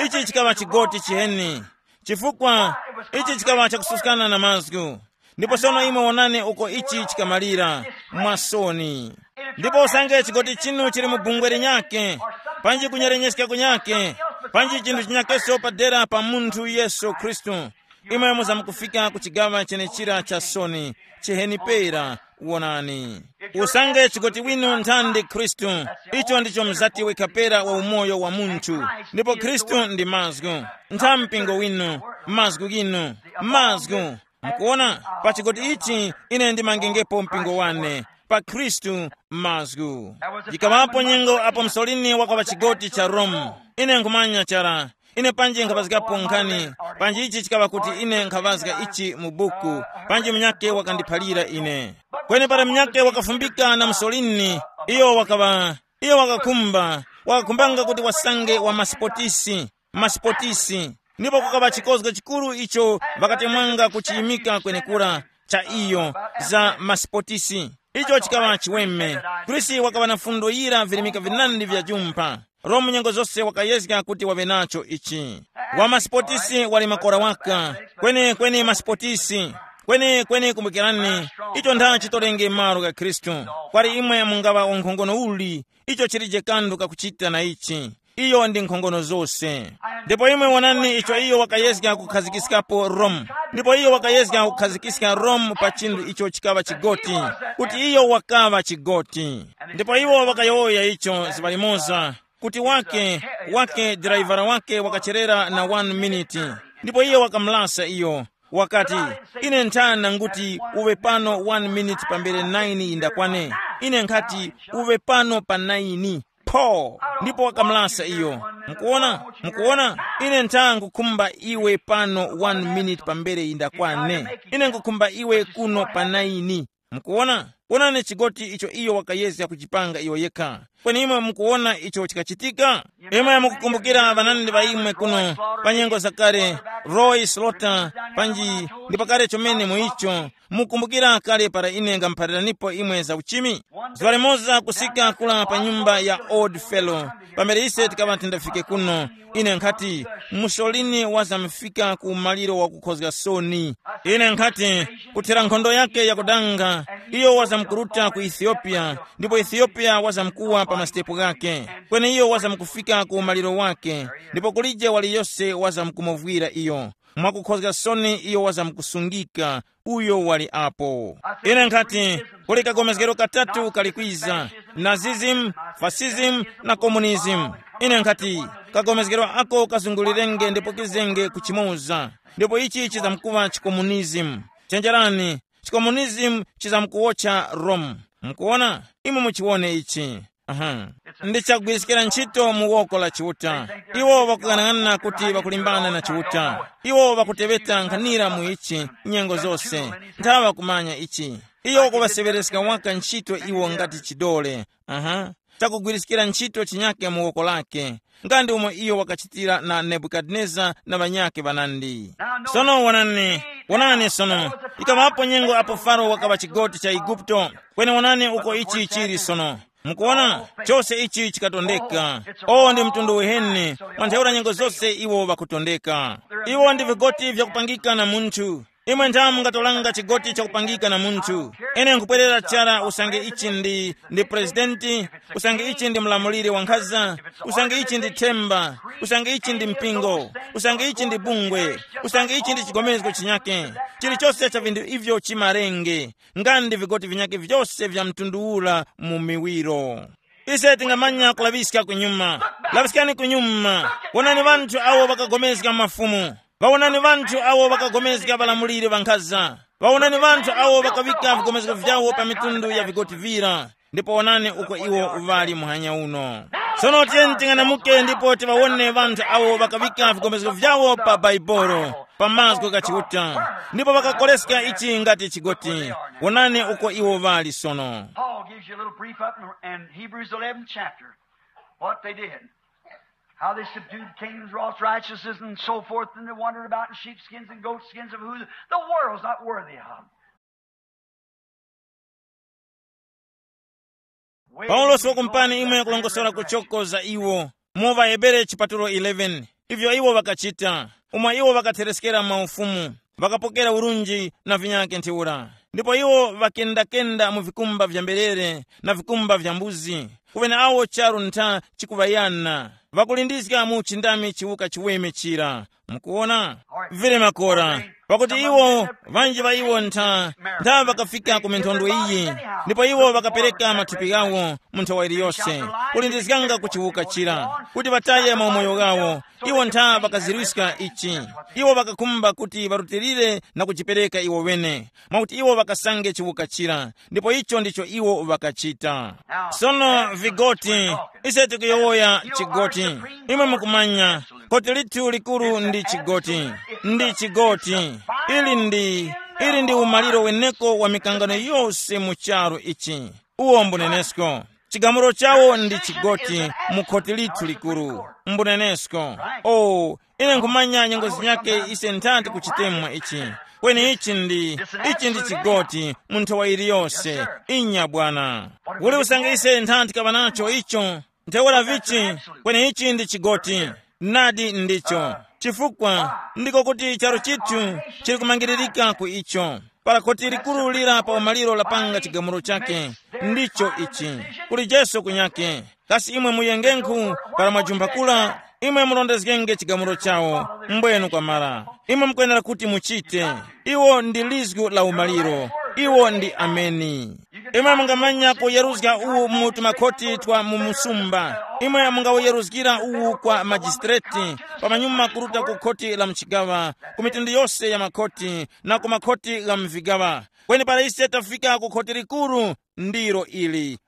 Ichi chikaŵa chigoti chiheni, chifukwa ichi chikaŵa chakususkana na mazgu. Ndipo sono imwe wonani uko ichi chikamalira, mwasoni. Ndipo usange chigoti chinu chili mu bungwe linyakhe, panji kunyerenyeska kunyakhe, panji chinthu chinyakeso padera pa munthu Yesu Khristu, imwe muzamkufika ku chigaŵa chenechira cha soni, chiheni pera. Wonani, usange chigoti winu nthandi Khristu, icho ndicho mzati wekha pera wa umoyo wa munthu. Ndipo Khristu ndi mazgu. Ntha mpingo winu, mazgu ghinu, mazgu. Mukuona, pa chigoti ichi ine ndimangengepo mpingo wane, pa Khristu mazgu. Yikaŵapo nyengo apo Mussolini wakaŵa chigoti cha Rome. Ine nkhumanya chara, Ine panji nkhaŵazgapo nkhani, panji ichi chikaŵa kuti ine nkhaŵazga ichi mu buku, panji munyake wakandiphalira ine. Kweni para munyake wakafumbika na Musolini, iyo wakaŵa, iyo wakakhumba, wakakhumbanga kuti wasange wa masipotisi, masipotisi. Ndipo kukaŵa chikozgo chikuru icho ŵakatemwanga kuchiyimika kwenekura cha iyo, za masipotisi. Icho chikaŵa chiweme. Grisi wakaŵa na fundo yira virimika vinandi vya jumpha. Rome nyengo zose wakayezga kuti waŵe nacho ichi. Wa masipotisi wali makora waka. Kweni kweni masipotisi, kweni kweni kumbukirani, icho ntha chitorenge malo ga Khristu. Kwali imwe mungaŵa unkhongono uli, icho chilije kanthu kakuchita na ichi. Iyo ndi nkhongono zose. Ndipo imwe wonani icho iyo wakayezga kukhazikiskapo Rome. Ndipo iyo wakayezga kukhazikiska Rome pa chinthu icho chikaŵa chigoti, kuti iyo wakaŵa chigoti. Ndipo iwo wakayowoya icho zuŵa limoza, kuti wake, wake driver wake wakacherera na one minute. Ndipo iye wakamulasa iyo, wakati, ine nthana nguti uwe pano one minute pambere nine yindakwane. Ine nkhati uwe pano pa nine. Pho, ndipo wakamulasa iyo. Mukuona, mukuona, ine ntha nkukhumba iwe pano one minute pambere yindakwane. Ine nkukhumba iwe kuno pa nine. Mukuona, wonani chigoti icho iyo wakayezga kuchipanga iyo yekha. Kweni imwe mukuwona icho chikachitika? Imwe mukukumbukira ŵanandi ŵa imwe kuno, pa nyengo zakale, Roy Slaughter, panji ndi pakale chomene mu icho. Mukumbukira kale para ine ngamuphaliranipo imwe za uchimi? Zuŵa limoza kusika kula pa nyumba ya Old Fellow, pamene ise tikaŵa tindafike kuno, ine nkhati, Mussolini wazamufika ku maliro wakukhozga soni. Ine nkhati, kuthera nkhondo yake yakudanga, iyo wazamkuruta ku Ethiopia, ndipo Ethiopia wazamkuwa pa masitepo ghake. Kweni iyo wazamkufika ku maliro wake, ndipo kulije waliyose wazamkumuvwira iyo. Mwakukhozga soni iyo wazamkusungika, uyo wali apo. Ine nkhati, kuli kagomezgero katatu kali kwiza, Nazism, Fascism, na Communism. Ine nkhati, kagomezgero ako kazungulirenge ndipo kizenge kuchimoza, ndipo ichi chizamkuŵa chikomunizimu. Chenjerani, chikomunizimu chizamkuwotcha Rome. Mukuwona? Imwe muchiwone ichi. Aha. Ndi chagwiriskira ntchito mu woko la Chiuta. Iwo ŵakuyang'anang'ana kuti ŵakulimbana na Chiuta. Iwo ŵakuteŵeta nkhanira mu ichi nyengo zose. Nthawe kumanya ichi. Iyo kuŵaseŵereska waka ntchito iwo ngati chidole. Aha. Chakugwiriskira ntchito chinyake mu woko lake, nga ndi umo iyo wakachitira na Nebukadineza na ŵanyakhe ŵanandi. Sono wonani, wonani sono, ikaŵapo nyengo apo Faro wakaŵa chigoti cha Igupto. Kweni wonani uko ichi chili sono. Mukuona, chose ichi chikatondeka. O ndi mtundu uheni. Mwa ntheura nyengo zose iwo ŵakutondeka. Iwo ndi vigoti vyakupangika na munthu. Imwe ntha mungatolanga chigoti chakupangika na munthu. Ine nkupwerera chara usange ichi ndi ndi presidenti, usange ichi ndi mlamuliri wa nkhaza, usange ichi ndi themba, usange ichi ndi mpingo, usange ichi ndi bungwe, usange ichi ndi chigomezgo chinyake. Chilichose cha vinthu ivyo chimarenge, nga ndi vigoti vinyake vyose vya mtundu ura mu miwiro. Ise tingamanya kulaŵiska kunyuma. Laŵiskani kunyuma. Wonani ŵanthu awo ŵakagomezga mafumu. Ŵawonani ŵanthu awo ŵakagomezga ŵalamuliri ŵankhaza. Ŵawonani ŵanthu awo ŵakaŵika vigomezgo vyawo pa mitundu ya vigoti vira. Ndipo wonani uko iwo uŵali muhanya uno. Sono tiyeni ting'anamuke ndipo tiŵawone ŵanthu awo ŵakaŵika vigomezgo vyawo pa Baibolo, pa mazgu gha Chiuta. Ndipo ŵakakoleska ichi ngati chigoti. Wonani uko iwo ŵali sono. Paul gives you a little brief up in, in Hebrews eleven chapter, what they did. How they subdued kings, wrought righteousness, and so forth, and they wandered about in sheepskins and goatskins of who the world's not worthy of. Paulosi wakumpani imwe kulongosora kuchoko za iwo mu ŵaHebere chipatulo eleven, ivyo iwo ŵakachita, umo iwo ŵakathereskera maufumu, ŵakapokera urunji na vinyakhe ntheura. Ndipo iwo ŵakendakenda mu vikumba vya mberere na vikumba vya mbuzi, kuŵeneawo charu ntha chikuŵayana, ŵakulindizga mu uchindami chiwuka chiweme chira. Mukuwona? Vili makora. Pakuti iwo, ŵanji ŵa iwo ntha, ntha ŵakafika ku minthondwe iyi, ndipo iwo ŵakapereka mathupi ghawo mu nthawa iliyose, kulindizganga kuchiwuka chira, kuti ŵataye maumoyo ghawo. Iwo ntha ŵakazirwiska ichi. Iwo ŵakakhumba kuti ŵarutilire na kujipereka iwo ŵene, mwakuti iwo ŵakasange chiwuka chira, ndipo icho ndicho iwo ŵakachita. Sono vigoti, ise tikuyowoya chigoti. Imwe mukumanya, koti lithu likuru ndi chigoti. Ndi chigoti. Ili ndi, ili ndi umaliro weneko wa mikangano yose mu charu ichi. Uwo mbunenesko. Chigamulo chawo ndi chigoti mu khoti lithu likuru. Mbunenesko. O, ine nkhumanya nyengo zinyake ise nthati kuchitemwa ichi. Kweni ichi ndi, ichi ndi chigoti mu nthawa iliyose. Inya bwana. Uli usange ise nthati kaŵa nacho icho. Ntheura vichi, kweni ichi ndi chigoti. Nadi ndicho. Chifukwa ndiko kuti charu chithu chili kumangiririka ku icho. Para khoti likuru lira pa umaliro lapanga chigamulo chake, ndicho ichi. Kuli Yesu kunyake. Kasi imwe muyengenkhu para mwajumpha kula, imwe murondezgenge chigamulo chawo, mbwenu kwamara. Imwe mukwenera kuti muchite. Iwo ndi lizgu la umaliro. Iwo ndi ameni. Imwe mungamanya kuyeruzga uwu mu tumakhoti twa mu msumba. Imwe mungawuyeruzgira uwu kwa majistreti, pamanyuma kuruta ku khoti la mchigawa, ku mitundu yose ya makhoti, na ku makhoti gha mvigaŵa. Kweni para ise tafika ku khoti likuru, ndilo ili,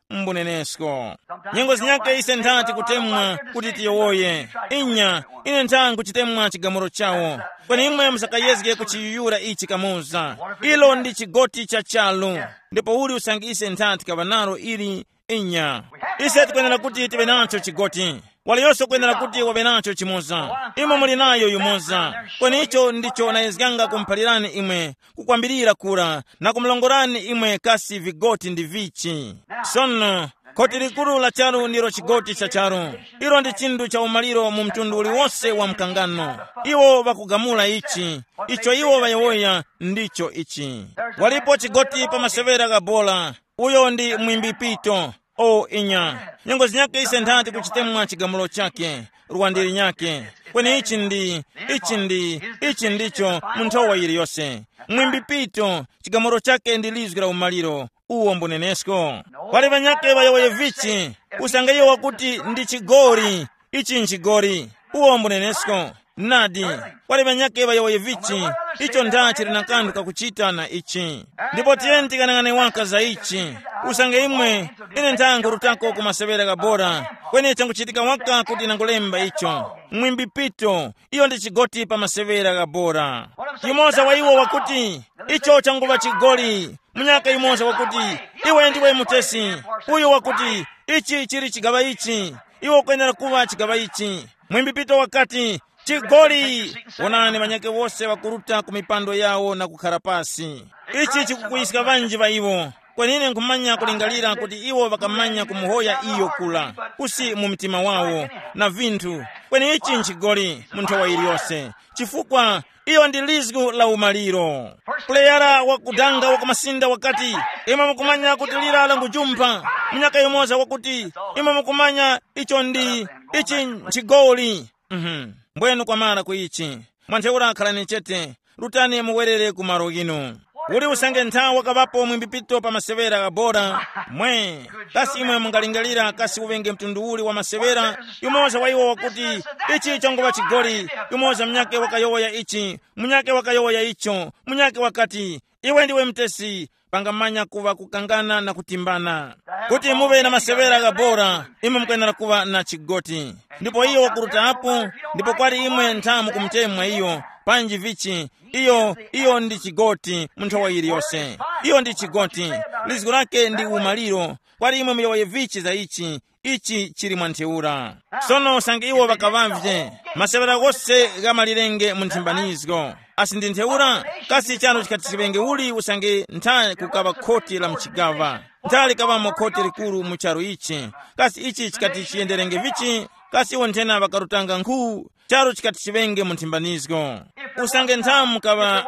mbunenesko. Nyengo zinyake ise nthati kutemwa kuti tiyowoye. Inya, ine ntha nkuchitemwa chigamulo chawo. Kweni imwe musakayezge kuchiyuyura ichi kamoza. Ilo ndi chigoti cha chalu. Ndipo uli usange ise nthati kaŵa nalo ili. Inya, ise tikwenera kuti tiŵe nacho chigoti. Waliyose ukwenera kuti waŵe nacho chimoza. Imwe muli nayo yumoza. Kweni icho ndicho nayezganga kumuphalirani imwe, kukwambirira kura, na kumulongorani imwe kasi vigoti ndi vichi. Sono, khoti likuru la charu ndilo chigoti cha charu. Ilo ndi chinthu cha umaliro mu mtundu uliwose wa mkangano. Iwo ŵakugamula ichi. Icho iwo ŵayowoya ndicho ichi. Walipo chigoti pa masewera gha bola. Uyo ndi mwimbi pito. O inya, nyengo zinyake ise nthati kuchitemwa chigamulo chake, rwandiri nyake. Kweni ichi ndi, ichi ndi, ichi ndicho mu nthowa yiliyose. Mwimbi pito, chigamulo chake ndi lizwi la umaliro. Uwo mbunenesko. Pali ŵanyake ŵayowoye vichi, usange iwo wakuti ndi chigori, ichi nchigori. Uwo mbunenesko. Nadi, pali ŵanyake ŵayowoye vichi, icho nda chili na kanthu kakuchita na ichi. Ndipo tiyeni tikanang'ane waka za ichi. Usange imwe, ine nthango rutako ku masewera gha bora, kweni changuchitika waka kuti nangulemba icho. Mwimbi pito, iyo ndi chigoti pa masewera gha bora. Yumoza wa iwo wakuti, icho changuŵa chigoli. Munyaka yumoza wakuti, iwe ndiwe mutesi. Uyu wakuti, ichi chili chigaŵa ichi. Iwe ukwenera kuŵa chigaŵa ichi. Mwimbi pito wakati, chigoli. Wonani ŵanyake wose ŵakuruta ku mipando yawo na kukhara pasi. Ichi chikukuyiska ŵanji ŵa iwo. Kweni ine nkhumanya kulingalira kuti iwo ŵakamanya kumuhoya iyo kula, kusi mu mtima wawo, na vinthu. Kweni ichi nchigoli mu nthowa iliyose, chifukwa iyo ndi lizgu la umaliro. Puleyara wakudanga wa kumasinda wakati, imwe mukumanya kuti lira langujumpha. Munyaka yumoza wakuti, imwe mukumanya icho ndi, ichi nchigoli. Mhm. Mbwenu kwamara ku ichi. Mwa ntheura khalani chete, rutani muwerere ku malo ghinu. Uli usange nthawi wakaŵapo mwimbi pito pa masewera gha bora. Mwe, kasi imwe mungalingalira kasi uŵenge mtundu uli wa masewera? Yumoza wa iwo wakuti, ichi changuŵa chigoli. Yumoza munyake wakayowoya ichi, munyake wakayowoya icho, munyake wakati, iwe ndiwe mutesi. Pangamanya kuŵa kukangana na kutimbana. Kuti muŵe na masewera gha bora, imwe mukwenera kuŵa na chigoti. Ndipo iyo wakurutapo, ndipo kwali imwe nthamu kumutemwa iyo, panji vichi, iyo, iyo ndi chigoti mu nthowa yiliyose. Iyo ndi chigoti, lizgu lake ndi umaliro. Kwali imwe muyowoye vichi za ichi, ichi chili mwa ntheura. Sono usange iwo ŵakaŵavye, masewera ghose ghamalirenge mu nthimbanizgo. Asi ndi ntheura, kasi chano chikati chiŵenge uli usange ntha kukaŵa khoti la mchigaŵa? Ntha likaŵamo khoti likuru mu charu ichi? Kasi ichi chikati chiyenderenge vichi? Kasi iwo nthena ŵakarutanga nkhu? Charu chikati chiŵenge mu nthimbanizgo. Usange ntha mukaŵa,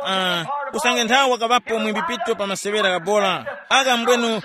uh, usange ntha wakaŵapo mwimbi pito pa masewera gha bora, agha mbwenu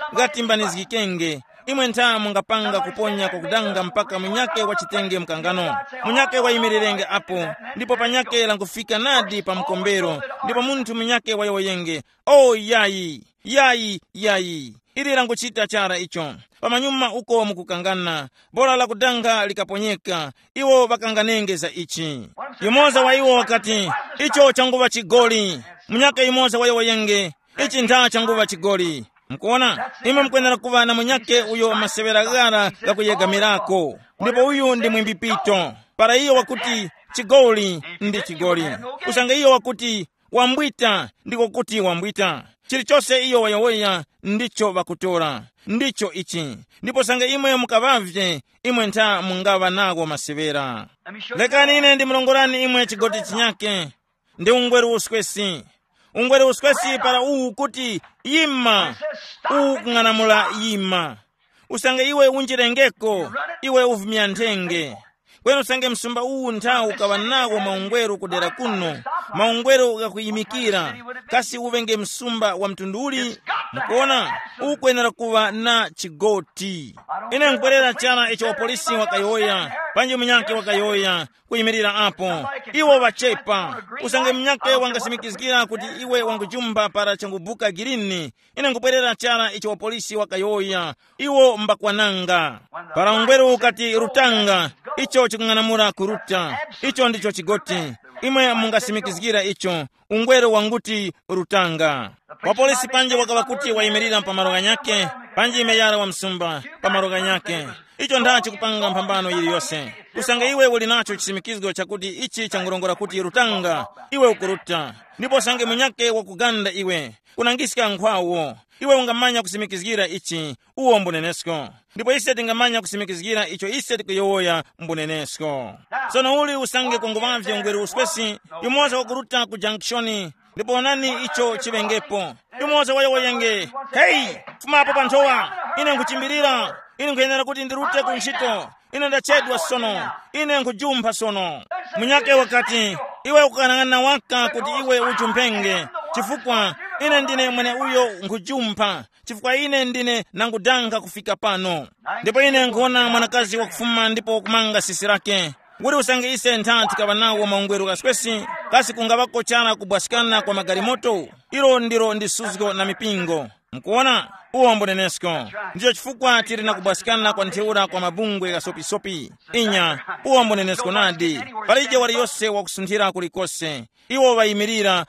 ghatimbanizgikenge. Imwe ntha mungapanga kuponya kwakudanga mpaka munyake wachitenge mkangano. Munyake wayimirirenge apo, ndipo panyake langufika nadi pa mkombero, ndipo munthu munyake wayowoyenge, o yayi, yayi, yayi. Ili languchita chara icho. Pamanyuma uko mukukangana, bora lakudanga likaponyeka, iwo ŵakanganenge za ichi. Yumoza wa iwo wakati, icho changuŵa chigoli. Munyaka yumoza wayowoyenge, ichi ntha changuŵa chigoli. Mukuona, imwe mukwenera kuŵa na munyake uyo masewera ghara ghakuyegamirako, ndipo uyu ndi mwimbi pito. Para iyo wakuti, chigoli ndi chigoli, usange iyo wakuti, wambwita ndiko kuti wambwita. Chilichose iyo wayowoya ndicho ŵakutora, ndicho ichi. Ndipo sange imwe mukaŵavye, imwe ntha mungaŵa nawo masewera. Lekani ine ndimurongorani imwe chigoti chinyake. Ndi ungweru uswesi. Ungweru uswesi para uwu kuti, yima. Uwu kung'anamula, yima. Usange iwe unjirengeko, iwe uvumya nthenge. Kweni usange msumba uwu nthawu ukaŵa nawo maungweru kudera kuno, maungweru ghakuyimikira, kasi uŵenge msumba wa mtundu uli? Mukuona, ukwenera kuŵa na chigoti. Ine nkwerera chara icho wapolisi wakayowoya, panji munyake wakayowoya, kuyimirira apo. Iwo ŵachepa. Usange munyake wangasimikizgira kuti iwe wangujumba para changubuka girini, ine nkupwerera chara icho wapolisi wakayowoya, iwo mbakwananga. Para ungweru ukati rutanga, icho chikung'anamula kuruta. Icho ndicho chigoti. Imwe mungasimikizgira icho. Ungweru wanguti rutanga. Wapolisi panji wakaŵa kuti wayimirira pa malo ghanyakhe, panji meyara wa msumba pa malo ghanyakhe. Icho ndachi kupanga mphambano yiliyose. Kusanga iwe uli nacho chisimikizgo chakuti ichi changurongora kuti rutanga, iwe ukuruta. Ndipo sange munyakhe wakuganda iwe, kunangiska nkhwawo. Iwe ungamanya kusimikizgira ichi, uwo mbunenesko. Ndipo ise tingamanya kusimikizgira icho ise tikuyowoya mbunenesko. Sono uli usange kunguvavye ungweru uswesi, yumoza wakuruta ku jankishoni, ndipo onani icho chiŵengepo. Yumoza wayowoyenge, heyi, fumapo pa nthowa, ine nkuchimbirira, ine nkhuyenera kuti ndirute ku ntchito, ine ndachedwa sono, ine nkhujumpha sono. Munyake wakati, iwe ukukanang'ana waka kuti iwe ujumphenge, chifukwa ine ndine mwene uyo nkhujumpha, chifukwa ine ndine nangudanga kufika pano. Ndipo ine nkhuwona mwanakazi wakufuma ndipo kumanga sisi lake. Kuti usange ise ntha tikaŵa nawo maungweru ghaswesi, kasi kungaŵako chara kubwaskana kwa magalimoto? Ilo ndilo ndi suzgo na mipingo. Mukuona, uwo mbunenesko. Ndicho chifukwa tili na kubwaskana kwa ntheura kwa mabungwe ghasopisopi. Inya, uwo mbunenesko nadi. Palije waliyose wakusunthira kulikose. Iwo ŵayimirira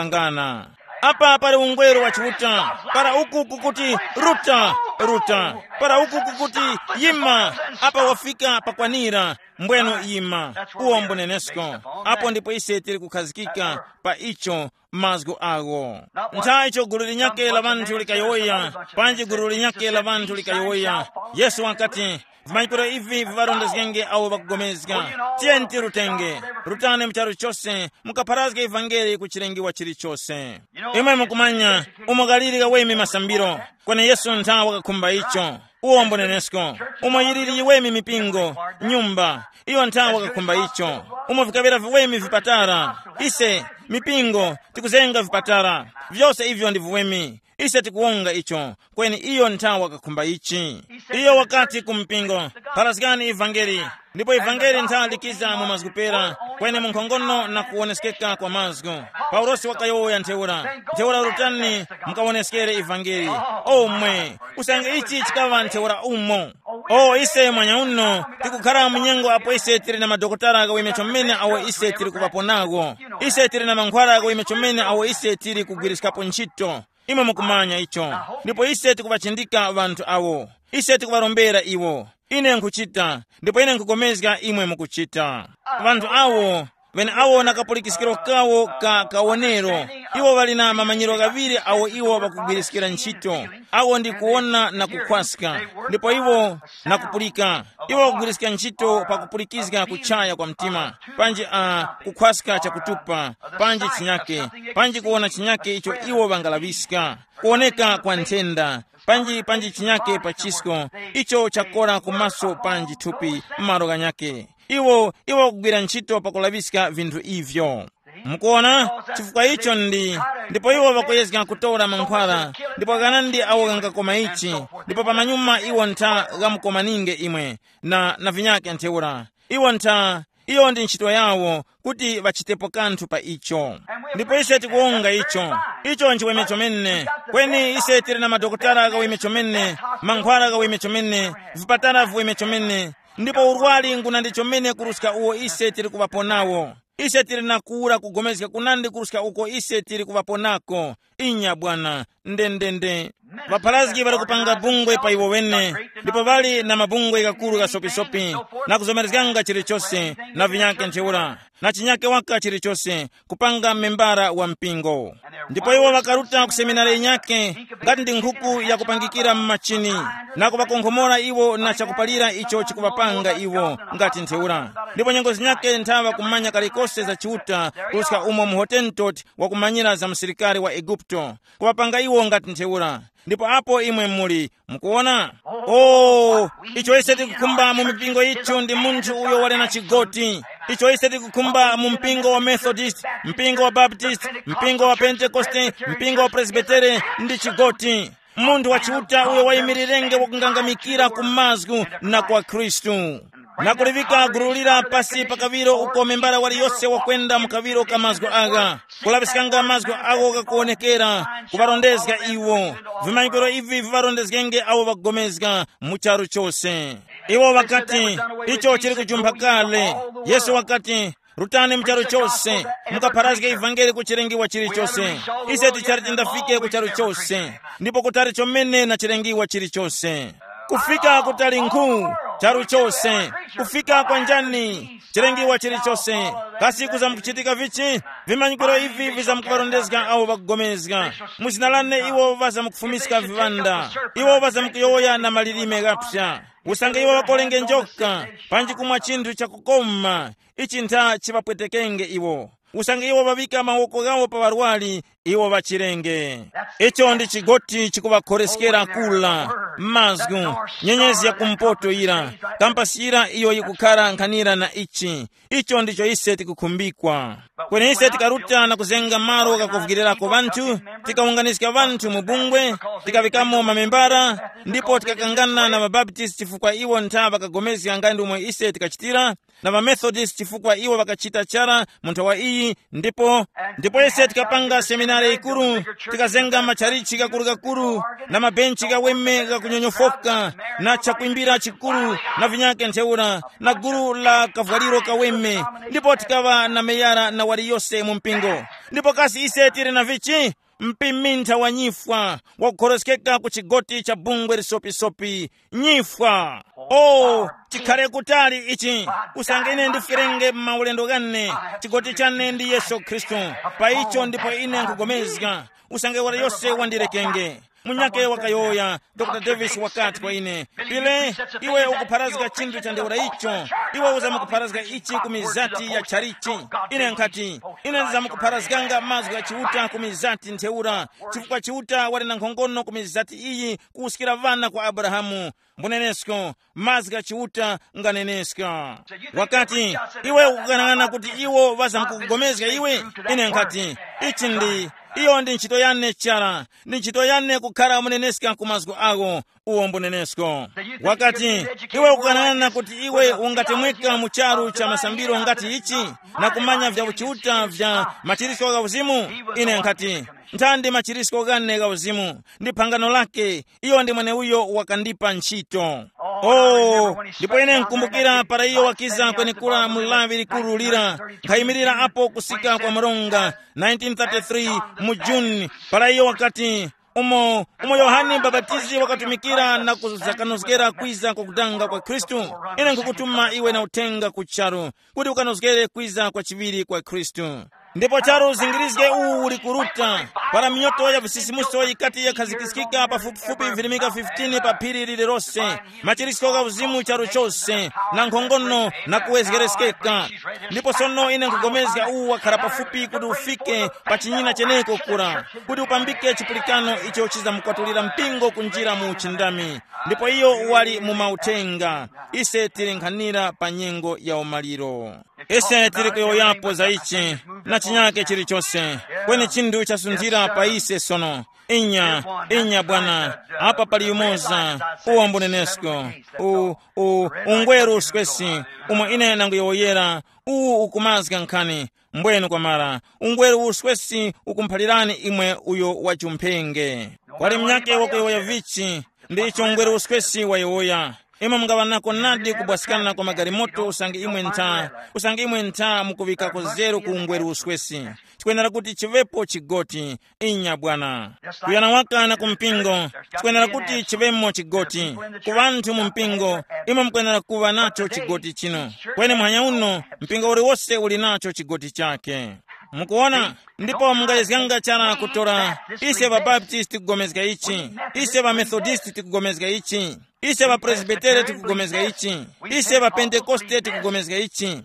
ŵakukangana. Apa pali ungweru wa Chiuta, para uku kukuti, ruta, ruta. Para uku kukuti, yima. Apa wafika pakwanira, mbwenu yima. Uwo mbunenesko. Apo ndipo ise tili kukhazikika pa icho, mazgu agho. Ntha icho gulu linyakhe la ŵanthu likayowoya, panji gulu linyakhe la ŵanthu likayowoya, Yesu wakati, vimanyikiro ivi viŵarondezgenge awo ŵakugomezga. Tiyeni tirutenge. Rutani mu charu chose, mukapharazge ivangeli ku chilengiwa chilichose. Imwe mukumanya, umo ghaliri gaweme masambiro, kweni Yesu ntha wakakhumba icho. Uwo mbunenesko. Umo yiliri yiweme mipingo, nyumba, iyo ntha wakakhumba icho. Umo vikaŵera viweme vipatara, ise, mipingo, tikuzenga vipatara. Vyose ivyo ndi viweme. Ise tikuwonga icho, kweni iyo ntha wakakhumba ichi. Iyo wakati ku mpingo, pharazgani ivangeli. Ndipo ivangeli ntha likiza mu mazgu pera, kweni mu nkhongono na kuwoneskeka kwa mazgu. Paulosi wakayowoya ntheura, ntheura rutani, mukawoneskere ivangeli. Omwe, usange ichi chikaŵa ntheura umo. O ise mwanya uno, tikukhara mu nyengo apo ise tili na madokotala ghaweme chomene awo ise tili kuŵapo nawo. Ise tili na mankhwala ghaweme chomene awo ise tili kugwiriskapo ntchito. Imwe mukumanya icho. Ndipo ise tikuŵachindika ŵanthu awo. Ise tikuŵarombera iwo. Ine nkhuchita, ndipo ine nkhupulikana imwe mukuchita. Ŵanthu awo, ŵeneawo na kapulikiskiro kawo ka kawonero, iwo ŵali na mamanyiro ghaŵiri awo iwo ŵakugwiriskira ntchito. Awo ndi kuwona na kukhwaska, ndipo iwo na kupulika. Iwo ŵakugwiriska ntchito pakupulikizga kuchaya kwa mtima, panji a kukhwaska chakutupa, panji chinyake, panji kuwona chinyake icho iwo ŵangalaŵiska, kuwoneka kwa nthenda, panji panji chinyake pa chisko, icho chakora kumaso panji thupi m'malo ghanyake. Iwo iwo kugwira ntchito pakulaŵiska vinthu ivyo. Mukuona? Chifukwa icho ndi, ndipo iwo ŵakuyezga kutora mankhwala, ndipo ghanandi awo ghangakoma ichi, ndipo pamanyuma iwo ntha ghamukomaninge imwe, na, na vinyake ntheura. Iwo ntha, iyo ndi ntchito yawo, kuti ŵachitepo kanthu pa icho. Ndipo ise tikuwonga icho. Icho nchiweme chomene. Kweni ise tili na madokotala ghaweme chomene, mankhwala ghaweme chomene, vipatala viweme chomene, ndipo urwari ngunandi chomene kuruska uwo ise tili kuŵapo nawo. Ise tili na kuwura kugomezga kunandi kuruska uko ise tili kuŵapo nako. Inya bwana, ndendende. Ŵapharazgi ŵali kupanga bungwe pa iwo wene, ndipo ŵali na mabungwe ghakuru ghasopisopi, na kuzomerezganga chilichose, na vinyake ntheura, na chinyake waka chilichose, kupanga membara wa mpingo. Ndipo iwo ŵakaruta ku seminari yinyake, ngati ndi nkhuku yakupangikira mu machini, na kuŵakonkhomora iwo na chakupalira icho chikuŵapanga iwo, ngati ntheura. Ndipo nyengo zinyake nthaŵa kumanya kalikose za Chiuta, kuruska umo mu Hotentot wakumanyira za musilikari wa Eguputo, kuŵapanga iwo ngati ntheura. Ndipo apo imwe muli, mukuwona? Oh, icho ise tikukhumba mu mipingo yithu ndi munthu uyo wali na chigoti. Icho ise tikukhumba mu mpingo wa Methodist, mpingo wa Baptist, mpingo wa Pentekoste, mpingo wa Presbitere, ndi chigoti. Munthu wa Chiuta uyo wayimirirenge wakungangamikira ku mazgu na kwa Khristu, na kuliŵika gulu lira pasi pa kaŵiro uko membara waliyose wakwenda mu kaŵiro ka mazgu agha, kulaŵiskanga mazgu agho ghakuwonekera, kuŵarondezga iwo. Vimanyikiro ivi viŵarondezgenge awo ŵakupulikana mu charu chose. Iwo ŵakati, icho chili kujumpha kale. Yesu wakati, rutani mu charu chose, mukapharazge ivangeli ku chilengiwa chilichose. Ise tichali tindafike ku charu chose, ndipo kutali chomene na chilengiwa chilichose. Kufika kutali nkhu, charu chose. Kufika kwa njani? Chilengiwa chilichose. Kasi kuza mukuchitika vichi? Vimanyikiro ivi vizamkuŵarondezga awo ŵakugomezga. Mu zina lane iwo ŵazamkufumiska viŵanda. Iwo ŵazamkuyowoya na malilime ghapsa. Usange iwo ŵakolenge njoka, panji kumwa chinthu chakukoma, ichi ntha chiŵapwetekenge iwo. Usange iwo ŵaŵika mawoko ghawo pa ŵarwari, iwo ŵachirenge. Icho ndi chigoti chikuŵakhoreskera kula, mazgu, nyenyezi ya kumpoto yira, kampasi yira iyo yikukhara nkhanira na ichi. Icho ndicho ise tikukhumbikwa. Kweni ise tikaruta na kuzenga malo ghakuvukirirako ŵanthu, tikawunganiska ŵanthu mu bungwe, tikaŵikamo mamembara, ndipo tikakangana na ŵabaptisti chifukwa iwo ntha ŵakagomezga nga ndi umo ise tikachitira, na ŵamethodist chifukwa iwo ŵakachita chara mu nthawa iyi. Ndipo ndipo ise tikapanga seminari yikuru, tikazenga matchalichi ghakurugakuru, na mabenchi ghaweme ghakunyonyofoka, na chakwimbira chikuru, na vinyake ntheura, na gulu la kavwaliro kaweme, ndipo tikaŵa na meyara na waliyose mu mpingo. Ndipo kasi ise tili na vichi? Mpimintha wa nyifwa, wakukhoroskeka ku chigoti cha bungwe lisopisopi. Nyifwa. O, chikhale kutali ichi. Usange ine ndifwerenge m'maulendo ghane, chigoti chane ndi Yesu Khristu. Pa icho ndipo ine nkugomezga. Usange wali yose wandirekenge. Munyake wakayowoya, dr Davis wakati kwa ine, pile, iwe ukupharazga chinthu cha ntheura icho. Iwe uzamukupharazga ichi ku mizati ya tchalichi. Ine nkhati, ine ndizamukupharazganga mazgu gha Chiuta ku mizati ntheura, chifukwa Chiuta wali na nkhongono ku mizati iyi kuwuskira ŵana kwa Abrahamu. Mbunenesko, mazgu gha Chiuta nganeneska. Wakati, iwe ukukang'ana kuti iwo ŵazamkukugomezga iwe? Ine nkhati, ichi ndi, iyo ndi ntchito yane chara, ndi ntchito yane kukhara muneneska ku mazgu agho. Uwo mbunenesko. Wakati, iwe ukukang'ana kuti iwe ungatemweka mu charu cha masambiro ngati ichi, na kumanya vya uchiuta vya machirisko gha uzimu? Ine nkhati, nthandi machirisko ghane gha uzimu, ndi phangano lake, iyo ndi mweneuyo wakandipa ntchito. Oh, ndipo ine nkumbukira para iyo wakiza kwenekura mu lawi likuru lira, nkhayimirira apo kusika kwa mronga, nineteen thirty-three, mu June, para iyo wakati, umo, umo Yohane Mbapatizi wakatumikira na kuzakanozgera kwiza kwa kudanga kwa Khristu. Ine nkukutuma iwe na uthenga ku charu, kuti ukanozgere kwiza kwa chiŵiri kwa Khristu. Ndipo charu zingirizge uwu uli kuruta, para minyoto ya visisimuso yikati yakhazikiskika pafupifupi virimika fifteen pa phiri lililose, machirisko gha uzimu charu chose, na nkhongono na kuwezgereskeka. Ndipo sono ine nkugomezga uwu wakhara pafupi kuti ufike pa chinyina cheneko kura, kuti upambike chipulikano icho chizamukwatulira mpingo kunjira mu uchindami. Ndipo iyo wali mu mauthenga. Ise tili nkhanira pa nyengo ya umaliro. Ise tili kuyowoyapo za ichi na chinyake chilichose, kweni chinthu chasunthira pa ise sono. Inya, inya bwana, apa pali yumoza, uwo mbunenesko, u, u, ungweru uswesi, umo ine nanguyowoyera, uwu ukumazga nkhani. Mbwenu kwamara, ungweru uswesi ukumphalirani imwe uyo wachumphenge. Kwali mnyake wakuyowoya vichi, ndi icho ungweru uswesi wayowoya. Imwe mungaŵa nako nadi kubwasikana kwa magalimoto usange imwe ntha, usange imwe ntha mukuŵikako zeru ku ungweru uswesi. Chikwenera kuti chiŵepo chigoti. Inya bwana. Kuyana waka na ku mpingo, chikwenera kuti chiŵemo chigoti. Ku ŵanthu mu mpingo, imwe mukwenera kuŵa nacho chigoti chinu. Kweni muhanya uno, mpingo uliwose uli nacho chigoti chake. Mukuona? Ndipo mungayezganga chara kutora, ise ŵabaptisti tikugomezga ichi, ise ŵamethodist tikugomezga ichi, ise ŵapresbitere tikugomezga ichi, ise ŵapentekoste tikugomezga ichi.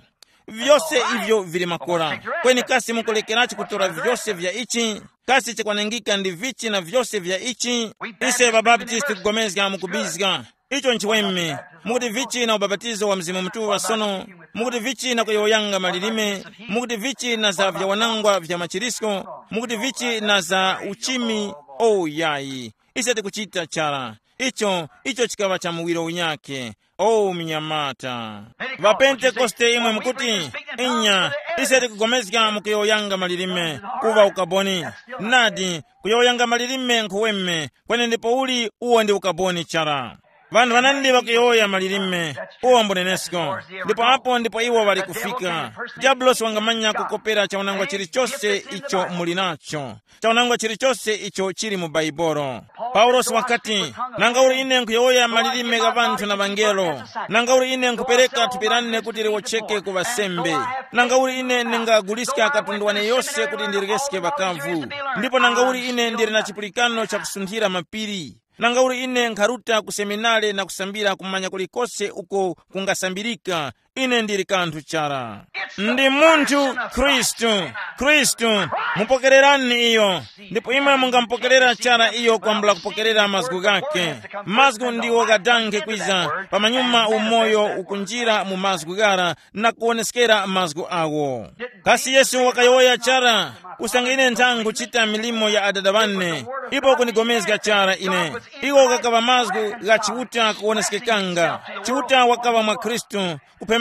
Vyose ivyo vili makora. Kweni kasi mukulekerachi kutora vyose vya ichi? Kasi chikwanengika ndi vichi na vyose vya ichi? Ise ŵabaptisti tikugomezga mukubizga. Icho nchiweme. Mukuti vichi na ubapatizo wa Mzimu Mutuŵa sono? Mukuti vichi na kuyowoyanga malilime? Mukuti vichi na za vyawanangwa vya machirisko? Mukuti vichi na za uchimi? O yayi. Ise tikuchita chara. Icho, icho chikaŵa cha muwiro unyakhe. O mnyamata, ŵapentekoste imwe mukuti, inya, ise tikugomezga mukuyowoyanga malilime, kuŵa ukaboni. Nadi, kuyowoyanga malilime nkhuweme, kweni ndipo uli uwo ndi ukaboni chara. Vanthu ŵanandi ŵakuyowoya malilime, uwo mbunenesko. Ndipo apo ndipo iwo ŵali kufika. Diabulosi wangamanya kukopera chaunangwa chilichose icho muli nacho, chaunangwa chilichose icho chili mu Baibolo. Paulosi wakati, nanga uli ine nkhuyowoya malilime gha ŵanthu na ŵangelo, nanga uli ine nkhupereka thupi lane kuti liwocheke ku ŵasembe, nanga uli ine ndingaguliska katundu wane yose kuti ndirekeske ŵakavu, ndipo nanga uli ine ndili na chipulikano chakusunthira mapiri, nanga uli ine nkharuta ku seminare na kusambira kumanya kulikose uko kungasambirika, ine ndili kanthu chara. Ndi munthu Khristu. Khristu, mupokererani iyo. Ndipo imwe mungamupokerera chara iyo kwambula kupokerera mazgu ghake. Mazgu ndiwo ghadanghe kwiza pamanyuma umoyo ukunjira mu mazgu ghara na kuwoneskera mazgu awo. Kasi Yesu wakayowoya chara, usange ine nthangu chita milimo ya Adada wane, ipo kunigomezga chara ine. Iwo ghakaŵa mazgu gha Chiuta kuwoneskekanga. Chiuta wakaŵa mwa Khristu,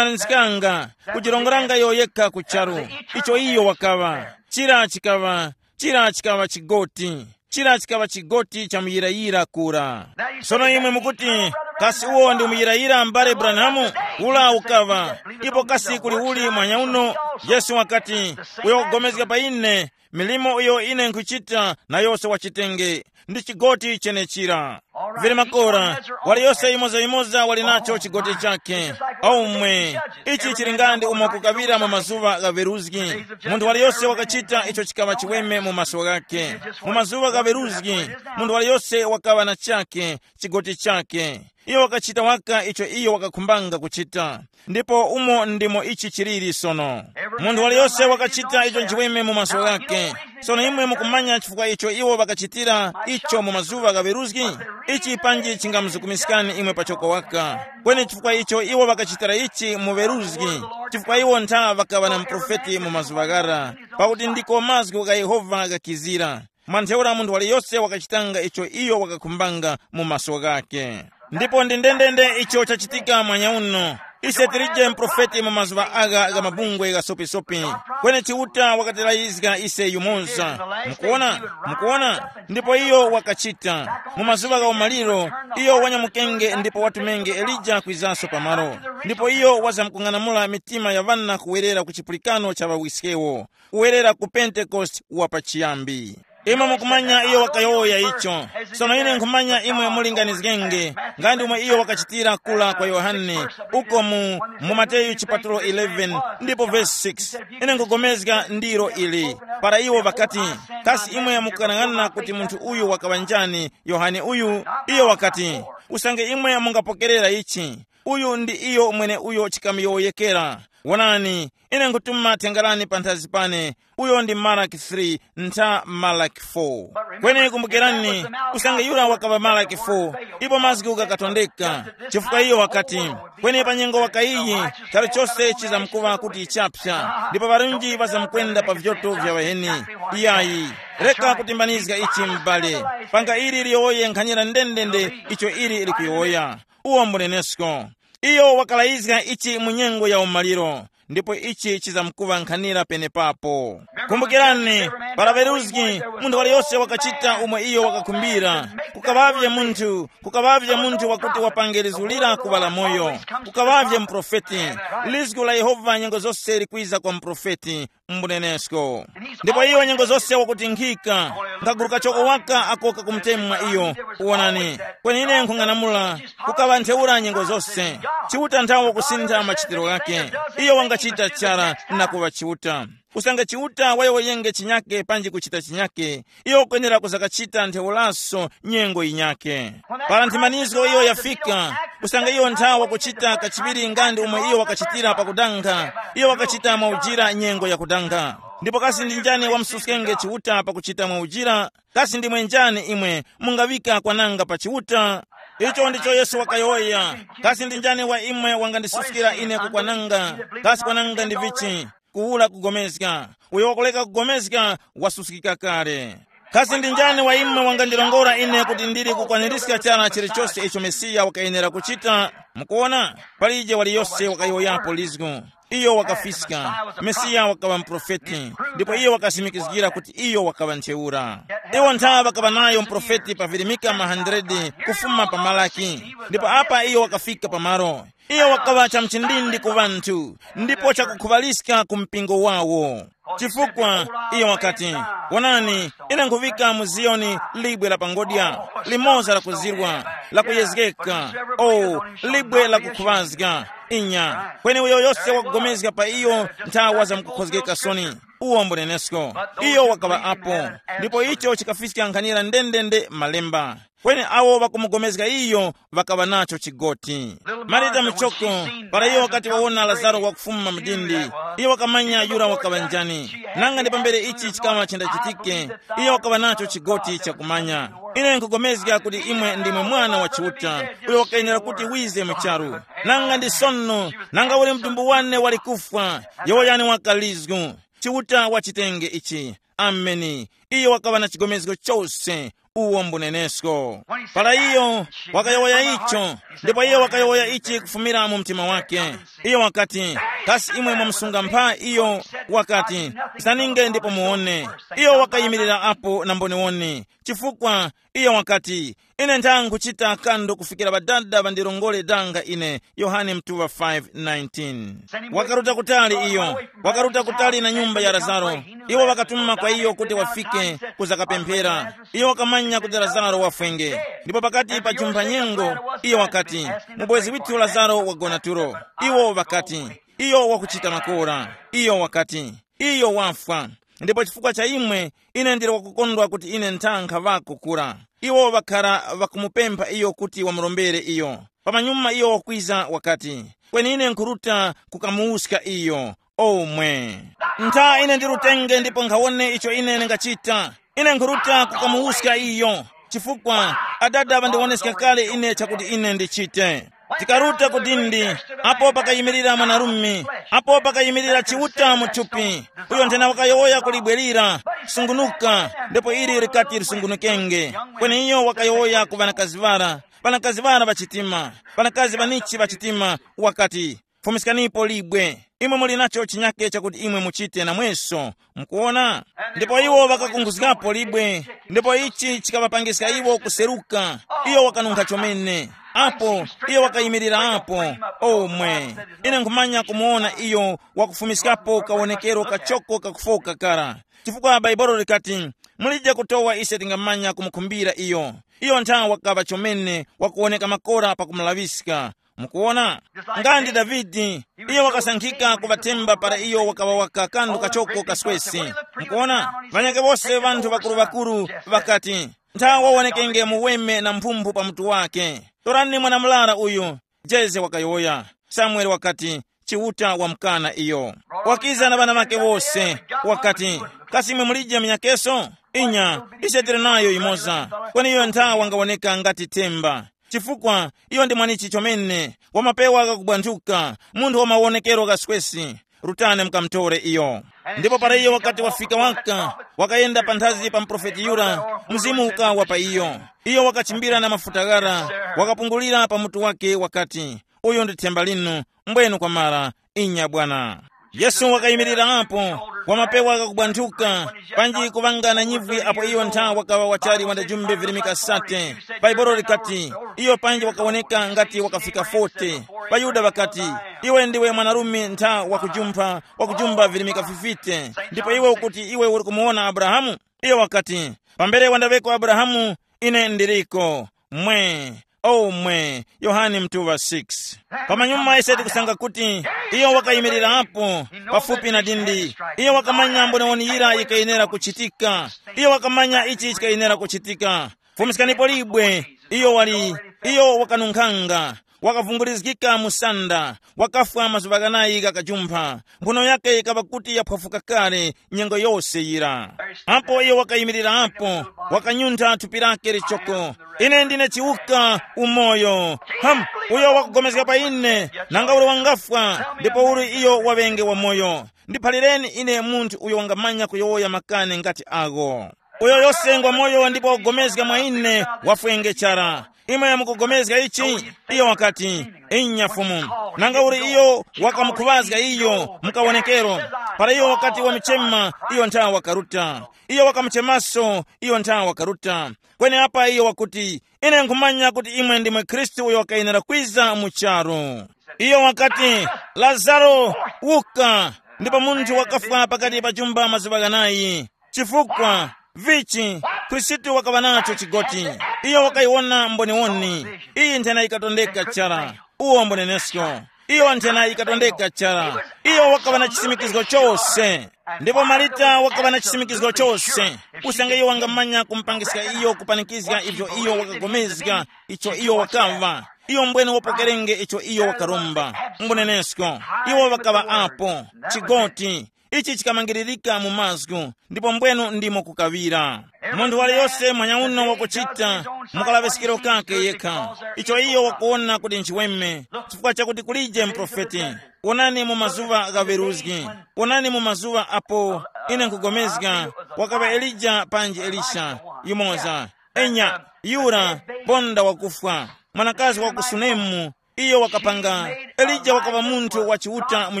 kuphemanizikanga, kujirongoranga iyo yekha ku charu. Icho iyo wakaŵa. Chira chikaŵa, chira chikaŵa chigoti. Chira chikaŵa chigoti cha muyirayira kura. Sono imwe mukuti, kasi uwo ndi muyirayira m'bale Branham? Ula ukaŵa. Ipo kasi kuli uli mwanya uno? Yesu wakati, uyo wakugomezga pa ine, milimo iyo ine nkhuchita na yose wachitenge, ndi chigoti chenechira. Vili makora, waliyose yimoza-yimoza wali nacho chigoti chakhe. Omwe, ichi chili nga ndi umo kukaŵira mu mazuŵa gha veruzgi. Munthu waliyose wakachita icho chikaŵa chiweme mu maso ghakhe. Mu mazuŵa gha veruzgi, munthu waliyose wakaŵa na chakhe, chigoti chakhe. Iyo wakachita waka icho iyo wakakhumbanga kuchita. Ndipo umo ndimo ichi chiliri sono. Munthu waliyose wakachita icho nchiweme mu maso ghakhe. Sono imwe mukumanya chifukwa icho iwo ŵakachitira icho mu mazuŵa gha veruzgi? Ichi panji chingamuzukumiskani imwe pachoko waka. Kweni chifukwa icho iwo ŵakachitira ichi mu veruzgi, chifukwa iwo ntha ŵakaŵa na muprofeti mu mazuŵa ghara, pakuti ndiko mazgu gha Yehova ghakizira. Mwa ntheura munthu waliyose wakachitanga icho iyo wakakhumbanga mu maso ghakhe. Ndipo ndi ndendende icho chachitika mwanya uno. Ise tilije muprofeti mu mazuŵa agha gha mabungwe ghasopisopi. Kweni Chiuta wakatirayizga ise yumoza. Mukuona? Mukuona? Ndipo iyo wakachita. Mu mazuŵa gha umaliro, iyo wanyamukenge ndipo watumenge Elija kwizanso pamalo. Ndipo iyo wazamkung'anamula mitima ya ŵana kuwerera ku chipulikano cha ŵawiskewo, kuwerera ku Pentekoste wa pachiyambi. Imwe mukumanya iyo wakayowoya icho. Sono ine nkhumanya imwe mulinganizgenge, nga ndi umwe iyo wakachitira kula kwa Yohane, uko mu, mu Mateyu chipatulo eleven ndipo vesi six. Ine nkugomezga ndiro ili. Para iwo ŵakati, kasi imwe mukukanang'ana kuti munthu uyu wakaŵa njani, Yohane uyu? Iyo wakati, usange imwe mungapokerera ichi, uyu ndi iyo mwene uyo chikamuyowoyekera. Wonani, ine nkhutuma thenga lane panthazi pane. Uyo ndi Malaki three, ntha Malaki four. Kweni kumbukirani, usange yura wakaŵa Malaki four, ipo mazgu ghakatondeka. Chifukwa iyo wakati, kweni pa nyengo waka iyi, chalichose chizamkuŵa kuti chapsa, ndipo ŵarunji ŵazamkwenda pa vyoto vya ŵaheni. Iyayi, reka kutimbanizga ichi m'bale. Panga ili liyowoye nkhanyira ndendende icho ili likuyowoya. Uwo mbunenesko. Iyo wakalayizga ichi mu nyengo ya umaliro, ndipo ichi chizamkuŵa nkhanira penepapo. Kumbukirani, para ŵeruzgi, munthu waliyose wakachita umo iyo wakakhumbira. Kukaŵavye munthu, kukaŵavye munthu wakuti wapange lizulira kuŵala moyo. Kukaŵavye muprofeti. Lizgu la Yehova nyengo zose likwiza kwa muprofeti, mbunenesko. Ndipo iyo nyengo zose wakutinkhika, nkaguru kachoko waka ako kakumutemwa iyo. Uwonani, kweni ine nkhung'anamula, kukaŵa ntheura nyengo zose. Chiuta nthawe kusintha machitiro ghake. Iyo wangachita chara na kuŵa Chiuta. Usange Chiuta wayowoyenge chinyake panji kuchita chinyake, iyo ukwenera kuzakachita ntheuraso nyengo yinyake. Para nthimanizo iyo yafika, usange iyo nthawa kuchita kachiŵiri nga ndi umo iyo wakachitira pakudanga, iyo wakachita mwaujira nyengo yakudanga. Ndipo kasi ndi njani wamususkenge Chiuta pakuchita mwaujira? Kasi ndimwe njani imwe mungaŵika kwananga pa Chiuta? Icho ndicho Yesu wakayowoya. Kasi ndi njani wa imwe wangandisuskira ine kukwananga? Kasi kwananga ndi vichi? Kuwula kugomezga. Uyo wakuleka kugomezga wasuskika kale. Kasi ndi njani wa imwe wangandilongora ine kuti ndili kukwanirizga chara chilichose icho Mesiya wakayenera kuchita? Mukuona, palije waliyose wakayowoyapo lizgu. Iyo wakafiska. Mesiya wakaŵa muprofeti, ndipo iyo wakasimikizgira kuti iyo wakaŵa ntheura. Iwo nthawe ŵakaŵa nayo muprofeti pa virimika ma hundred kufuma pa Malaki, ndipo apa iyo wakafika pamalo. Iyo wakaŵa chamchindindi ku ŵanthu, ndipo chakukhuŵaliska ku mpingo wawo. Chifukwa iyo wakati, wonani, ine nkhuŵika mu Ziyoni libwe la pangodya, limoza lakuzirwa, lakuyezgeka, o, libwe lakukhuŵazga. Inya, kweni uyo yose wakugomezga pa iyo nthawa zamkukhozgeka soni. Uwo mbunenesko. Iyo wakaŵa apo, ndipo icho chikafiska nkhanira ndendende malemba. Kweni awo ŵakumugomezga iyo ŵakaŵa nacho chigoti. Marita muchoko, para iyo wakati wawona Lazaro wakufuma mu dindi, iyo wakamanya yura wakaŵa njani. Nanga ndi pambere ichi chikaŵa chendachitike, iyo wakaŵa nacho chigoti chakumanya. Ine nkugomezga kuti imwe ndimwe Mwana wa Chiuta, uyo wakayenera kuti wize mu charu. Nanga ndi sono, nanga uli mtumbu wane wali kufwa, yowoyani wakalizgu. Chiuta wachitenge ichi. Ameni. Iyo wakaŵa na chigomezgo chose. Uwo mbunenesko. Para iyo wakayowoya icho, ndipo iyo wakayowoya ichi kufumira mu mtima wake. Iyo wakati, kasi imwe mwamusunga mpha iyo? Wakati, zaninge ndipo muwone. Iyo wakayimirira apo na mboniwoni, chifukwa iyo wakati, ine ntha nkhuchita kando kufikira ŵadada ŵandirongore danga ine. Yohane mtuŵa five nineteen. Wakaruta kutali iyo, wakaruta kutali na nyumba ya Lazaro. Iwo ŵakatuma kwa iyo kuti wafike kuzakapemphera. Iyo wakamanya kuti Lazaro wafwenge, ndipo pakati pa jumpha nyengo, iyo wakati, mubwezi withu Lazaro wagona tulo. Iwo ŵakati, iyo wakuchita makora. Iyo wakati, iyo wafwa. Ndipo chifukwa cha imwe, ine ndili wakukondwa kuti ine ntha nkhaŵako kura. Iwo ŵakhara ŵakumupempha iyo kuti wamurombere iyo. Pamanyuma iyo wakwiza wakati, kweni ine nkhuruta kukamuwuska iyo. Omwe, ntha ine ndirutenge ndipo nkhawone icho ine ndingachita. Ine nkhuruta kukamuwuska iyo, chifukwa adada ŵandiwoneska kale ine chakuti ine ndichite. Tikaruta ku dindi, apo pakayimirira mwanarume, apo pakayimirira Chiuta mu thupi, uyo nthena wakayowoya ku libwe lira, sungunuka, ndipo ili likati lisungunukenge. Kweni iyo wakayowoya ku ŵanakazi ŵara, ŵanakazi ŵara ŵachitima, ŵanakazi ŵanichi ŵachitima, wakati, fumiskanipo libwe. Imwe muli nacho chinyake chakuti imwe muchite namweso. Mukuona? Ndipo iwo ŵakakunkhuzgapo libwe, ndipo ichi chikaŵapangiska iwo kuseruka. Iyo wakanunkha chomene. Apo, iyo wakayimirira apo. Omwe, ine nkhumanya kumuwona iyo wakufumiskapo kawonekero kachoko kakufoka kara. Chifukwa Bhaibuli likati, mulije kutowa ise tingamanya kumukhumbira iyo. Iyo nthawe wakaŵa chomene wakuwoneka makora pakumulaŵiska. Mukuwona? Nga ndi Davide, iyo wakasankhika kuŵathemba para iyo wakaŵa waka kandu kachoko kaswesi. Mukuwona? Ŵanyakhe wose ŵanthu ŵakuru-ŵakuru ŵakati, ntha wawonekenge muweme na mphumphu pa mutu wake. Torani mwana-murara uyu. Jese wakayowoya. Samuele wakati, Chiuta wamkana iyo. Wakiza na ŵana ŵake wose, wakati, kasi imwe mulije munyakeso? Inya, ise tili nayo yimoza. Kweni iyo ntha wangawoneka ngati themba. Chifukwa iyo ndi mwanichi chomene, wamapewa ghakubwanthuka, munthu wa mawonekero ghaswesi. Rutani mukamutore iyo. Ndipo para iyo wakati wafika waka, wakayenda panthazi pa muprofeti yura, mzimu ukawa pa iyo. Iyo wakachimbira na mafuta ghara, wakapungulira pa mutu wake wakati, uyu ndi themba linu, mbwenu kwamara. Inya bwana. Yesu wakayimirira apo, wamapewa ghakubwanthuka, panji kuŵanga na nyivwi apo iyo ntha wakaŵa wachali wandajumbe virimika sate. Bhaibuli likati, iyo panji wakawoneka ngati wakafika forty. Ŵayuda ŵakati, iwe ndiwe mwanarume ntha wakujumpha, wakujumba virimika fifite, ndipo iwe ukuti iwe uri kumuwona Abrahamu? Iyo wakati, pambere wandaŵeko Abrahamu, ine ndiriko. Mwe, oh mwe, Yohane mtuŵa six. Pamanyuma ise tikusanga kuti iyo wakayimirirapo pafupi na dindi. Iyo wakamanya mbonewoni yira yikayenera kuchitika. Iyo wakamanya ichi chikayenera kuchitika. Fumiskanipo libwe, iyo wali, iyo wakanunkhanga, wakavungurizgika mu sanda, wakafwa mazuŵa ghanayi ghakajumpha. Mphuno yake yikaŵa kuti yaphwafuka kale nyengo yose yira. Apo iyo wakayimirirapo, wakanyuntha thupi lake lichoko. Ine ndine chiwuka, umoyo. Ham, uyo wakugomezga pa ine, nanga uli wangafwa, ndipo uli iyo waŵenge wamoyo. Ndiphalireni ine munthu uyo wangamanya kuyowoya makani ngati agho. Uyo yose ngwa moyo ndipo wakupulikana mwa ine, wafwenge chara. Imwe mukupulikana ichi? Iyo wakati, inya Fumu. Nanga uli iyo wakamukhuŵazga iyo mukawonekero. Para iyo wakati wamuchema, iyo nthawe wakaruta. Iyo wakamuchemaso, iyo nthawe wakaruta. Kweni apa iyo wakuti, ine nkhumanya kuti imwe ndimwe Khristu uyo wakayenera kwiza mu charu. Iyo wakati, Lazaro, wuka. Ndipo munthu wakafwa pakati pa chumba mazuŵa ghanayi. Chifukwa, vichi, Khristu wakaŵa nacho chigoti. Iyo wakayiwona mboniwoni. Iyi nthena yikatondeka chara. Uwo mbonenesko. Iyo nthena yikatondeka chara. Iyo wakaŵa na chisimikizgo chose. Ndipo Marita wakaŵa na chisimikizgo chose. Usange iyo wangamanya kumupangiska iyo kupanikizga ivyo iyo wakagomezga, icho iyo wakaŵa. Iyo mbwene wapokerenge icho iyo wakaromba. Mbonenesko. Iwo ŵakaŵa apo. Chigoti. Ichi chikamangiririka mu mazgu, ndipo mbwenu ndimo kukaŵira. Munthu waliyose mwanyauno wakuchita mukalaŵiskiro kake yekha, icho iyo wakuwona kuti nchiweme, chifukwa chakuti kulije muprofeti. Wonani mu mazuŵa gha ŵeruzgi, wonani mu mazuŵa apo ine nkhugomezga, wakaŵa Elija panji Elisha, yumoza. Enya, yura, ponda wakufwa, mwanakazi wa ku Sunemu, iyo wakapanga. Elija wakaŵa munthu wa Chiuta mu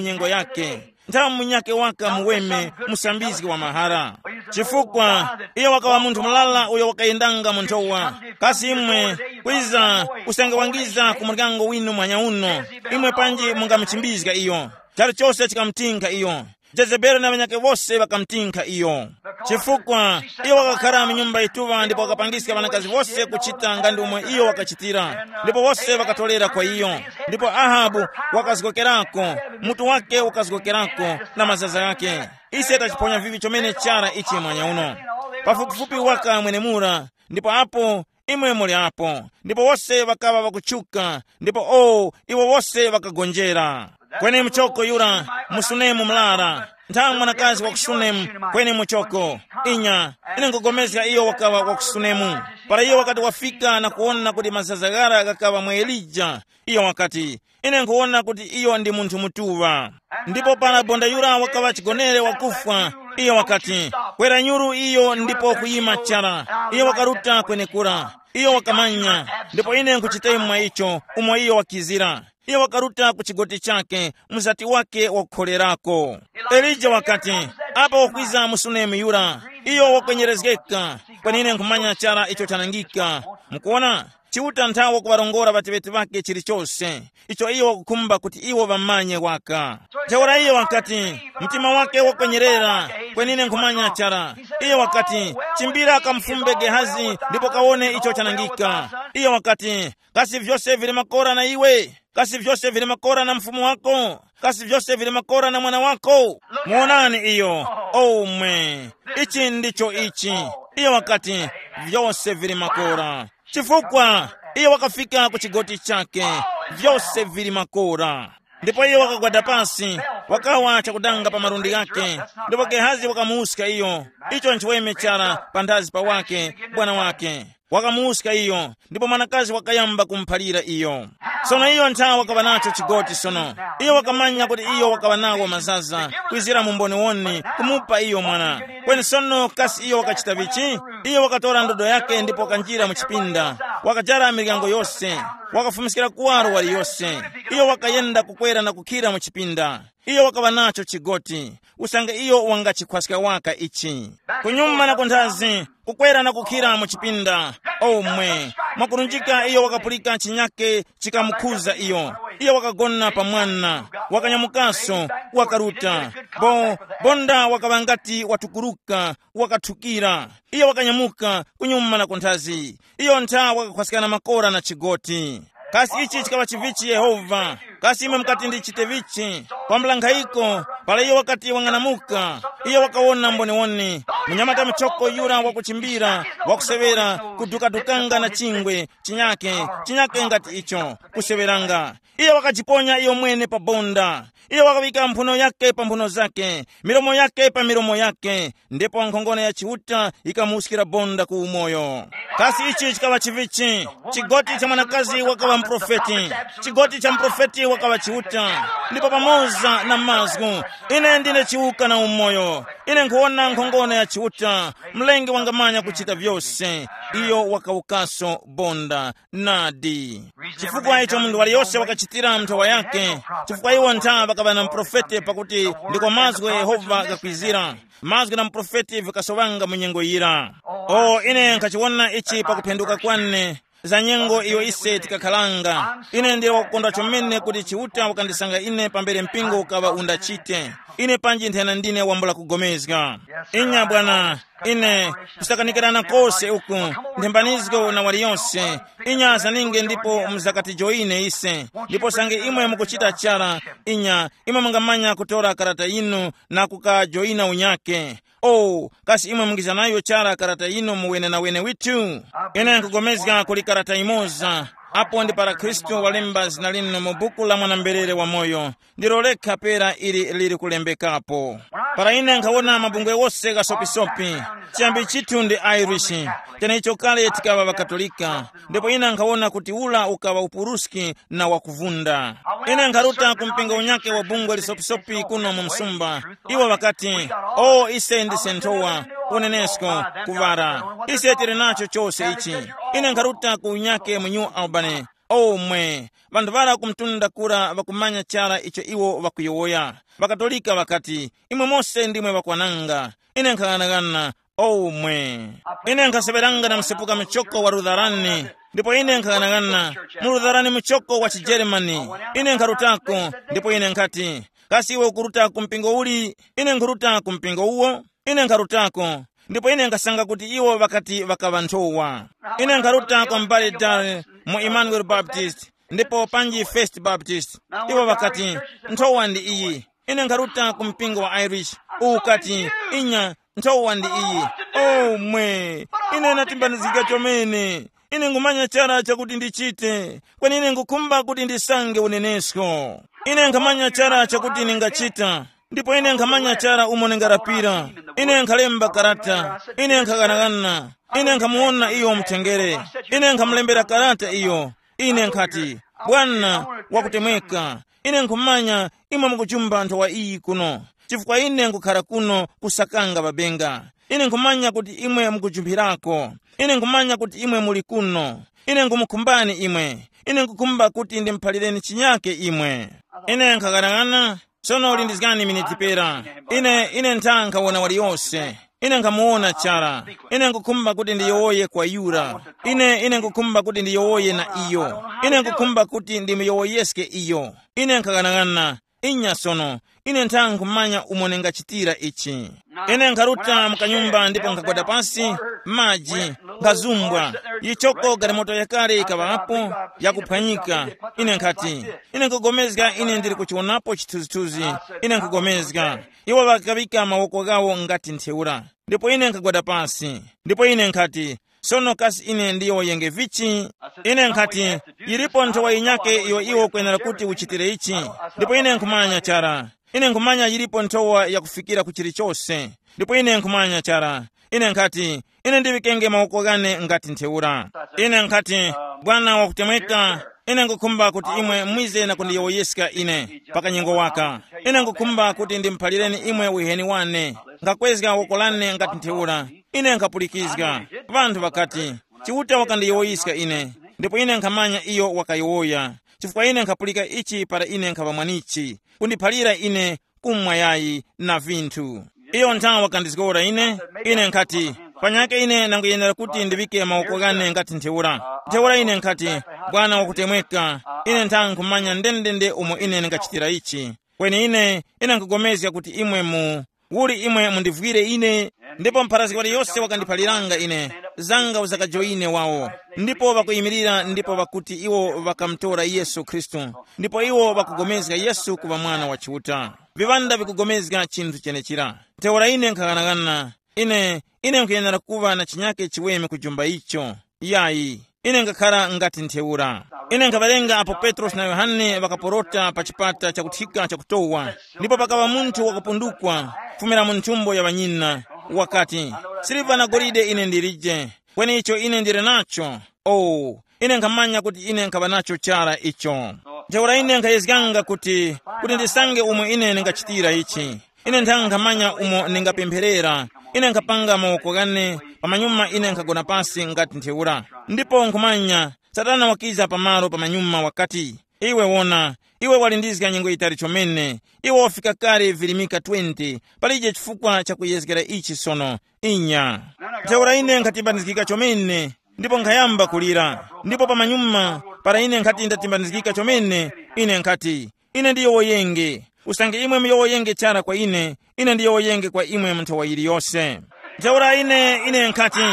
nyengo yake. Nthawi munyakhe waka muweme, musambizgi wa mahara. Chifukwa iyo wakaŵa munthu mulala uyo wakayendanga mu nthowa. Kasi imwe kwiza usange wangiza ku muryango winu mwanya uno, imwe panji mungamuchimbizga iyo. Chalichose chikamutinkha iyo. Jezebeli na ŵanyakhe wose ŵakamutinkha iyo. Chifukwa iyo wakakhara mu nyumba yituŵa ndipo wakapangiska ŵanakazi wose kuchita nga ndi umo iyo wakachitira, ndipo wose ŵakatorera kwa iyo. Ndipo Ahabu wakazgokerako, mutu wake ukazgokerako, na mazaza ghake. Ise tachiponya vivi chomene chara ichi mwanya uno. Pafupifupi waka mwenemura, ndipo apo imwe muli apo. Ndipo wose ŵakaŵa ŵakutchuka, ndipo o, iwo wose ŵakagonjera. Kweni muchoko yura, mu Sunemu mlara, nthawe mwanakazi wa ku Sunemu, kweni muchoko. Inya, ine nkugomezga iyo wakaŵa wa ku Sunemu. Para iyo wakati wafika na kuwona kuti mazaza ghara ghakaŵa mwa Elija, iyo wakati, ine nkhuwona kuti iyo ndi munthu mutuŵa. Ndipo para bonda yura wakaŵa chigonere wakufwa, iyo wakati, kwera nyuru iyo ndipo kuyima chara. Iyo wakaruta kwenekura. Iyo wakamanya, ndipo ine nkhuchita imwe icho umo iyo wakizira. Iyo wakaruta ku chigoti chake, mzati wake wakukholerako. Elija wakati, apa wakwiza mu Sunemu yura, iyo wakwenyerezgeka, kweni ine nkhumanya chara icho chanangika. Mukuona, Chiuta nthawe wakuŵarongora ŵateŵeti ŵake chilichose icho iyo wakukhumba kuti iwo ŵamanye waka. Ntheura iyo wakati, mtima wake wakwenyerera, kweni ine nkhumanya chara. Iyo wakati, chimbira kamufumbe Gehazi ndipo kawone icho chanangika. Iyo wakati, kasi vyose vili makora na iwe? Kasi vyose vili makora na mfumu wako? Kasi vyose vili makora na mwana wako? Muwonani iyo. Omwe, ichi ndicho ichi. Iyo wakati, vyose vili makora. Chifukwa iyo wakafika ku chigoti chake, vyose vili makora. Ndipo iyo wakagwada pasi, wakawa chakudanga pa malundi ghake. Ndipo Gehazi wakamuwuska iyo, icho nchiweme chara panthazi pa wake, bwana wake. Wakamuwuska iyo, ndipo mwanakazi wakayamba kumuphalira iyo. Sono iyo nthawe wakaŵa nacho chigoti sono. Iyo wakamanya kuti iyo wakaŵa nawo mazaza, kwizira mu mboniwoni, kumupa iyo mwana. Kweni sono kasi iyo wakachita vichi? Iyo wakatora ndodo yake ndipo wakanjira mu chipinda, wakajara miryango yose, wakafumiskira kuwaro waliyose. Iyo wakayenda kukwera na kukhira mu chipinda. Iyo wakaŵa nacho chigoti, usange iyo wangachikhwaska waka ichi. Kunyuma na kunthazi, kukwera na kukhira mu chipinda. Omwe, mwakurunjika iyo wakapulika chinyake chikamukhuza iyo. Iyo wakagona pa mwana, wakanyamukaso, wakaruta. Bo, bonda wakaŵa ngati watukuruka, wakathukira. Iyo wakanyamuka kunyuma na kunthazi. Iyo ntha wakakhwaskana makora na chigoti. Kasi ichi chikaŵa chivichi Yehova? Kasi imwe mukati ndichite vichi? Kwambula nkhayiko, para iyo wakati wang'anamuka, iyo wakawona mboniwoni, munyamata muchoko yura wakuchimbira, wakuseŵera, kudukadukanga na chingwe, chinyake, chinyake ngati icho, kuseŵeranga. Iyo wakajiponya iyo mwene pa bonda. Iyo wakaŵika mphuno yake pa mphuno zake, milomo yake pa milomo yake, ndipo nkhongono ya Chiuta yikamuwuskira bonda ku umoyo. Kasi ichi chikaŵa chivichi? Chigoti cha mwanakazi wakaŵa muprofeti. Chigoti cha muprofeti wakaŵa Chiuta. Ndipo pamoza na mazgu, ine ndine chiwuka na umoyo. Ine nkhuwona nkhongono ya Chiuta. Mlengi wangamanya kuchita vyose. Iyo wakawukaso bonda. Nadi. Chifukwa icho munthu waliyose wakachitira nthowa yake, chifukwa iwo ntha ŵakaŵa na muprofete, pakuti ndiko mazgu gha Yehova ghakwizira, mazgu na muprofete vikasoŵanga mu nyengo yira. O, ine nkhachiwona ichi pakuphenduka kwane, za nyengo iyo ise tikakhalanga. Ine ndili wakukondwa chomene kuti Chiuta wakandisanga ine pambere mpingo ukaŵa undachite. Ine panji nthena ndine wambula kugomezga. Inya bwana, ine kusakanikirana kose uku, nthembanizgo na waliyonse. Inya zaninge ndipo muzakatijoyine ise, ndipo sange imwe mukuchita chara, inya, imwe mungamanya kutora karata yinu na kukajoyina unyake. Oh, kasi imwe mungiza nayo chara karata yinu mu wenenawene withu? Ine nkugomezga kuli karata imoza, apo ndi para Khristu walemba zina linu mu buku la mwanamberere wamoyo. Ndilo lekha pera ili lili kulembekapo. Para ine nkhawona mabungwe wose ghasopisopi, chiyambi chithu ndi Irish, cheneicho kale tikaŵa ŵaKatolika, ndipo ine nkhawona kuti ula ukaŵa upuruski na wakuvunda. Ine nkharuta ku mpingo unyakhe wa bungwe lisopisopi kuno mu msumba. Iwo ŵakati, o, ise ndise nthowa, unenesko, kuŵara. Ise tili nacho chose ichi. Ine nkharuta ku unyakhe mu New Albany. Omwe, ŵanthu ŵara ku mtunda kura ŵakumanya chara icho iwo ŵakuyowoya. Ŵakatolika ŵakati, imwe mose ndimwe ŵakwananga. Ine nkhang'anaghana, omwe. Ine nkhaseŵeranga na msepuka muchoko wa Lutherani, ndipo ine nkhang'anaghana, mu Lutherani muchoko wa chijeremani. Ine nkharutako, ndipo ine nkhati, kasi iwe ukuruta ku mpingo uli? Ine nkhuruta ku mpingo uwo. Ine nkharutako, ndipo ine nkasanga kuti iwo ŵakati ŵakaŵa nthowa. Ine nkharuta kwa m'bale Dale mu Emmanuel Baptist, ndipo panji First Baptist. Iwo ŵakati, nthowa ndi iyi. Ine nkharuta ku mpingo wa Irish, uwu ukati, inya, nthowa ndi iyi. Oh mwe, ine natimbanizgika chomene. Ine nkhumanya chara chakuti ndichite, kweni ine nkhukhumba kuti ndisange unenesko. Ine nkhamanya chara chakuti ndingachita, ndipo ine nkhamanya chara umo ndingarapira. Ine nkhalemba karata, ine nkhaganaghana, ine nkhamuwona iyo mutengere. Ine nkhamulembera karata iyo. Ine nkhati, bwana, wakutemweka. Ine nkhumanya imwe mukujumba nthowa iyi kuno, chifukwa ine nkhukhara kuno kusakanga ŵabenga. Ine nkhumanya kuti imwe mukujumphirako. Ine nkhumanya kuti imwe muli kuno. Ine nkhumukhumbani imwe. Ine nkhukhumba kuti ndimuphalireni chinyake imwe. Ine nkhaganaghana. Sono lindizgani miniti pera. Ine, ine ntha nkhawona waliyose. Ine nkhamuwona chara. Ine nkhukhumba kuti ndiyowoye kwa yura. Ine, ine nkhukhumba kuti ndiyowoye na iyo. Ine nkhukhumba kuti ndimuyowoyeske iyo. Ine nkhaganaghana. Inya sono, ine ntha nkhumanya umo ningachitira ichi. Ine nkharuta mu kanyumba ndipo nkhagwada pansi, maji, nkhazumbwa, yichoko galimoto yakale yikaŵapo, yakuphwanyika. Ine nkhati, ine nkugomezga ine ndili kuchiwonapo chithunzithunzi. Ine nkugomezga. Iwo ŵakaŵika mawoko ghawo ngati ntheura. Ndipo ine nkhagwada pansi. Ndipo ine nkhati, Sono kasi ine ndiyowoyenge vichi? Ine nkhati, yilipo nthowa yinyake iyo iwe ukwenera kuti uchitire ichi. Ndipo ine nkhumanya chara. Ine nkhumanya yilipo nthowa yakufikira ku chilichose. Ndipo ine nkhumanya chara. Ine nkhati, ine ndiŵikenge mawoko ghane ngati ntheura. Ine nkhati, Bwana wakutemweka, ine ngukhumba kuti imwe mwize na kundiyowoyeska ine pa kanyengo waka. Ine ngukhumba kuti ndimuphalireni imwe uheni wane. Ngakwezga woko lane ngati ntheura. Ine nkhapulikizga. Ŵanthu ŵakati, Chiuta wakandiyowoyiska ine. Ndipo ine nkhamanya iyo wakayowoya, chifukwa ine nkhapulika ichi para ine nkhaŵa mwanichi, kundiphalira ine kumwa yayi na vinthu. Iyo nthawi wakandizgora ine. Ine nkhati, panyake ine nanguyenera kuti ndiŵike mawoko ghane ngati ntheura. Ntheura ine nkhati, Bwana wakutemweka, ine nthawi nkhumanya ndendende umo ine ndingachitira ichi. Kweni ine, ine nkhugomezga kuti imwe mu uli imwe mundivwire ine. Ndipo mpharazgi waliyose wakandiphaliranga ine, zanga uzakajoyine wawo. Ndipo ŵakuyimirira ndipo ŵakuti iwo ŵakamutora Yesu Khristu. Ndipo iwo ŵakugomezga Yesu kuŵa Mwana wa Chiuta. Viŵanda vikugomezga chinthu chenechira. Ntheura ine nkhaghanaghanana, ine, ine nkhuyenera kuŵa na chinyake chiweme kujumba icho. Yayi, ine ngakhara ngati ntheura. Ine nkhaŵalenga apo Petrosi na Yohane ŵakaporota pa chipata chakuthika chakutowa, ndipo pakaŵa munthu wakupundukwa kufumira mu nthumbo ya ŵanyina, wakati, siliva na golide ine ndilije, kweni icho ine ndili nacho, oh, ine nkhamanya kuti ine nkhaŵa nacho chara icho. Ntheura ine nkhayezganga kuti, kuti ndisange umo ine ndingachitira ichi. Ine nthanga nkhamanya umo ningapempherera. Ine nkhapanga mawoko ghane, pamanyuma ine nkhagona pasi ngati ntheura. Ndipo nkhumanya, Satana wakiza pamalo pamanyuma wakati, iwe wona, iwe walindizga nyengo yitali chomene. Iwe wafika kale virimika twenty. Palije chifukwa chakuyezgera ichi sono. Inya. Ntheura ine nkhatimbanizgika chomene, ndipo nkhayamba kulira. Ndipo pamanyuma, para ine nkhati ndatimbanizgika chomene, ine nkhati, ine ndiyowoyenge. Usange imwe muyowoyenge chara kwa ine, ine ndiyowoyenge kwa imwe mu nthawa yiliyose. Ntheura ine, ine nkhati,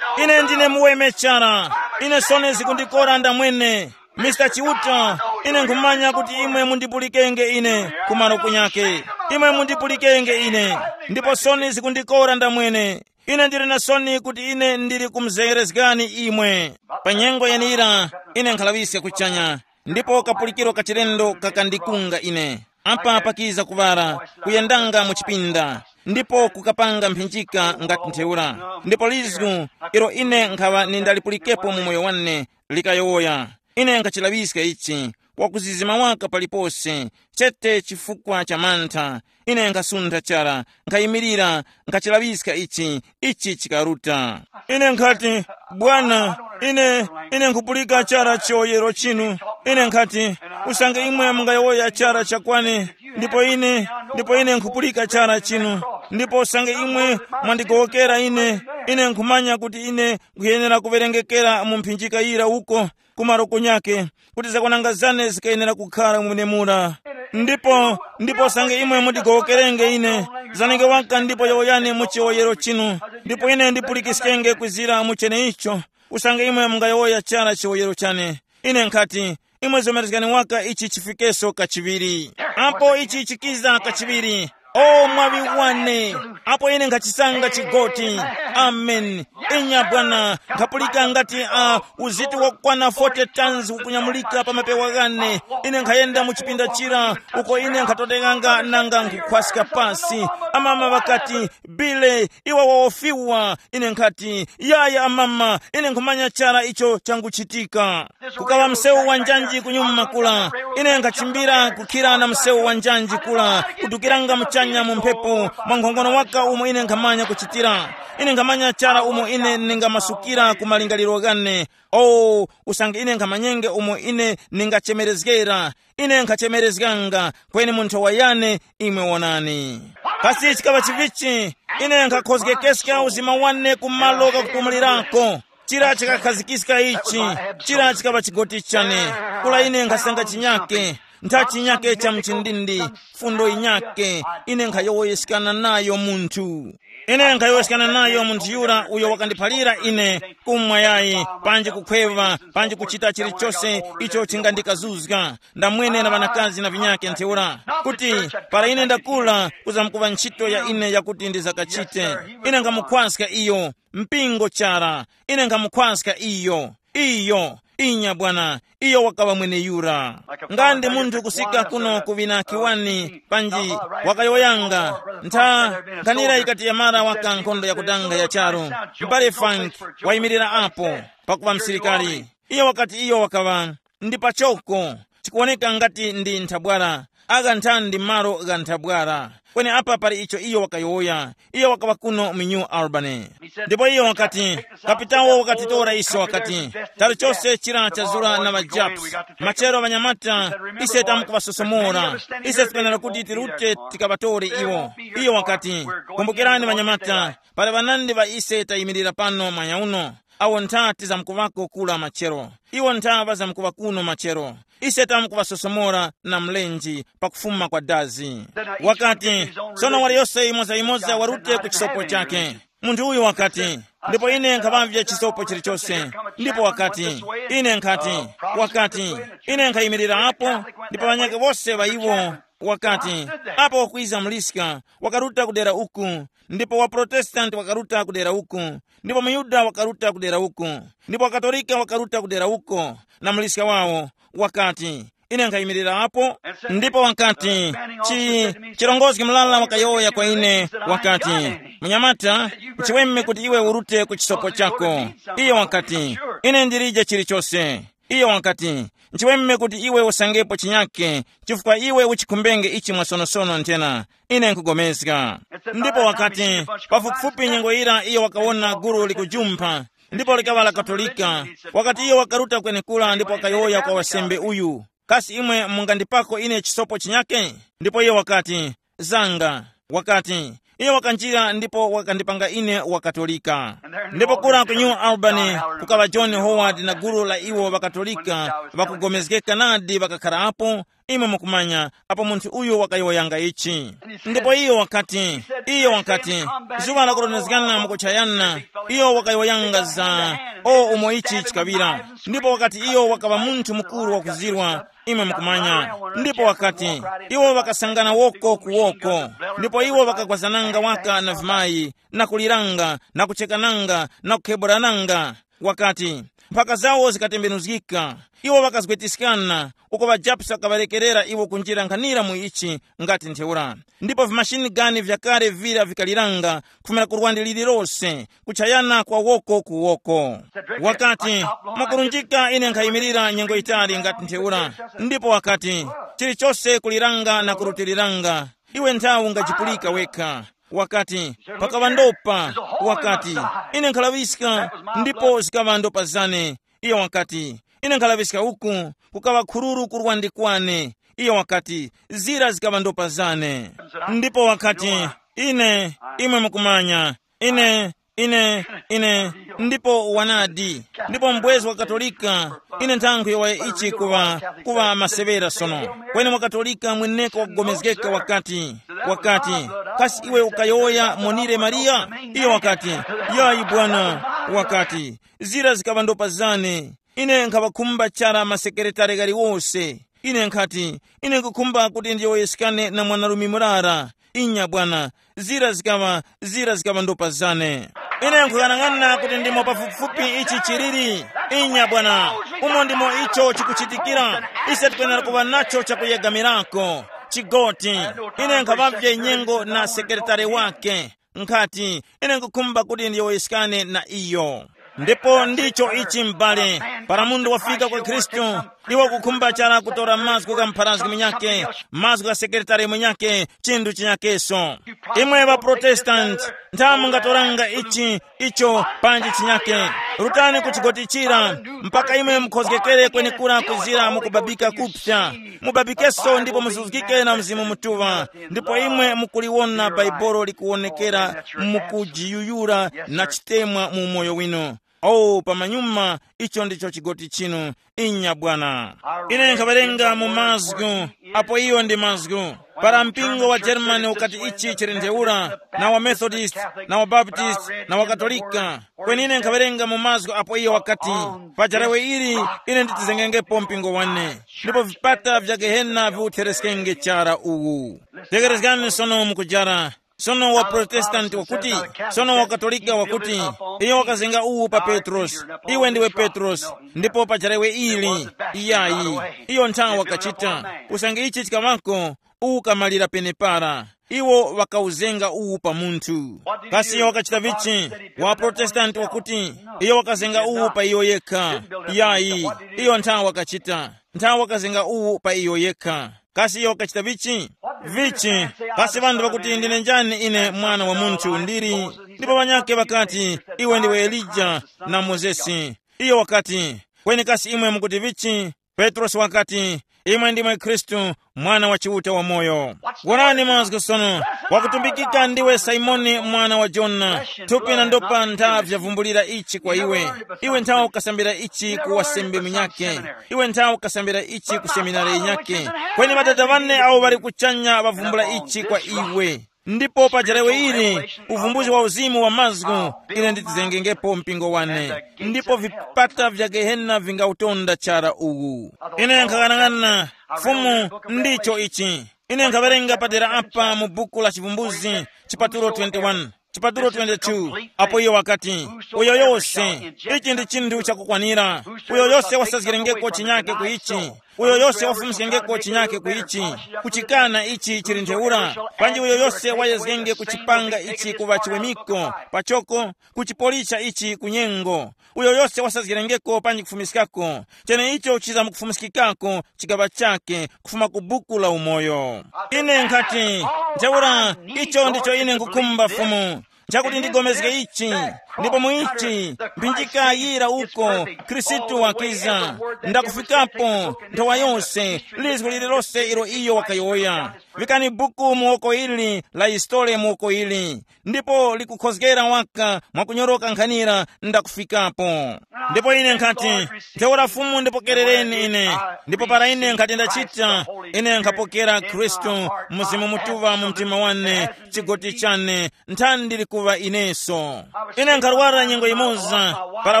ine ndine muweme chara. Ine sone zikundikora ndamwene. Mr Chiuta, ine nkhumanya kuti imwe mundipulikenge ine kumaro kunyake. Imwe mundipulikenge ine. Ndipo soni zikundikora ndamwene. Ine ndili na soni kuti ine ndili kumuzeyerezgani imwe. Pa nyengo yenira, ine nkhalaŵiska kuchanya, ndipo kapulikiro ka chilendo kakandikunga ine. Apa pakiza kuŵala, kuyendanga mu chipinda, ndipo kukapanga mphinjika ngati ntheura. Ndipo lizgu, ilo ine nkhaŵa nindalipulikepo mu moyo wane, likayowoya. Ine nkhachilaŵiska ichi, wakuzizima waka palipose, chete chifukwa cha mantha. Ine nkhasuntha chara, nkhayimirira, nkhachilaŵiska ichi, ichi chikaruta. Ine nkhati, Bwana, ine, ine nkhupulika chara chiyowoyero chinu. Ine nkhati, usange imwe mungayowoya chara chakwane, ndipo ine, ndipo ine nkhupulika chara chinu. Ndipo usange imwe mwandigowokera ine, ine nkhumanya kuti ine nkhuyenera kuwerengekera mu mphinjika yira uko, kumaro kunyake, kuti zakwananga zane zikayenera kukhara mwenemura. Ndipo, ndipo sange imwe mundigowokerenge ine, zanenge waka ndipo yowoyani mu chiwoyero chinu, ndipo ine ndipulikiskenge kwizira mu cheneicho, usange imwe mungayowoya chara chiwoyero chane. Ine nkhati, imwe zomerezgani waka ichi chifikeso kachiŵiri. Apo ichi chikiza kachiŵiri, o mwaŵi wane, apo ine nkhachisanga chigoti. Amen. Inya bwana, nkhapulika ngati a uziti wakwana forty tons ukunyamulika pa mapewa ghane. Ine nkhayenda mu chipinda chira, uko ine nkhatondenganga nanga nkhukhwaska pasi. Amama ŵakati, Bile, iwe wawofiwa. Ine nkhati, yaya amama, ine nkhumanya chara icho changuchitika. Kukaŵa msewu wa njanji kunyuma kula. Ine nkhachimbira kukhira na msewu wa njanji kula, kudukiranga muchanya mu mphepo, mwa nkhongono waka umo ine nkhamanya kuchitira. Ine nkhamanya chara umo ine ningamasukira ku malingaliro ghane. O, usange ine nkhamanyenge umo ine ningachemerezgera, ine nkhachemerezganga, kweni mu nthowa yane imwe wonani. Kasi chikaŵa chivichi, ine nkhakhozgekeska uzima wane ku malo ghakupumulirako. Chira chikakhazikiska ichi, chira chikaŵa chigoti chane. Kula ine nkhasanga chinyake, ntha chinyake cha mchindindi, fundo yinyake, ine nkhayowoyeskana nayo munthu. Ine nkhayowoyeskana nayo munthu yura uyo wakandiphalira ine kumwa yayi, panji kukhweva, panji kuchita chilichose icho chingandikazuzga. Ndamwene na ŵanakazi na vinyake ntheura. kuti para ine ndakula kuzamkuŵa ntchito ya ine yakuti ndizakachite. Ine nkhamukhwaska iyo, mpingo chara. Ine nkhamukhwaska iyo. Iyo, inya bwana, iyo wakaŵa mweneyura. Nga ndi munthu kusika kuno ku vinakiwani panji, wakayowoyanga ntha nkhanira ikati yamara waka nkhondo yakudanga ya charu, mbale Frank wayimirira apo pakuŵa msilikali. Iyo wakati iyo wakaŵa ndi pachoko, chikuwoneka ngati ndi nthabwala, agha nthandi malo gha nthabwala. Kweni apa pali icho iyo wakayowoya. Iyo wakaŵa kuno mu New Albany. Ndipo iyo wakati, kapitawo wakatitora iso wakati, talichose chira chazura na ŵajaps, machero ŵanyamata, ise tamkuŵasosomora. Ise tikwenera kuti tirute tikaŵatore iwo. Iyo wakati, kumbukirani ŵanyamata, pali ŵanandi ŵa ise tayimirira pano mwanya uno, awo ntha tizamkuŵako kula machero. Iwo ntha ŵazamkuŵa kuno machero. Ise tamkuŵasosomora na mlenji pakufuma kwa dazi. Wakati, sono waliyose yimoza-yimoza warute ku chisopo chake. Munthu uyu wakati, ndipo ine nkhaŵavye chisopo chilichose. Ndipo wakati, ine nkhati, wakati, ine nkhayimirira apo, ndipo ŵanyakhe wose ŵa iwo, wakati, apo wakwiza muliska, wakaruta kudera uku, ndipo wa Protestanti wakaruta kudera uku, ndipo muYuda wakaruta kudera uku, ndipo waKatolika wakaruta kudera uko, na muliska wawo, wakati, ine nkhayimirira apo. Ndipo wakati, chi chirongozgi mulala wakayowoya kwa ine, wakati, munyamata, nchiweme kuti iwe urute ku chisopo chako. Iyo wakati, ine ndilije chilichose. Iyo wakati, nchiweme kuti iwe usangepo chinyake, chifukwa iwe uchikhumbenge ichi mwasonosono nthena. Ine nkugomezga. Ndipo wakati, pafupifupi nyengo yira iyo wakawona gulu likujumpha, ndipo likaŵa la Katolika. Wakati iyo wakaruta kwenekura ndipo wakayowoya kwa wasembe uyu, kasi imwe mungandipako ine chisopo chinyake? Ndipo iyo wakati, zanga. Wakati, iyo wakanjira ndipo wakandipanga ine wa Katolika. Ndipo kura ku New Albany kukaŵa John Howard na gulu la iwo ŵaKatolika ŵakugomezgeka nadi ŵakakhara apo. Imwe mukumanya apo munthu uyu wakayowoyanga ichi. Ndipo iyo wakati, iyo wakati, zuŵa lakurondezgana mukuchayana, iyo wakayowoyanga za o umo ichi chikaŵira. Ndipo wakati iyo wakaŵa munthu mukuru wakuzirwa, imwe mukumanya. Ndipo wakati, iwo ŵakasangana woko ku woko, ndipo iwo ŵakagwazananga waka na vimayi, na kuliranga, na kuchekananga, na kukheburananga. Wakati, mphaka zawo zikatembenuzgika. Iwo ŵakazgwetiskana, uko ŵajapusi ŵakaŵarekerera iwo kunjira nkhanira mu ichi ngati ntheura. Ndipo vimashini gani vyakale vira vikaliranga kufumira ku lwandi lililose, kuchayana kwa woko ku woko. Wakati, mwakurunjika ine nkhayimirira nyengo yitali ngati ntheura. Ndipo wakati, chilichose kuliranga na kurutiliranga. Iwe nthawi ungajipulika wekha. Wakati, pakaŵa ndopa. Wakati, ine nkhalaŵiska. Ndipo zikaŵa ndopa zane. Iyo wakati, ine nkhalaŵiska uku, kukaŵa khururu kurwandi kwane. Iyo wakati, zira zikaŵa ndopa zane. Ndipo wakati, ine, imwe mukumanya, ine, ine, ine, ndipo wanadi, ndipo mbwezi wa Katolika, ine nthankhu yowaye ichi kuŵa, kuŵa maseŵera sono. Kweni mwa Katolika mweneko wakugomezgeka wakati, wakati, kasi iwe ukayowoya monire Mariya? Iyo wakati, yayi bwana, wakati, zira zikaŵa ndopa zane. Ine nkhaŵakhumba chara masekeretare ghaliwose. Ine nkhati, ine nkhukhumba kuti ndiyowoyeskane na mwanarume murara. Inya bwana, zira zikaŵa, zira zikaŵa ndopa zane. Ine nkhuyang'ana kuti ndimo pafupifupi ichi chiliri. Inya bwana, umo ndimo icho chikuchitikira. Ise tikwenera kuŵa nacho chakuyegamirako. Chigoti, ine nkhaŵavye nyengo na sekeretare wake. Nkhati, ine nkukhumba kuti ndiyowoyeskane na iyo. Ndipo ndicho ichi m'bale, para munthu wafika kwa Khristu, iwe ukukhumba chara kutora mazgu gha mpharazgi munyakhe, mazgu gha sekeretari munyakhe, chinthu chinyakeso. Imwe ŵaprotestanti, ntha mungatoranga ichi, icho panji chinyakhe. Rutani ku chigotichira, mpaka imwe mukhozgekere kwenekura kuzira mukubabika kupsa. Mubabikeso ndipo muzuzgike na Mzimu Mutuŵa, ndipo imwe mukuliwona Baibolo likuwonekera mukujiyuyura na chitemwa mu umoyo winu. Oh, pamanyuma, icho ndicho chigoti chinu. Inya bwana. Ine nkhawerenga mu mazgu, apo iyo ndi mazgu. Para mpingo wa Germany ukati ichi chili ntheura, na wa Methodist, na wa Baptist, na wa Katolika, kweni ine nkhawerenga mu mazgu apo iyo wakati, pa jarawe ili, ine nditizengengepo mpingo wane, ndipo vipata vya Gehena viwuthereskenge chara uwu. Tekerezgani sono mukujara. Sono wa Protestanti wakuti, sono wa Katolika wakuti, iyo wakazenga uwu pa Petrosi, iwe ndiwe Petrosi, ndipo pa jarawe ili, iyayi, iyo nthawi wakachita, usange ichi chikaŵako, uwu ukamalira penepara. Iwo ŵakawuzenga uwu pa munthu. Kasi iyo wakachita vichi? Wa Protestanti wakuti, iyo wakazenga uwu pa iyo yekha. Yayi, iyo nthawi wakachita, nthawi wakazenga uwu pa iyo yekha. Kasi iyo wakachita vichi? Vichi? Kasi ŵanthu ŵakuti ndine njani ine, mwana wa munthu ndili? Ndipo ŵanyakhe ŵakati, iwe ndiwe Elija, na Mozesi. Iyo wakati, kweni kasi imwe mukuti vichi? Petrosi wakati, imwe ndimwe Khristu, Mwana wa Chiuta wamoyo. Wonani mazgu sono, wakutumbikika ndiwe Simoni mwana wa Jona, thupi na ndopa ntha vyavumbulira ichi kwa iwe. Iwe nthawe ukasambira ichi ku wasembe munyakhe, iwe nthawe ukasambira ichi ku seminari yinyakhe, kweni ŵadada ŵane awo ŵali kuchanya ŵavumbula ichi kwa iwe. Ndipo pa jarawe ili, uvumbuzi wa uzimu wa mazgu, ine nditizengengepo mpingo wane, ndipo vipata vya Gehena vingautonda chara uwu. Ine nkhaghanaghana, Fumu, ndicho ichi. Ine nkhawerenga padera apa mu buku la Chivumbuzi, chipatulo twenty-one, chipatulo twenty-two, apo iyo wakati, uyo yose, ichi ndi chinthu chakukwanira, uyo yose wasazgirengeko chinyake ku ichi, uyo yose wafumiskengeko chinyake ku ichi, kuchikana ichi chili ntheura, panji uyo yose wayezgenge kuchipanga ichi kuŵa chiwemiko, pachoko, kuchipolisha ichi ku nyengo, uyo yose wasazgirengeko panji kufumiskako, cheneicho chizamkufumiskikako chigaŵa chake kufuma ku buku la umoyo. Ine nkhati, ntheura, icho ndicho ine nkukhumba Fumu, chakuti ndigomezge ichi, ndipo mu ichi, mphinjika yira uko, Khristu wakiza, ndakufikapo, nthowa yose, lizgu lililose ilo iyo wakayowoya. Vikani buku mu woko ili, la historia mu woko ili, ndipo likukhozgera waka mwakunyoroka nkhanira, ndakufikapo. Ndipo ine nkhati, ntheura Fumu ndipokerereni ine, ndipo para ine nkhati ndachita, ine nkhapokera Khristu, Mzimu Mutuŵa mu mtima wane, chigoti chane, nthani ndili kuŵa ineso. Ine nkharwara nyengo yimoza, para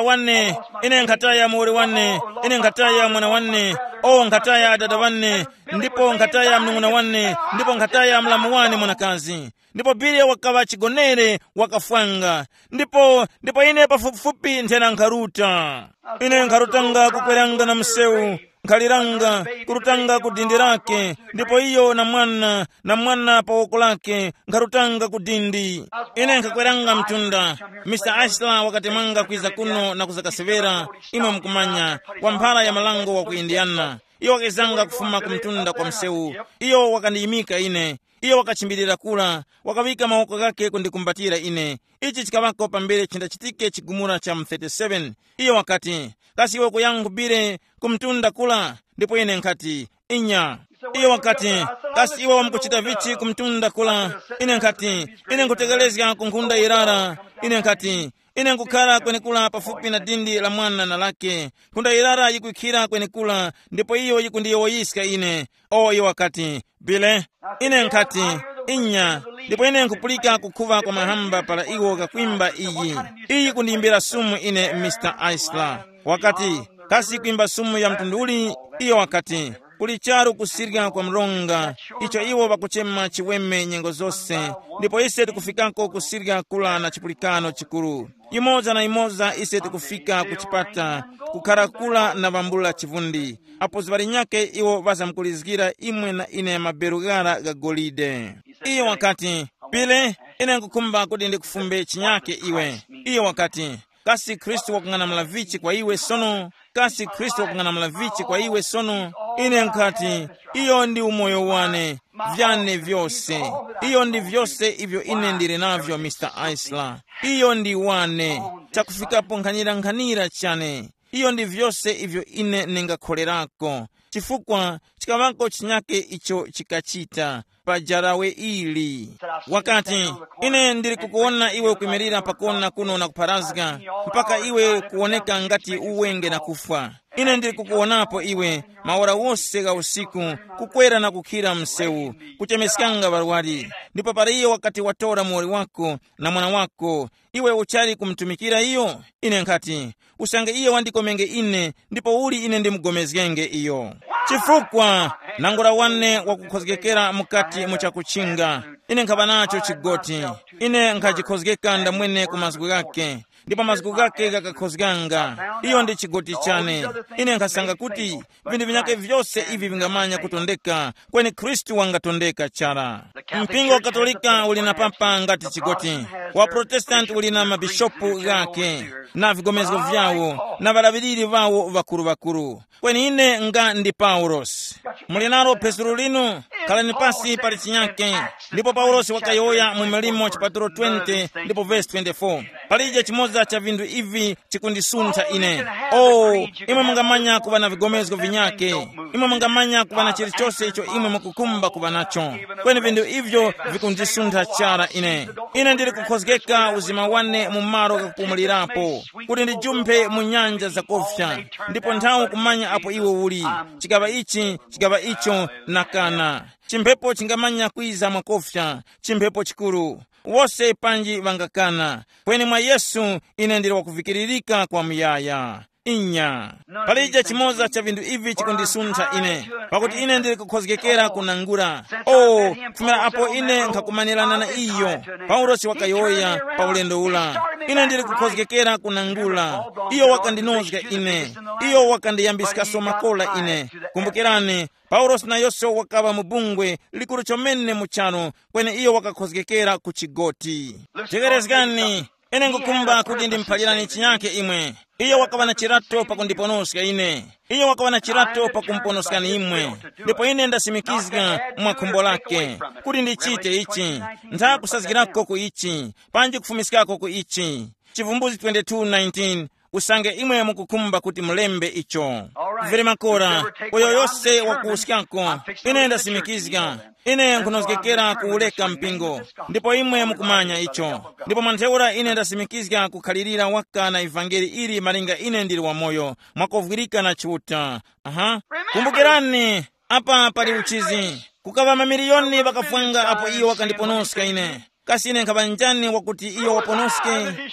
wane, ine nkhataya muwoli wane, ine nkhataya mwana wane, o nkhataya adada wane, ndipo nkhataya mnung'una wane, ndipo nkhataya mlamu wane mwanakazi. Ndipo Billy wakaŵa chigonere, wakafwanga. Ndipo, ndipo ine pafupifupi nthena nkharuta. Ine nkharutanga kukweranga na msewu, nkhaliranga, kurutanga ku dindi lake, ndipo iyo na mwana, na mwana pa woko lake, nkharutanga ku dindi. Ine nkhakweranga mtunda. Mister Ashla wakatemanga kwiza kuno na kuzakaseŵera, imwe mukumanya, wa mphara ya malango wa ku Indiana. Iyo wakezanga kufuma ku mtunda kwa msewu. Iyo wakandiyimika ine. Iyo wakachimbirira kura, wakaŵika mawoko ghakhe kundikumbatira ine. Ichi chikaŵako pambere chindachitike chigumula cha mu thirty-seven. Iyo wakati, kasi iwe ukuyankha kubire ku mtunda kura? Ndipo ine nkhati, inya. Iyo wakati, kasi iwe wamkuchita vichi ku mtunda kura? Ine nkhati, ine nkutekerezga ku nkhunda yirara. Ine nkhati, ine nkukhara kwenekura pafupi na dindi la mwana na lake. Nkhunda yirara yikwikhira kwenekura, ndipo iyo yikundiyowoyiska ine. O, iyo wakati, Bile, ine nkhati, inya, ndipo ine nkupulika kukhuŵa kwa mahamba para iwo kakwimba iyi. Iyi kundiyimbira sumu ine, Mister Aisla. Wakati, kasi kwimba sumu ya mtundu uli? Iyo wakati, kuli charu kusirya kwa mronga, icho iwo ŵakuchema chiweme nyengo zose, ndipo ise tikufikako kusirya kula na chipulikano chikuru. Imoza na imoza ise tikufika ku chipata, kukhara kula na vambula chivundi. Apo zuŵa linyakhe iwo ŵazamkulizgira imwe na ine maberu ghara gha golide. Iyo wakati, Pile, ine nkukhumba kuti ndikufumbe chinyakhe iwe. Iyo wakati, kasi Khristu wakung'anamula vichi kwa iwe sono? Kasi Khristu wakung'anamula vichi kwa iwe sono? Ine nkhati, iyo ndi umoyo wane, vyane vyose. Iyo ndi vyose ivyo ine ndili navyo, Mister Aisla. Iyo ndi wane, chakufikapo nkhanira-nkhanira chane. Iyo ndi vyose ivyo ine ningakholerako, chifukwa chikaŵako chinyakhe icho chikachita. pa jarawe ili. Wakati, ine ndili kukuwona iwe ukwimirira pakona kuno na kupharazga, mpaka iwe kuwoneka ngati uwenge na kufwa. Ine ndili kukuwonapo iwe, maora wose gha usiku, kukwera na kukhira msewu, kuchemeskanga ŵarwari. Ndipo para iyo wakati watora muwoli wako na mwana wako, iwe uchali kumutumikira iyo? Ine nkhati, usange iye wandikomenge ine, ndipo uli ine ndimugomezgenge iyo? Chifukwa nangula wane wakukhozgekera mukati mu chakuchinga. Ine nkhaba nacho chigoti. Ine nkhachikhozgeka ndamwene ku mazgu ghake, ndipo mazgu ghake ghakakhozganga. Iyo ndi chigoti chane. Ine nkhasanga kuti vinthu vinyakhe vyose ivi vingamanya kutondeka, kweni Khristu wangatondeka chara. Mpingo wa Katolika uli na papa ngati chigoti, wa Protestant uli na mabishopu ghake, na vigomezgo vyawo, na ŵalaŵiriri ŵawo ŵakuru-ŵakuru. Kweni ine nga ndi Paulosi. Muli nalo phezulu linu, khalani pasi pali chinyake. Ndipo Paulosi wakayowoya mu Milimo chipatulo twenty ndipo vesi twenty-four, palije chimoza cha vinthu ivi chikundisuntha ine. Oh, imwe mungamanya kuŵa na vigomezgo vinyake. Imwe mungamanya kuŵa na chilichose icho imwe mukukhumba kuŵa nacho. Kweni vinthu ivyo vikundisuntha chara ine. Ine ndili kukhozgeka uzima wane mu malo ghakupumulirapo, kuti ndijumphe mu nyanja zakofya, ndipo nthawi kumanya apo iwo uli, chikaŵa ichi, chikaŵa icho, na kana. Chimphepo chingamanya kwiza mwakofya, chimphepo chikuru. Wose panji ŵangakana, kweni mwa Yesu ine ndili wakuvikiririka kwa muyaya. Inya. Palije chimoza cha vinthu ivi chikundisuntha ine, pakuti ine ndili kukhozgekera kunangula. O, kufumira apo ine nkhakumanirana na iyo, Paulosi wakayowoya pa ulendo ula, ine ndili kukhozgekera kunangula. Iyo wakandinozga ine. Iyo wakandiyambiskaso makola ine. Kumbukirani, Paulosi nayose wakaŵa mu bungwe likuru chomene mu charu, kweni iyo wakakhozgekera ku chigoti. Tekerezgani, ine ngukumba kuti ndimuphalirani chinyake imwe. Iyo wakaŵa na chirato pakundiponoska ine. Iyo wakaŵa na chirato pakumuponoskani imwe. Ndipo ine ndasimikizga mwa khumbo lake kuti ndichite ichi, ntha kusazgirako ku ichi, panji kufumiskako ku ichi. Chivumbuzi twenty-two nineteen. Usange imwe mukukhumba kuti mulembe icho. Vili makora, uyo yose wakuwuskako, ine ndasimikizga. Ine nkhunozgekera kuwureka mpingo, ndipo imwe mukumanya icho. Ndipo mwa ntheura ine ndasimikizga kukhalirira waka na ivangeli ili malinga ine ndili wamoyo, mwakovwirika na Chiuta. Aha. Kumbukirani, apa pali uchizi. Kukaŵa mamiliyoni ŵakafwanga apo iyo wakandiponoska ine. Kasi ine nkhaŵa njani wakuti iyo waponoske?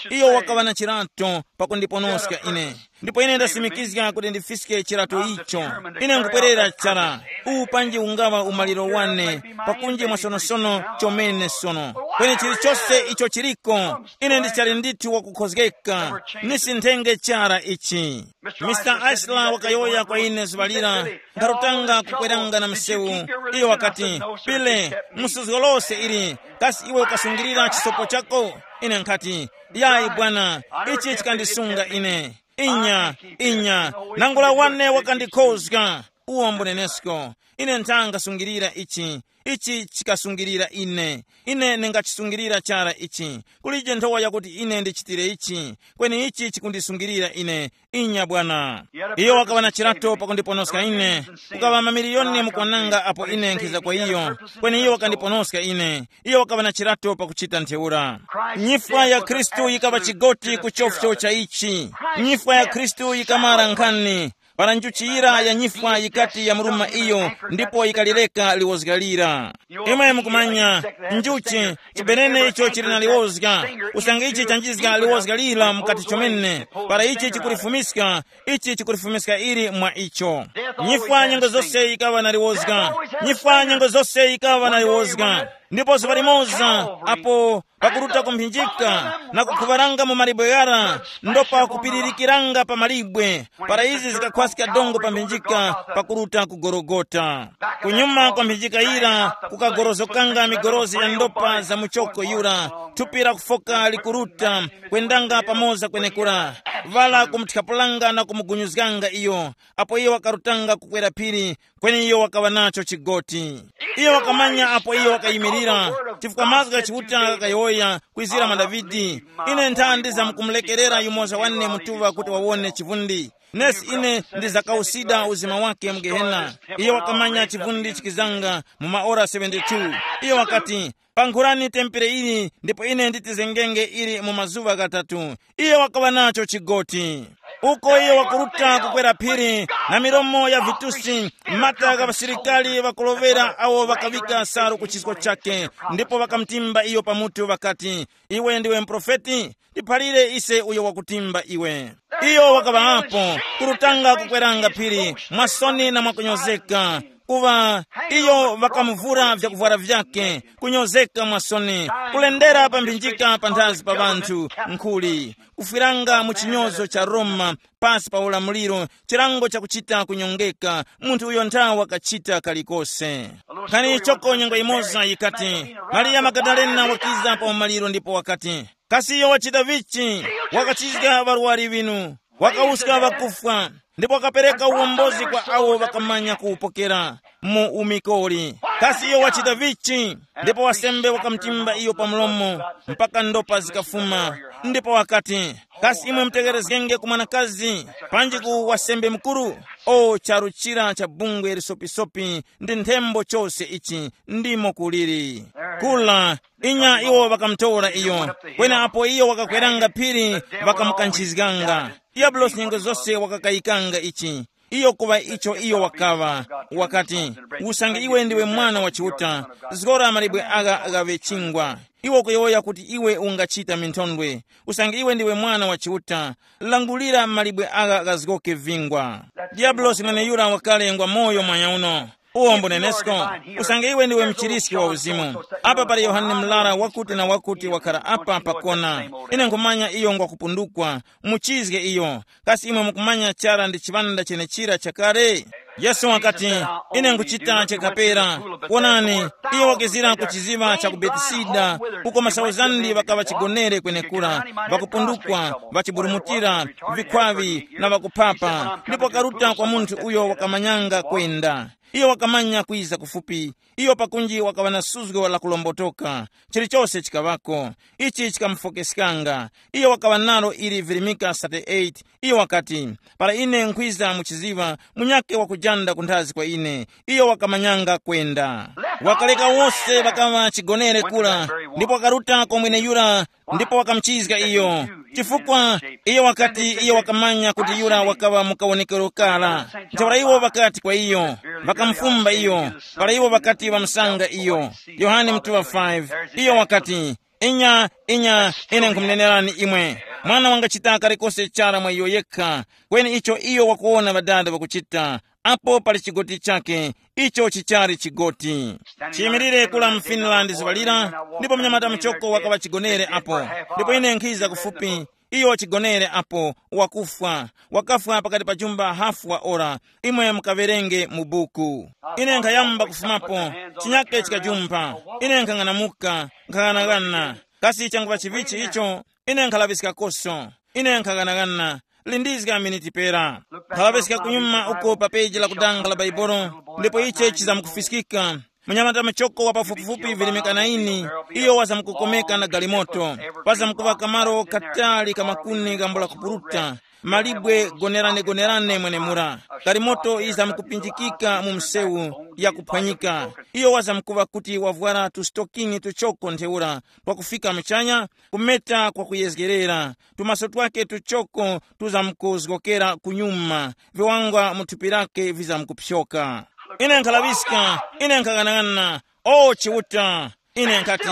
Iyo wakaŵa na chirato pakundiponoska ine. Ndipo ine ndasimikizga kuti ndifiske chirato icho. Ine nkupwerera chara. Uwu panji ungaŵa umaliro wane, pakunji mwasonosono chomene sono. Kweni chilichose icho chiliko, ine ndichali ndithu wakukhozgeka. Nisinthenge chara ichi. Mister Ashley wakayowoya kwa ine zuŵa lira, nkharutanga kukweranga na msewu. Iyo wakati, Pile, musuzgo lose ili, kasi iwe ukasungilira chisopo chako? Ine nkhati, Yayi bwana, ichi chikandisunga ine. Inya, inya, nangula wane wakandikhozga. Uwo mbunenesko. Ine nthangasungilira ichi. Ichi chikasungilira ine. Ine ndingachisungilira chara ichi. Kulije nthowa yakuti ine ndichitire ichi, kweni ichi chikundisungilira ine. Inya bwana. Iyo wakaŵa na chirato pakundiponoska ine. Kukaŵa mamiliyoni mukwananga apo ine nkhiza kwa iyo, kweni iyo wakandiponoska ine. Iyo wakaŵa na chirato pakuchita ntheura. Nyifwa ya Khristu yikaŵa chigoti ku chofcho cha ichi. Nyifwa ya Khristu yikamara nkhani. Para njuchi yira ya nyifwa yikati yamuruma iyo, ndipo yikalireka liwozga lira. Imwe mukumanya, njuchi, chibenene icho chili na liwozga. Usange ichi chanjizga liwozga lira mukati chomene, para ichi chikulifumiska, ichi chikulifumiska ili mwa icho. Nyifwa nyengo zose yikaŵa na liwozga. Nyifwa nyengo zose yikaŵa na liwozga. Ndipo zuŵa limoza, apo pakuruta kumphinjika na kukhuŵaranga mu malibwe ghara, ndopa kupiririkiranga pa malibwe, para izi zikakhwaska dongo pa mphinjika pakuruta ku Gologota. Kunyuma kwa mphinjika yira kukagorozokanga migorozi ya ndopa za muchoko yura, thupi la kufoka likuruta, kwendanga pamoza kwenekura, vala kumuthapulanga na kumugunyuzganga iyo, apo iyo wakarutanga kukwera phiri, kweni iyo wakaŵa nacho chigoti. Iyo wakamanya apo iyo wakayimirira, chifukwa mazgu gha Chiuta ghakayowoya kwizira mwa Davide, ine nthandi zamkumulekerera yumoza wane mutuŵa kuti wawone chivundi. Nesi ine ndizakawusida uzima wake mu Gehena. Iye wakamanya chivundi chikizanga mu maora seventy-two. Iye wakati, pankhurani tempere ili ndipo ine nditizengenge ili mu mazuŵa ghatatu. Iye wakaŵa nacho chigoti. Uko iye wakuruta kukwera phiri, na milomo ya vitusi, mata gha ŵasilikali ŵakulovera awo ŵakaŵika salu ku chisko chake, ndipo ŵakamtimba iyo pamutu ŵakati, iwe ndiwe muprofeti? Tiphalire ise uyo wakutimba iwe. Iyo wakaŵapo, kurutanga kukweranga phiri, mwasoni na mwakunyozeka. Kuva iyo ŵakamuvura vyakuvwara vyake, kunyozeka mwasoni, kulendera pa mphinjika panthazi pa ŵanthu, nkhuli kufwiranga mu chinyozo cha Roma, pasi pa ulamuliro, chilango chakuchita kunyongeka. Munthu uyo nthawa wakachita kalikose. Nkhani ichoko nyengo imoza yikati, Mariya Magadalena wakiza pa umaliro ndipo wakati, kasi iyo wachita vichi? Wakachizga ŵarwari ŵinu, wakawuska ŵakufwa, ndipo wakapereka uwombozi kwa awo ŵakamanya kuwupokera mu umikoli. Kasi iyo wachita vichi? Ndipo wasembe wakamutimba iyo pa mlomo, mpaka ndopa zikafuma. Ndipo wakati, kasi imwe mutegherezgenge ku mwanakazi, panji ku wasembe mukuru? O charu chira cha bungwe lisopisopi ndi nthembo chose ichi, ndimo kuliri. Kula, inya iwo ŵakamutora iyo. Kweneapo iyo wakakweranga phiri, ŵakamukanchizganga. Diyabulosi nyengo zose wakakayikanga ichi. Iyo kuŵa icho iyo wakaŵa, wakati, usange iwe ndiwe mwana wa Chiuta, zgora malibwe agha ghaŵe chingwa. Iwe ukuyowoya kuti iwe ungachita minthondwe. Usange iwe ndiwe mwana wa Chiuta, langulira malibwe agha ghazgoke vingwa. Diyabulosi mweneyura wakalengwa moyo mwanyauno. Uwo mbunenesko, usange iwe ndiwe mchiriski wa uzimu. Apa pali Yohane Mlara wakuti na wakuti wakhala apa pakona. Ine nkhumanya iyo ngwakupundukwa. Muchizge iyo. Kasi imwe mukumanya chara ndi chiŵanda chenechira chakale? Yesu wakati, ine nkuchita chakapera. Wonani, iyo wakizira ku chiziŵa cha ku Betisida, uko masauzandi ŵakaŵa chigonere kwenekura, ŵakupundukwa, ŵachiburumutira, vikhwaŵi na ŵakuphapa, ndipo wakaruta kwa munthu uyo wakamanyanga kwenda. Iyo wakamanya kwiza kufupi. Iyo pakunji wakaŵa na suzgo la kulombotoka. Chilichose chikaŵako. Ichi chikamufokeskanga. Iyo wakaŵa nalo ili virimika thirty-eight. Iyo wakati, para ine nkhwiza mu chiziŵa, munyakhe wakujanda kunthazi kwa ine. Iyo wakamanyanga kwenda. Wakaleka wose ŵakaŵa chigonere kura, ndipo wakaruta kwa mweneyura, ndipo wakamuchizga iyo. Chifukwa iyo wakati iyo wakamanya kuti yura wakaŵa mu kawonekero kara. Ntheura iwo ŵakati kwa iyo, ŵakamufumba iyo, para iwo ŵakati ŵamusanga iyo. Yohane mutuŵa five. Iyo wakati, inya, inya, ine nkhumunenerani imwe, mwana wangachita kalikose chara mwa iyo yekha. Kweni icho iyo wakuwona ŵadada ŵakuchita, apo pali chigoti chakhe, icho chichali chigoti. Chiyimirire kula mu Finland zuŵa lira, ndipo mnyamata muchoko wakaŵa chigonere apo. Ndipo ine nkhiza kufupi, iyo chigonere apo, wakufwa. Wakafwa pakati pa jumba hafu wa ora. Imwe mukawerenge mu buku. Ine nkhayamba kufumapo, chinyake chikajumpha. Ine nkhang'anamuka, nkhang'anaghana. Kasi changuŵa chivichi icho? Ine nkhalaŵiskakoso. Ine nkhang'anaghana. Lindizga miniti pera. Nkhaŵapeska kunyuma uko pa peji la kudanga la Baibolo, ndipo iche chizamkufiskika. Munyamata muchoko wa pafupifupi virimika naini, iyo wazamkukomeka na galimoto. Pazamkuŵa kamaro katali ka makuni gambula kupuruta, malibwe gonerane-gonerane mwenemura. Galimoto yizamkupinjikika mu msewu, yakuphwanyika. Iyo wazamkuŵa kuti wavwara tusitokini tuchoko ntheura, twakufika muchanya, kumeta kwakuyezgerera. Tumaso twake tuchoko tuzamkuzgokera kunyuma, viwangwa mu thupi lake vizamkupyoka. Ine nkhalaŵiska, ine nkhang'anang'ana. O Chiuta, ine nkhati,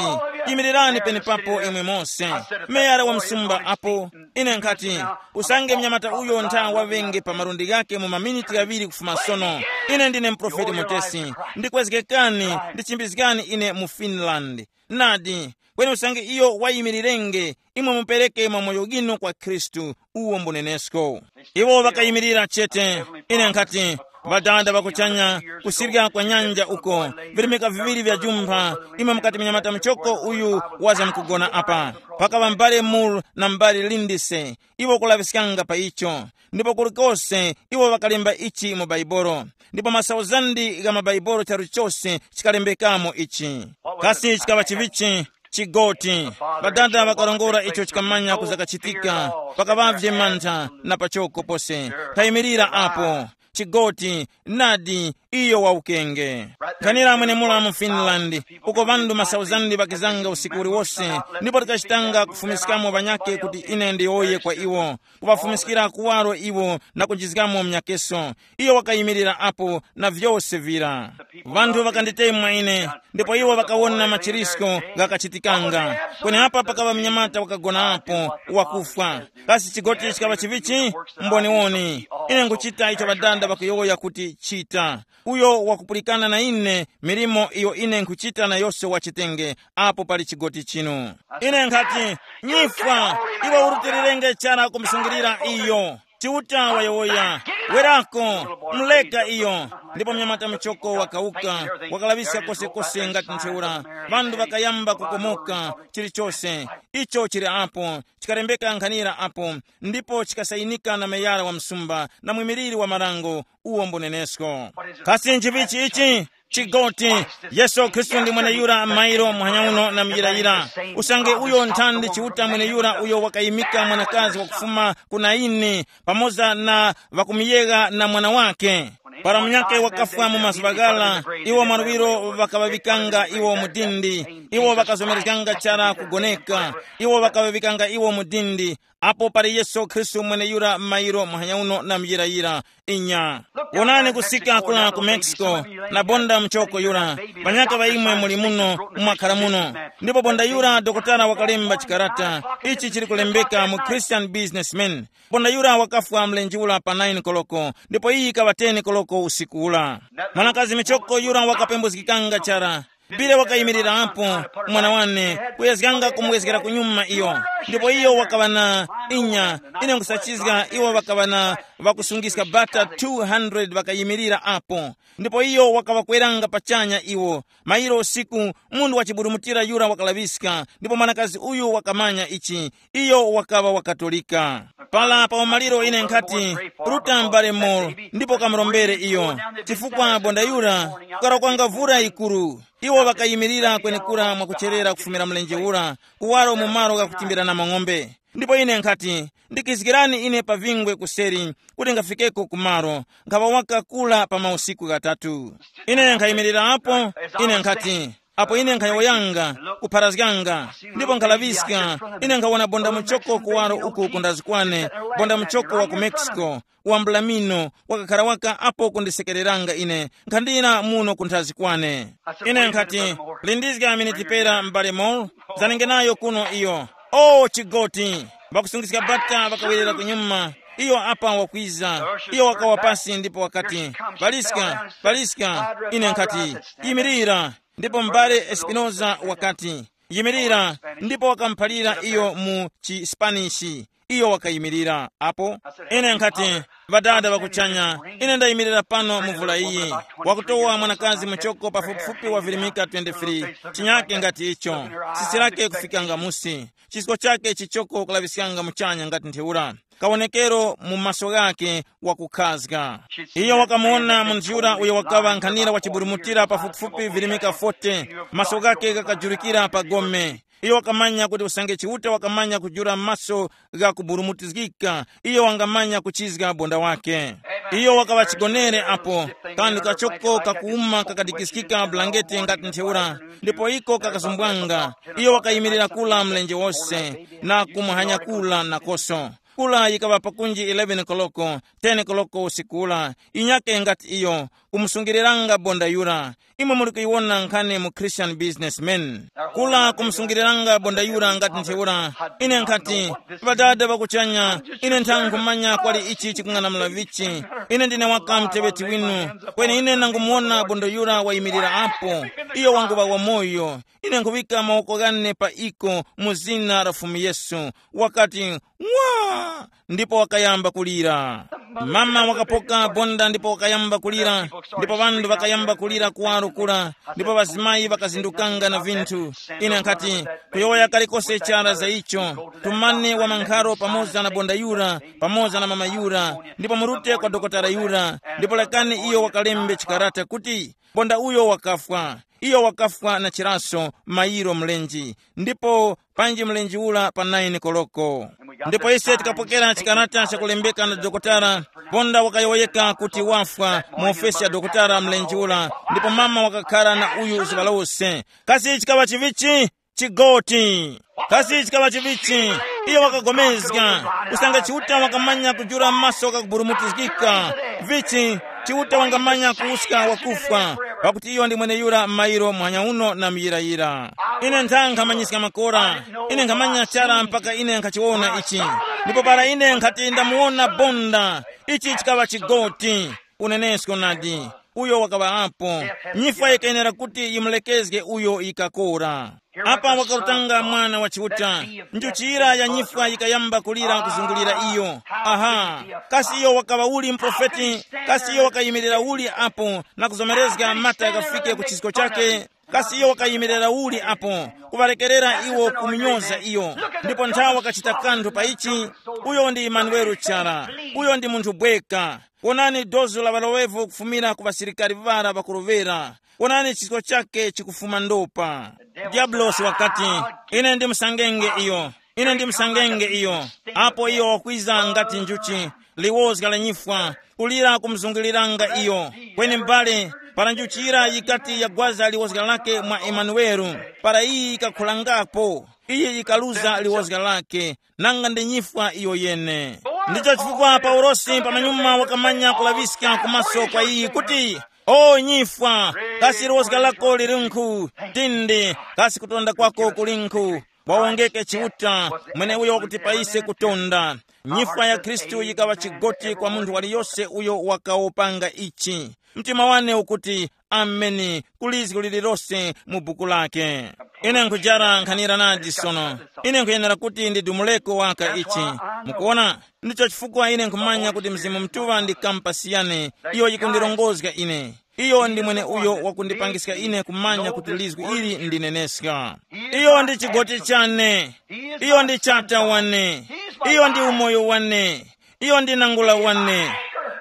yimirirani penepapo imwe mose. Meyara wa msumba apo. Ine nkhati, usange mnyamata uyo ntha waŵenge pa malundi ghake mu maminiti ghaŵiri kufuma sono. Ine ndine muprofeti mutesi. Ndikwezgekani, ndichimbizgani ine mu Finland. Nadi, kweni usange iyo wayimirirenge, imwe mupereke mwa moyo ginu kwa Khristu, uwo mbunenesko. Iwo ŵakayimirira chete. Ine nkhati, Ŵadada ŵa kuchanya, kusirya kwa nyanja uko, virimika viŵiri vya jumpha, imwe mukati mnyamata muchoko uyu waza mukugona apa. Pakaŵa mbale Moore na mbale Lindsay, iwo kulaŵiskanga pa icho. Ndipo kulikose iwo ŵakalemba ichi mu Baibolo. Ndipo masauzandi gha maBaibolo charu chose chikalembekamo ichi. Kasi chikaŵa chivichi? Chigoti. Ŵadada ŵakarongora icho chikamanya kuzakachitika. Pakaŵavye mantha na pachoko pose. Nkhayimirira apo. Chigoti, nadi, iyo wa ukenge. Nkhanira mwenemura mu Finland, uko ŵanthu masauzandi ŵakizanga usiku uliwose, ndipo tikachitanga kufumiskamo ŵanyakhe kuti ine ndiyowoye kwa iwo, kuŵafumiskira kuwaro iwo na kujizgamo mnyakeso. Iyo wakayimirira apo na vyose vira. Ŵanthu ŵakanditemwa ine, ndipo iwo ŵakawona machirisko ghakachitikanga. Kweneapa pakaŵa mnyamata wakagonapo wakufwa. Kasi chigoti chikaŵa chivichi? Mboniwoni. Ine nkuchita icho ŵadada ŵakuyowoya kuti chita. Uyo wakupulikana na ine milimo iyo ine nkhuchita na yose wachitenge apo pali chigoti chinu. Ine nkhati, nyifwa, iwe urutilirenge chara kumusungilira iyo. Chiuta wayowoya, werako, muleka iyo. Ndipo mnyamata muchoko wakauka, wakalaŵiska kosekose ngati ntheura. Ŵanthu ŵakayamba kukomoka, chilichose icho chili apo, chikalembeka nkhanira apo, ndipo chikasayinika na meyara wa msumba na mwimiliri wa marango, uwo mbunenesko. Kasi nchivichi ichi? Chigoti, Yesu Khristu ndi mweneyura mairo muhanya uno na muyirayira. Usange uyo nthandi Chiuta mweneyura uyo wakayimika mwanakazi wakufuma ku Naini, pamoza na ŵakumuyegha na mwana wake. Para munyakhe wakafwa mu mazuŵa ghara, iwo mwaluŵiro ŵakaŵaŵikanga iwo mu dindi, iwo ŵakazomerezganga chara kugoneka, iwo ŵakaŵaŵikanga iwo mu dindi. Apo pali Yesu Khristu mweneyura mairo muhanya uno na muyirayira. Inya. Wonani kusika kula ku Mexico, na bonda muchoko yura. Panyaka ŵa imwe muli muno, mwakhara muno. Ndipo bonda yura dokotala wakalemba chikarata. Ichi chili kulembeka mu Christian Businessman. Bonda yura wakafwa mlenje ula pa nine koloko, ndipo iyi ikaŵa ten koloko usiku ula. Mwanakazi michoko yura wakapembuzgikanga chara. Pire wakayimirirapo, mwana wane, kuyezganga kumwezgera kunyuma iyo. Ndipo iyo wakaŵa na, inya, ine nkusachizga iwo ŵakaŵa na ŵakusungiska bata two hundred ŵakayimirira apo. Ndipo iyo wakaŵakweranga pachanya iwo. Mayiro usiku, munthu wachiburumutira yura wakalaŵiska, ndipo mwanakazi uyu wakamanya ichi. Iyo wakaŵa wakatolika. Pala pa umaliro ine nkhati, ruta m'bale Moore, ndipo kamurombere iyo, chifukwa bonda yura, kukarokwanga vura yikuru. Iwo ŵakayimirira kwenekura mwakucherera kufumira mlenje ura, kuwaro mu malo ghakutimbirana mang'ombe. Ndipo ine nkhati, ndikizgirani ine pa vingwe kuseri, kuti ngafikeko ku malo, nkhaŵa wakakula pa mausiku ghatatu. Ine nkhayimirirapo, ine nkhati, apo ine nkhayowoyanga, kupharazganga, ndipo nkhalaŵiska, ine nkhawona bonda muchoko kuwaro uku kundazikwane, bonda muchoko wa ku Mexico, wa mblamino, wakakhara waka apo kundisekereranga ine, nkhandira muno kunthazi kwane. Ine nkhati, lindizga miniti pera m'bale Moore, zanenge nayo kuno iyo. O chigoti! Ŵakusungiska bata ŵakawerera kunyuma. Iyo apa wakwiza. Iyo wakawa pasi ndipo wakati, paliska, paliska. Ine nkhati, yimirira. Ndipo m'bale Espinoza wakati, yimirira. Ndipo wakamuphalira iyo mu chiSpanishi. Iyo wakayimirira apo. Ine nkhati, ŵadada ŵakuchanya, ine ndayimirira pano mu vula iyi. Wakutowa mwanakazi muchoko pafupifupi wa virimika twenty-three, chinyake ngati icho. Tsitsi lake kufikanga musi. Chisko chake chichoko kulaŵiskanga muchanya ngati ntheura. Kawonekero mu maso ghake wakukhazga. Iyo wakamuwona munthu yura uyo wakaŵa nkhanira wachiburumutira pafupifupi virimika forty, maso ghake ghakajurikira pa gome. Iyo wakamanya kuti usange Chiuta wakamanya kujula maso gha kuburumutizgika, iyo wangamanya kuchizga bonda wake. Iyo wakaŵa chigonere apo, kanthu kachoko kakuwuma kakadikiskika bulangeti ngati ntheura, ndipo iko kakazumbwanga. Iyo wakayimirira kula mlenje wose, na kumuhanya kula nakoso. Kula yikaŵa pakunji eleven koloko, ten koloko usiku ula, inyake ngati iyo, kumusungiliranga bonda yura. Imwe muli kuyiwona nkhani mu Christian Businessman. Kula kumusungiliranga bonda yura ngati ntheura. Ine nkhati, ŵadada ŵakuchanya, ine nthanga nkhumanya kwali ichi chikung'anamula vichi. Ine ndine waka muteŵeti winu. Kweni ine nangumuwona bonda yura wayimirira apo. Iyo wanguŵa wamoyo. Ine nkhuŵika mawoko ghane pa iko mu zina la Fumu Yesu. Wakati, ng'wa! Ndipo wakayamba kulira. Mama wakapoka bonda ndipo wakayamba kulira, ndipo ŵanthu ŵakayamba kulira kuwaro kura, ndipo ŵazimayi ŵakazindukanga na vinthu. Ine nkhati, kuyowoya kalikose chara za icho, tumani wamankharo pamoza na bonda yura, pamoza na mama yura, ndipo murute kwa dokotala yura, ndipo lekani iyo wakalembe chikarata kuti, bonda uyo wakafwa. Iyo wakafwa na chiraso, mayiro mlenji, ndipo panji mlenji ula pa naini koloko. Ndipo ise tikapokera chikarata chakulembeka na dokotala, ponda wakayowoyeka kuti wafwa mu ofesi ya dokotala mlenji ula, ndipo mama wakakhara na uyu zuŵa lose. Kasi chikaŵa chivichi? Chigoti. Kasi chikaŵa chivichi? Iyo wakagomezga. Usange Chiuta wakamanya kujula maso ghakuburumutizgika, vichi, Chiuta wangamanya kuwuska wakufwa, pakuti iyo ndi mweneyura mairo muhanya uno na muyirayira. Ine ntha nkhamanyiska makora. Ine nkhamanya chara mpaka ine nkhachiwona ichi. Ndipo para ine nkhati ndamuwona bonda, ichi chikaŵa chigoti. Unenesko nadi. Uyo wakaŵa apo. Nyifwa yikayenera kuti yimulekezge uyo yikakora. Apa wakarutanga mwana wa Chiuta. Njuchira ya nyifwa yikayamba kulira kuzungulira iyo. Aha. Kasi iyo wakaŵa uli mprofeti? Kasi iyo wakayimirira uli apo na kuzomerezga mata yakafike ku chisko chake? Kasi iyo wakayimirira uli apo kuŵarekerera iwo kumunyoza iyo? Ndipo nthawi wakachita kanthu pa ichi. Uyo ndi Imanueli chara. Uyo ndi munthu bweka. Wonani dozo la ŵaloŵevo kufumira ku ŵasilikari ŵara ŵakurovera. Wonani chisko chake chikufuma ndopa. Diyabulosi wakati, ine ndimusangenge iyo. Ine ndimusangenge iyo. Apo iyo wakwiza ngati njuchi, liwozga la nyifwa, kulira kumuzunguliranga iyo. Kweni m'bale, para njuchi yira yikati yagwaza liwozga lake mwa Emanuwele, para iyi yikakhulangapo, iyi yikaluza liwozga lake, nanga ndi nyifwa iyo yene. Ndicho chifukwa Paulosi pamanyuma wakamanya kulaŵiska kumaso kwa iyi kuti, o nyifwa, kasi liwozga lako lirinkhu? Tindi, kasi kutonda kwako kulinkhu? Wawongeke Chiuta, mweneuyo wakuti pa ise kutonda. Nyifwa ya Khristu yikaŵa chigoti kwa munthu waliyose uyo wakawopanga ichi. Mtima wane ukuti, ameni, ku lizgu lililose mu buku lake. Ine nkhujara nkhanira nadi sono. Ine nkhuyenera kuti ndidumuleko waka ichi. Mukuona? Ndicho chifukwa ine nkhumanya kuti Mzimu Mutuŵa ndi kampasi yane, iyo yikundirongozga ine. Iyo ndi mwene uyo wakundipangiska ine kumanya kuti lizgu ili ndineneska. Iyo ndi chigoti chane. Iyo ndi chata wane. Iyo ndi umoyo wane. Iyo ndi nangula wane.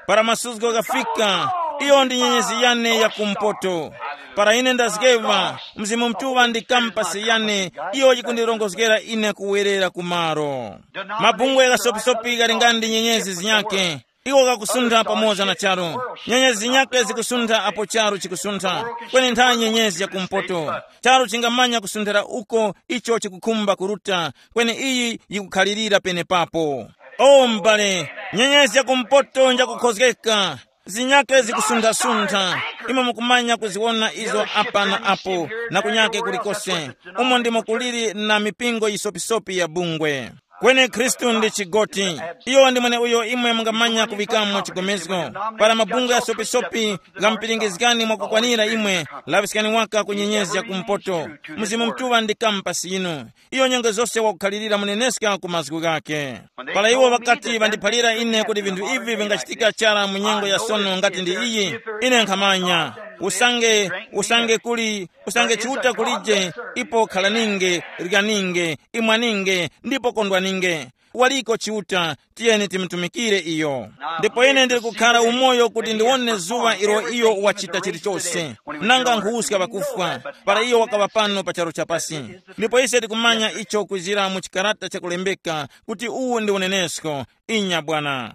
Para masuzgo ghafika, iyo ndi nyenyezi yane ya kumpoto. Para ine ndazgeŵa, Mzimu Mutuŵa ndi kampasi yane, iyo yikundirongozgera ine kuwerera kumaro. Mabungwe ghasopisopi ghali nga ndi nyenyezi zinyakhe. Iwo ghakusuntha pamoza na charu. Nyenyezi zinyakhe zikusuntha apo charu chikusuntha. Kweni ntha nyenyezi ya kumpoto. Charu chingamanya kusunthira uko icho chikukhumba kuruta, kweni iyi yikukhalirira penepapo. O m'bale, nyenyezi ya kumpoto njakukhozgeka. Zinyakhe zikusunthasuntha. Imwe mukumanya kuziwona izo apa na apo, na kunyake kulikose. Umo ndimo kuliri na mipingo yisopisopi ya bungwe. Kweni Khristu ndi chigoti. Iyo ndi mweneuyo imwe mungamanya kuŵikamo chigomezgo. Para mabungwe ghasopisopi ghamupiringizgani mwakukwanira imwe, laŵiskani waka ku nyenyezi ya kumpoto. Mzimu Mutuŵa ndi kampasi yinu. Iyo nyengo zose wakukhalirira muneneska ku mazgu ghakhe. Para iwo ŵakati ŵandiphalira ine kuti vinthu ivi vingachitika chara mu nyengo ya sono ngati ndi iyi, ine nkhamanya. Usange, usange kuli, usange Chiuta kulije, ipo khalaninge, likaninge, imwaninge, ndipo kondwaninge. Waliko Chiuta, tiyeni timutumikire iyo. Ndipo ine ndili kukhara umoyo kuti ndiwone zuŵa ilo iyo wachita chilichose. Nanga nkhuwuska ŵakufwa, para iyo wakaŵa pano pa charu chapasi. Ndipo ise tikumanya icho kwizira mu chikarata chakulembeka kuti uwu ndi unenesko. Inya Bwana.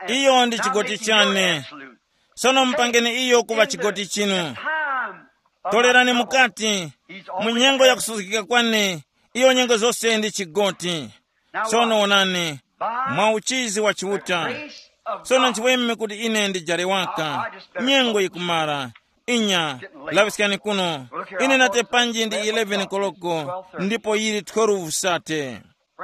Iyo ndi chigoti chane. Sono mupangeni iyo kuŵa chigoti chinu. Tolerani mukati, mu nyengo ya kusuzgika kwane, iyo nyengo zose ndi chigoti. Sono wonani, mwa uchizi wa Chiuta. Sono nchiweme kuti ine ndijare waka. Nyengo yikumara. Inya, laŵiskani kuno. Ine nate panji ndi eleven koloko, ndipo yili twelve sate.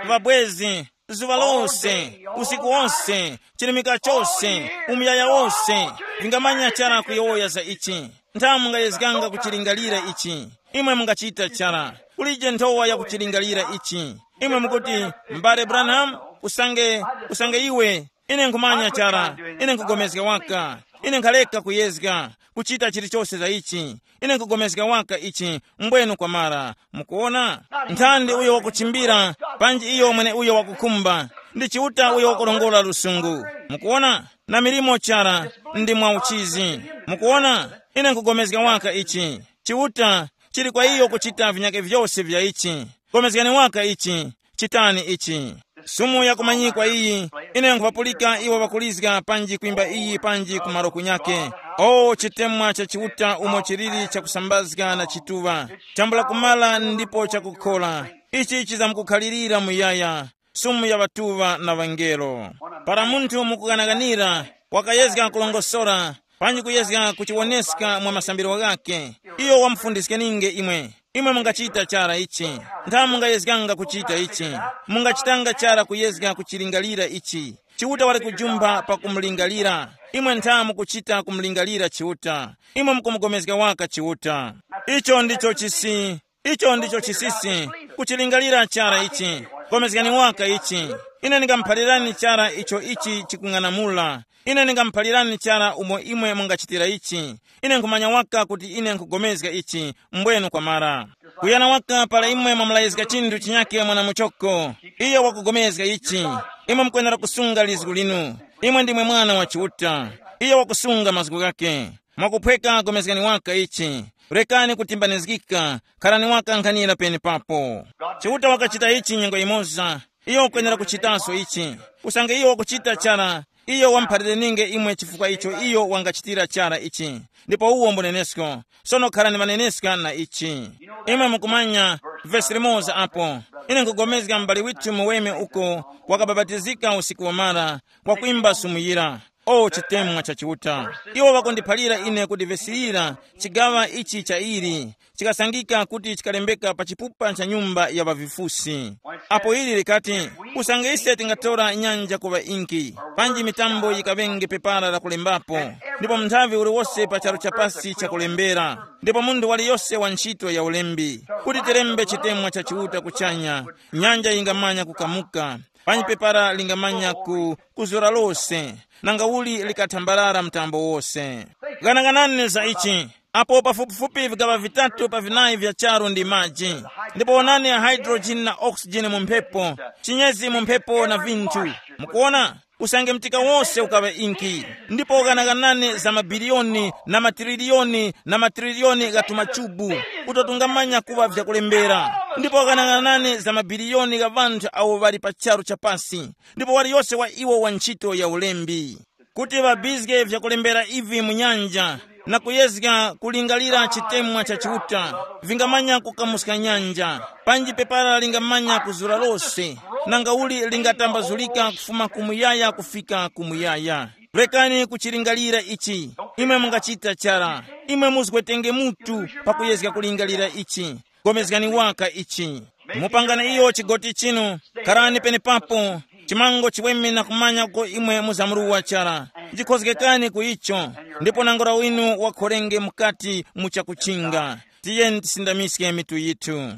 Vabwezi, zuŵa lose, usiku wose, chilimika chose, umuyaya wose, vingamanya chara kuyowoya za ichi. Nthamu mungayezganga kuchilingalira ichi. Imwe mungachita chara. Kulije nthowa ya kuchilingalira ichi. Imwe mukuti, m'bale Branham, usange, usange iwe, ine nkhumanya chara, ine nkhupulikana waka, ine nkhaleka kuyezga, kuchita chilichose za ichi. Ine nkhupulikana waka ichi, mbwenu kwamara. Mukuona? Nthandi uyo wakuchimbira, panji iyo mwene uyo wakukhumba, ndi Chiuta uyo wakurongora lusungu. Mukuona? Na milimo chara, ndi mwa uchizi. Mukuona? Ine nkhupulikana waka ichi. Chiuta, chili kwa iyo kuchita vinyake vyose vya ichi. Komezgani waka ichi, chitani ichi. Sumu yakumanyikwa iyi, ine nkhupapulika iwo ŵakulizga panji kwimba iyi panji ku malo kunyake. O chitemwa cha Chiuta umo chiliri chakusambazga na chituŵa, chambula kumala ndipo chakukhola. Ichi chizamkukhalirira muyaya, sumu ya ŵatuŵa na ŵangelo. Para munthu mukuganaganira, wakayezga kulongosora, panji kuyezga kuchiwoneska mwa masambiro ghakhe, iyo wamufundiskeninge imwe. Imwe mungachita chara ichi. Ntha mungayezganga kuchita ichi. Mungachitanga chara kuyezga kuchilingalira ichi. Chiuta wali kujumpha pakumulingalira. Imwe ntha mukuchita kumulingalira Chiuta. Imwe mukumugomezga waka Chiuta. Icho ndicho chisi. Icho ndicho chisisi. Kuchilingalira chara ichi. Gomezgani waka ichi. Ine ndingamuphalirani chara icho ichi chikung'anamula. Ine ndingamuphalirani chara umo imwe mungachitira ichi. Ine nkhumanya waka kuti ine nkhugomezga ichi. Mbwenu kwamara. Kuyana waka para imwe mwamulayizga chinthu chinyake mwana muchoko. Iyo wakugomezga ichi. Imwe mukwenera kusunga lizgu linu. Imwe ndimwe mwana wa Chiuta. Iyo wakusunga mazgu ghake. Mwakuphweka gomezgani waka ichi. Rekani kutimbanizgika. Kharani waka nkhanira penepapo. Chiuta wakachita ichi nyengo imoza. Iyo ukwenera kuchitaso ichi. Usange iyo wakuchita chara, iyo wamuphalirininge imwe chifukwa icho iyo wangachitira chara ichi. Ndipo uwo mbunenesko. Sono kharani ŵaneneska na ichi. Imwe mukumanya, vesi limoza apo, ine nkugomezga m'bale withu muweme uko wakabapatizika usiku wamara, kwakwimba sumuyira. O chitemwa cha Chiuta, iwo ŵakundiphalira ine kuti vesi yira, chigaŵa ichi cha ili, chikasangika kuti chikalembeka pa chipupa cha nyumba ya ŵavifusi. Apo ili likati, usange ise tingatora nyanja kuŵa inki, panji mitambo yikaŵenge pepara la kulembapo, ndipo munthavi uliwose pa charu chapasi chakulembera, ndipo munthu waliyose wa ntchito ya ulembi, kuti tilembe chitemwa cha Chiuta kuchanya, nyanja yingamanya kukamuka, panji pepara lingamanya ku kuzura lose, nanga uli likathambarara mtambo wose. Ghanaghanani za ichi. Apo pafupifupi vigaŵa vitatu pa vinayi vya charu ndi maji, ndipo wonani hydrogen na oxygen mu mphepo, chinyezi mu mphepo na vinthu. Mukuona? Usange mtika wose ukaŵa inki. Ndipo ghanaghanani za mabiliyoni na matililiyoni na matililiyoni gha tumachubu, uto tungamanya kuŵa vyakulembera. Ndipo ghanaghanani za mabiliyoni gha ŵanthu awo ŵali pa charu chapasi, ndipo waliyose wa iwo wa ntchito ya ulembi, kuti ŵabizge vyakulembera ivi mu nyanja, na kuyezga kulingalira chitemwa cha Chiuta, vingamanya kukamuska nyanja, panji pepara lingamanya kuzura lose, nanga uli lingatambazulika kufuma kumuyaya kufika kumuyaya. Rekani kuchilingalira ichi. Imwe mungachita chara. Imwe muzgwetenge mutu pakuyezga kulingalira ichi. Gomezgani waka ichi. Mupangani iyo chigoti chinu. Karani penepapo. Chimango chiweme na kumanya uko imwe muzamuruwa chara. Jikhozgekani ku icho. Ndipo nangora winu wakhorenge mukati mu chakuchinga. Tiyeni tisindamiske mitu yithu.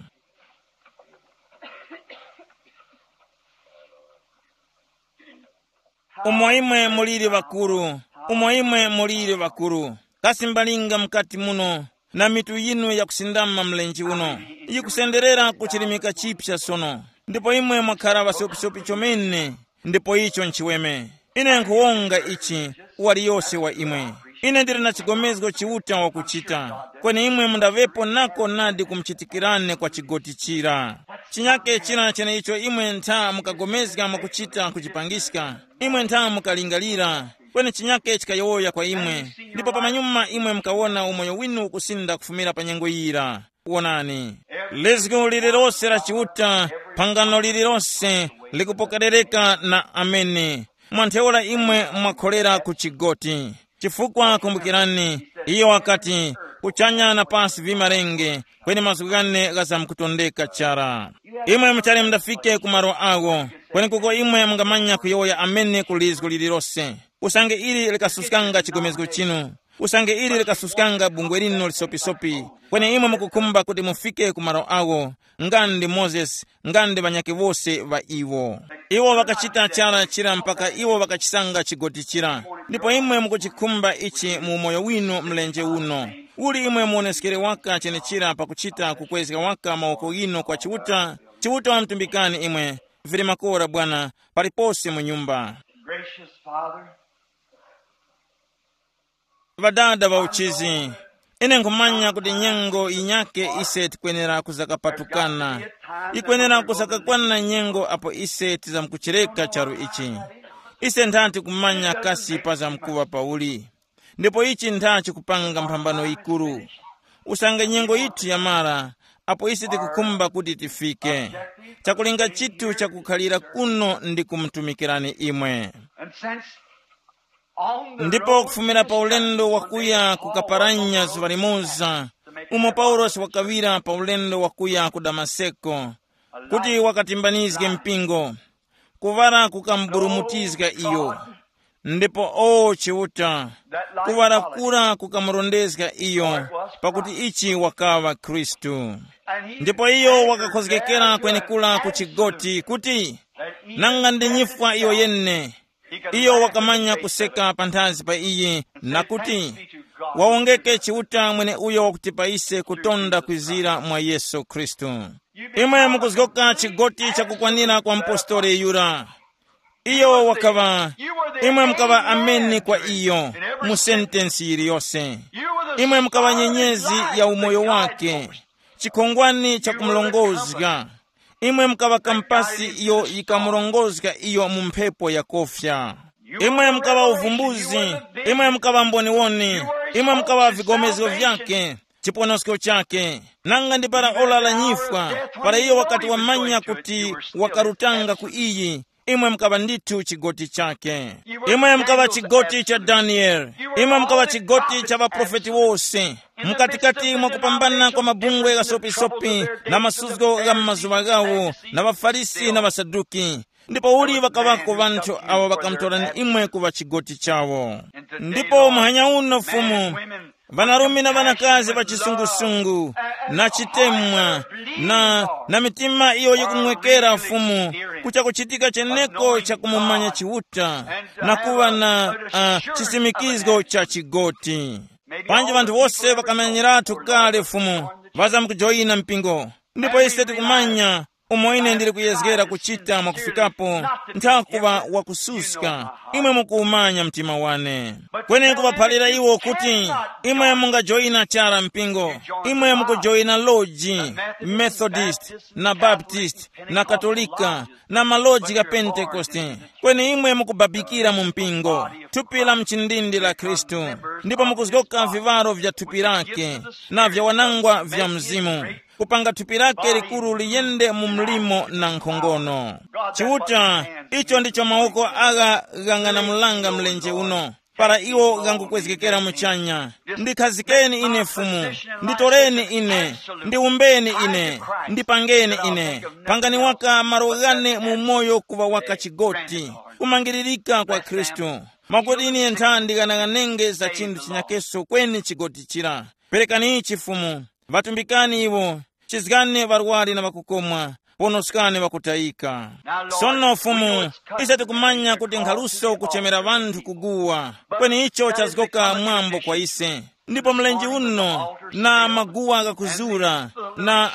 Umo imwe muliri ŵakuru, umo imwe muliri ŵakuru, kasi mbalinga mukati muno, na mitu yinu yakusindama mlenje uno, yikusenderera ku chilimika chipya sono, ndipo imwe mwakhara ŵasopisopi chomene, ndipo icho nchiweme. Ine nkhuwonga ichi, waliyose wa imwe. Ine ndili na chigomezgo Chiuta wakuchita, kweni imwe mundaŵepo nako nadi kumuchitikirani kwa chigoti chira. Chinyake chira cheneicho imwe ntha mukagomezga mwakuchita kuchipangiska, imwe ntha mukalingalira, kweni chinyake chikayowoya kwa imwe, ndipo pamanyuma imwe mukawona umoyo winu ukusinda kufumira pa nyengo yira. Wonani, lizgu lililose la Chiuta, phangano lililose likupokerereka na amene. Mwa ntheura imwe mwakholera ku chigoti. Chifukwa kumbukirani, iyo wakati, kuchanya na pasi vimarenge, kweni mazgu ghane ghazamkutondeka chara. Imwe muchali mundafike ku malo agho, kweni kuko imwe mungamanya kuyowoya amene ku lizgu lililose. Usange ili likasuskanga chigomezgo chinu, usange ili likasuskanga bungwe linu lisopisopi, kweni imwe mukukhumba kuti mufike ku malo agho, nga ndi Mozesi, nga ndi ŵanyakhe wose ŵa iwo. Iwo ŵakachita chara chira mpaka iwo ŵakachisanga chigoti chira. Ndipo imwe mukuchikhumba ichi mu umoyo winu mlenje uno. Uli imwe muoneskere waka chenechira pakuchita kukwezga waka mawoko ghinu kwa Chiuta, Chiuta wamtumbikani imwe. Vili makora bwana, palipose mu nyumba. Gracious Father, Ŵadada ŵa uchizi, Ine nkhumanya kuti nyengo yinyake ise tikwenera kuzakapatukana. Yikwenera kusakakwana nyengo apo ise tizamkuchireka charu ichi. Ise ntha tikumanya kasi pazamkuŵa pauli. Ndipo ichi ntha chikupanga mphambano yikuru. Usange nyengo yithu yamara, apo ise tikukhumba kuti tifike. Chakulinga chithu chakukhalira kuno ndi kumutumikirani imwe. And since on the ndipo road kufumira pa ulendo wakuya kukaparanya zuŵa limoza, umo paulosi wakawira pa ulendo wakuya ku damaseko, kuti wakatimbanizge mpingo, kuŵala kukamburumutizga iyo. Ndipo o Chiuta, kuŵala kura kukamurondezga iyo, pakuti ichi wakaŵa Khristu. Ndipo iyo wakakhozgekera kwenekura ku chigoti kuti, nanga ndi nyifwa iyo yene. Iyo wakamanya kuseka panthazi pa iyi, na kuti, wawongeke Chiuta mweneuyo wakutipa ise kutonda kwizira mwa Yesu Khristu. Imwe mukuzgoka chigoti chakukwanira kwa mpostoli yura. Iyo wakaŵa, imwe mukaŵa ameni kwa iyo, mu sentensi yiliyose. Imwe mukaŵa nyenyezi ya umoyo wake, chikhongwani cha kumulongozga. Imwe mukaŵa kampasi iyo yikamurongozga iyo mu mphepo yakofya. Imwe mukaŵa uvumbuzi. Imwe mukaŵa mboniwoni. Imwe mukaŵa vigomezgo vyake, chiponosko chake. Nanga ndi para ora la nyifwa, para iyo wakati wamanya kuti wakarutanga ku iyi, imwe mukaŵa ndithu chigoti chake. Imwe mukaŵa chigoti cha Daniele. Imwe mukaŵa chigoti cha ŵaprofeti wose. Mukatikati mwa kupambana kwa mabungwe ghasopisopi na masuzgo gha m'mazuŵa ghawo, na ŵaFarisi na ŵaSaduki. Ndipo uli ŵakaŵako ŵanthu awo ŵakamutorani imwe kuŵa chigoti chawo. Ndipo muhanya uno Fumu, ŵanarume na ŵanakazi ŵa chisungusungu, na chitemwa, na, na mitima iyo yikumwekera Fumu, kucha kuchitika cheneko cha kumumanya Chiuta, na kuŵa na uh, chisimikizgo cha chigoti. Panji ŵanthu wose ŵakamanyiratu kale Fumu, ŵazamkujoyina mpingo. Ndipo ise tikumanya umo ine ndili kuyezgera kuchita mwakufikapo, nthakuŵa wakususka. Imwe mukuwumanya mtima wane. Kweni kuŵaphalira iwo kuti, imwe mungajoyina chara mpingo. Imwe mukujoyina loji, Methodist, na Baptist, na Katolika, na maloji gha Pentekoste. Kweni imwe mukubabikira mu mpingo, thupi la mchindindi la Khristu, ndipo mukuzgoka viŵaro vya thupi lake, na vya wanangwa vya mzimu, kupanga thupi lake likuru liyende mu mlimo na nkhongono. Chiuta, icho ndicho mawoko agha ghang'anamulanga mlenje uno, para iwo ghangukwezgekera muchanya. Ndikhazikeni ine Fumu, nditoreni ine, ndiumbeni ine, ndipangeni ine. Pangani waka malo ghane mu umoyo kuŵa waka chigoti, kumangiririka kwa Khristu. Mwakuti ine ntha ndighanaghanenge za chinthu chinyakeso kweni chigoti chira. Perekani ichi Fumu, ŵatumbikani iwo, chizgani ŵarwari na ŵakukomwa, ponoskani ŵakutayika. Sono Fumu, ise tikumanya kuti nkhaluso kuchemera ŵanthu kuguwa, kweni icho chazgoka mwambo kwa ise. Ndipo mlenje uno, na maguwa ghakuzura, na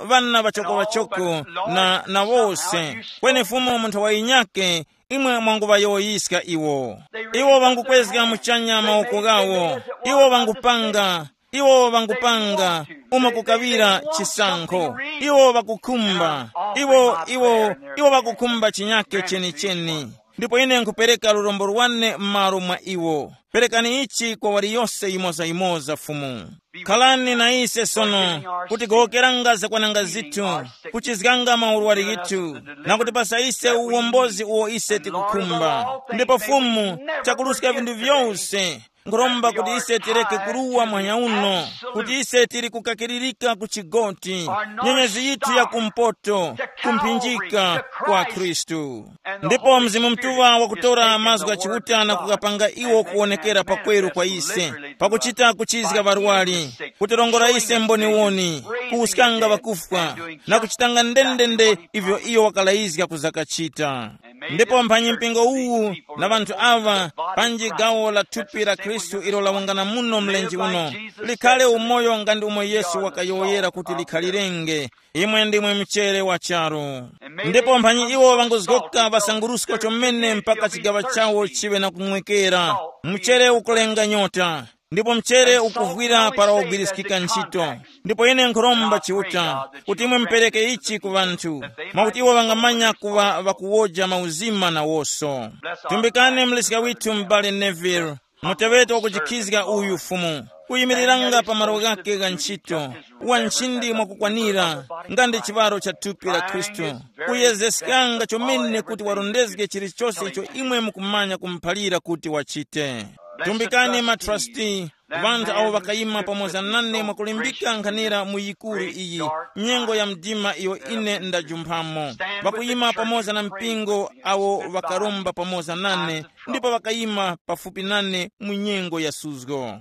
uh, ŵana ŵachokoŵachoko, na, na wose. Kweni Fumu munthu wayinyake, imwe mwanguŵayowoyiska iwo. Iwo ŵangukwezga muchanya mawoko ghawo. Iwo ŵangupanga, iwo ŵangupanga umo kukaŵira chisankho. Iwo ŵakukhumba, iwo iwo iwo ŵakukhumba chinyake chenicheni. Ndipo ine nkhupereka lurombo lwane m'malo mwa iwo. Perekani ichi kwa waliyose yimozayimoza Fumu. Khalani na ise sono, kuti gowokeranga zakwananga zithu, kuchizganga maurwari ghithu, na kutipasa ise uwombozi uwo ise tikukhumba. Ndipo Fumu, chakuluska vinthu vyose, nkhuromba kuti ise tireke kuruwa mwanya uno, kuti ise tiri kukakiririka ku chigoti, nyenyezi yithu ya kumpoto, kumphinjika kwa Khristu. Ndipo Mzimu Mutuŵa wakutora mazgu gha Chiuta na kukapanga iwo kuwonekera pakweru kwa ise, pakuchita kuchizga ŵarwari, kutirongora ise mboniwoni, kuwuskanga ŵakufwa, na kuchitanga ndendende ivyo iyo wakalayizga kuzakachita. Ndipo mphanyi mpingo uwu na ŵanthu aŵa, panji gawo la thupi la Khristu ilo lawungana muno mlenje uno, likhale umoyo nga ndi umo Yesu wakayowoyera kuti likhalirenge. Imwe ndimwe mchere wa charu. Ndipo mphanyi iwo ŵanguzgoka ŵasangurusko chomene mpaka chigaŵa chawo chiŵe na kumwekera. Mchere ukulenga nyota. Ndipo mchere ukuvwira para wagwiriskika ntchito. Ndipo ine nkhuromba Chiuta kuti imwe mupereke ichi ku ŵanthu, mwakuti iwo ŵangamanya kuŵa ŵakuwoja mauzima nawoso. Tumbikani mleska withu m'bale Neville, muteŵeti wakujikhizga uyu Fumu, kuyimiriranga pa malo ghake gha ntchito, wa nchindi mwakukwanira, nga ndi chiŵaro cha thupi la Khristu, kuyezeskanga chomene kuti warondezge chilichose icho imwe mukumanya kumuphalira kuti wachite. Tumbikani matrasti, ŵanthu awo ŵakayima pamoza nane mwakulimbika nkhanira mu yikuru iyi, nyengo ya mdima iyo ine ndajumphamo, ŵakuyima pamoza na mpingo awo ŵakaromba pamoza nane, ndipo ŵakayima pafupi nane mu nyengo ya suzgo.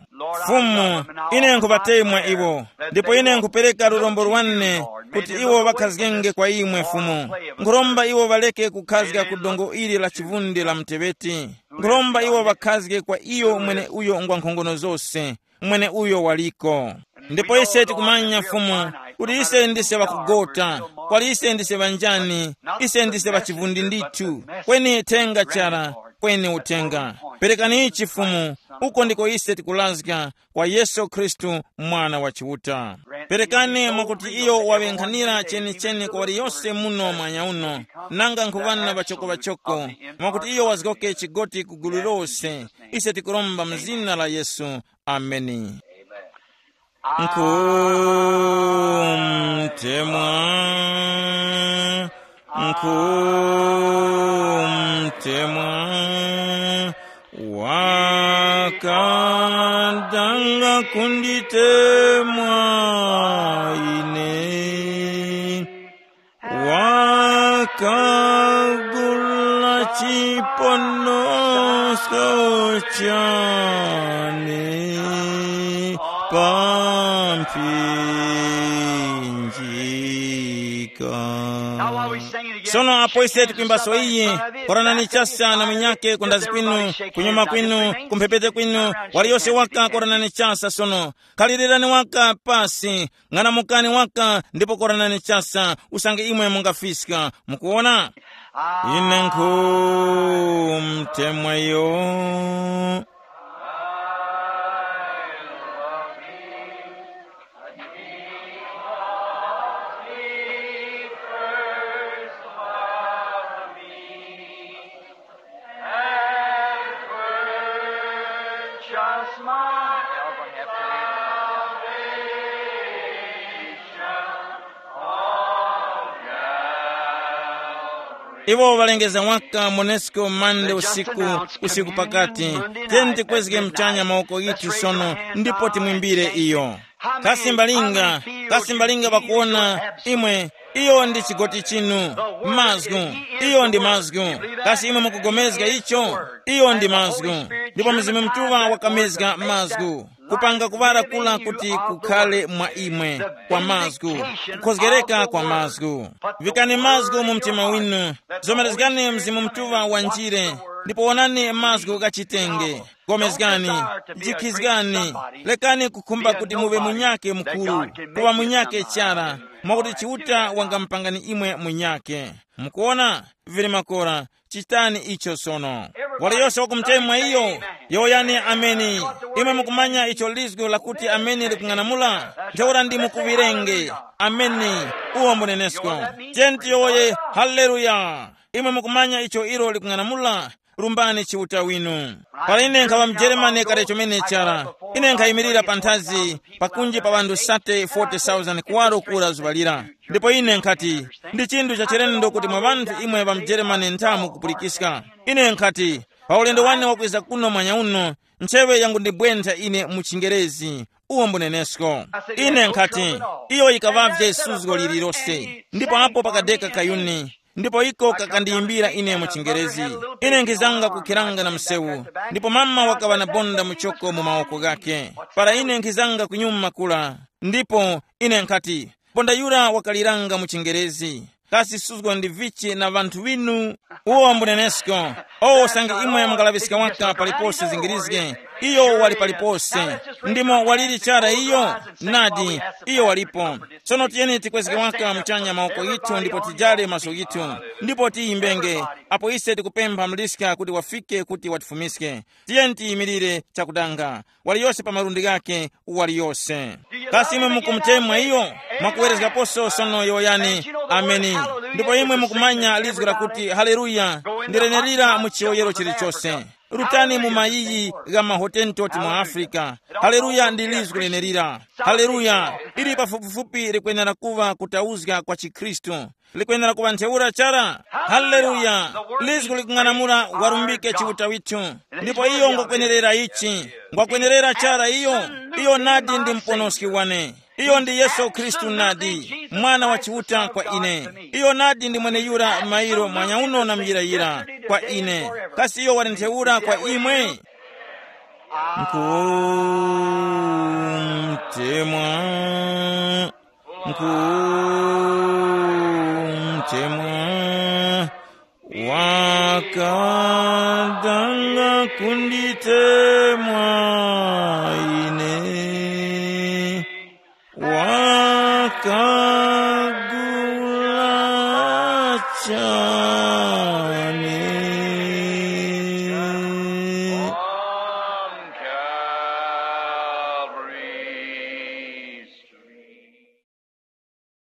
Fumu, ine nkhuŵatemwa iwo, ndipo ine nkhupereka lurombo lwane kuti iwo ŵakhazgenge kwa imwe Fumu. Nkhuromba iwo ŵaleke kukhazga ku dongo ili la chivunde la muteŵeti. Nkhuromba iwo ŵakhazge kwa iyo mwene uyo ngwa nkhongono zose, mwene uyo waliko. Ndipo ise tikumanya Fumu, kuti ise ndise ŵakugota, kwali ise ndise ŵanjani, ise ndise ŵachivunde ndithu, kweni thenga chara, kweni uthenga. Perekani ichi Fumu, uko ndiko ise tikulazga kwa Yesu Khristu, Mwana wa Chiuta. Perekani mwakuti iyo waŵenkhanira chenicheni kwa waliyose muno mwanya uno, nanga nkhuŵana ŵachoko-ŵachoko, mwakuti iyo wazgoke chigoti ku gulu lose. Ise tikuromba mu zina la Yesu. Ameni. Nkhumtemwa, nkhumtemwa, wakadanga kunditemwa ine. Wakagula chiponosko chane pa mphinjika. Sono apo ise tikwimbaso iyi, koranani chasa na munyake kundazi kwinu, kunyuma kwinu, kumphepete kwinu, waliyose waka koranani chasa sono. Khalirani waka pasi, ng'anamukani waka ndipo koranani chasa, usange imwe mungafiska. Mukuwona? Ine nkhumtemweyo. And purchase my salvation on Calvary. Iwo ŵalengeza waka Monesco Monday usiku, usiku pakati. Tiyeni tikwezge mchanya mawoko ghithu sono ndipo timwimbire iyo. Kasi mbalinga, kasi mbalinga ŵakuwona imwe, iyo ndi chigoti chinu. Mazgu, iyo ndi mazgu. Kasi imwe mukugomezga icho? Iyo ndi mazgu. Ndipo Mzimu Mutuŵa wakamezga mazgu, kupanga kuŵala kula kuti kukhale mwa imwe, kwa mazgu, kukhozgereka kwa mazgu. Vikani mazgu mu mtima winu, zomerezgani Mzimu Mutuŵa wanjire, ndipo wonani mazgu ghachitenge. Gomezgani, jikhizgani, lekani kukhumba kuti muŵe munyake mukuru, kuŵa munyake chara, mwakuti Chiuta wangamupangani imwe munyake. Mukuwona? Vili makora, chitani icho sono. Waliyose wakumutemwa iyo, yowoyani ameni. Imwe mukumanya icho lizgu lakuti ameni likung'anamula? Ntheura ndi mukuŵirenge. Ameni. Uwo mbunenesko. Tiyeni tiyowoye, haleluya. Imwe mukumanya icho ilo likung'anamula? Lumbani Chiuta winu. Para ine nkhaŵa mujeremane kale chomene chara, ine nkhayimirira panthazi pakunji pa ŵanthu sate forty thousand kuwaro kura zuŵa lira. Ndipo ine nkhati, ndi chinthu chachilendo kuti mwa ŵanthu imwe ŵa mujeremane nthamu kupulikiska. Ine nkhati, pa ulendo wane wakwiza kuno mwanya uno, ntcheŵe yangundibwentha ine mu chingerezi. Uwo mbunenesko. Ine nkhati, iyo yikaŵavye suzgo lililose. Ndipo apo pakadeka kayuni, ndipo iko kakandiyimbira ine mu chingerezi. Ine nkhizanga kukhiranga na msewu, ndipo mama wakaŵa na bonda muchoko mu mawoko ghakhe. Para ine nkhizanga kunyuma kula, ndipo ine nkhati, bonda yura wakaliranga mu chingerezi. Kasi suzgo ndi vichi na ŵanthu ŵinu? Uwo mbunenesko. O usange imwe mungalaŵiska waka palipose zingirizge, Iyo wali palipose. Ndimo waliri chara iyo? Nadi, iyo walipo. Tsono tiyeni tikwezge waka muchanya mawoko yithu ndipo tijale maso yithu, ndipo tiyimbenge. Apo ise tikupempha mliska kuti wafike kuti watifumiske, tiyeni tiyimirire chakudanga, waliyose pa malundi ghakhe, waliyose. Kasi imwe mukumutemwa iyo? Mwakuwerezgaposo sono yowoyani, ameni. Ndipo imwe mukumanya lizgu lakuti haleluya, ndi lenerira mu chiyoyero chilichose. Rutani mu mayiyi gha mahotentoti mu Afrika. Haleluya ndi lizgu lenerira. Haleluya, ili pafupifupi likwenera kuŵa kutauzga kwa chikhristu. Likwenera kuŵa ntheura chara. Haleluya. Lizgu likung'anamula warumbike Chiuta withu. Ndipo iyo ngokwenerera ichi. Ngwakwenerera chara iyo. Iyo nadi ndi muponoski wane. Iyo ndi Yesu Khristu nadi, mwana wa Chiuta kwa ine. Iyo nadi ndi mweneyura mairo mwanyauno na muyirayira kwa ine. Kasi iyo wali ntheura kwa imwe? Nkhumtemwa, nkhumtemwa, wakadanga kunditemwa ine, wakagula cha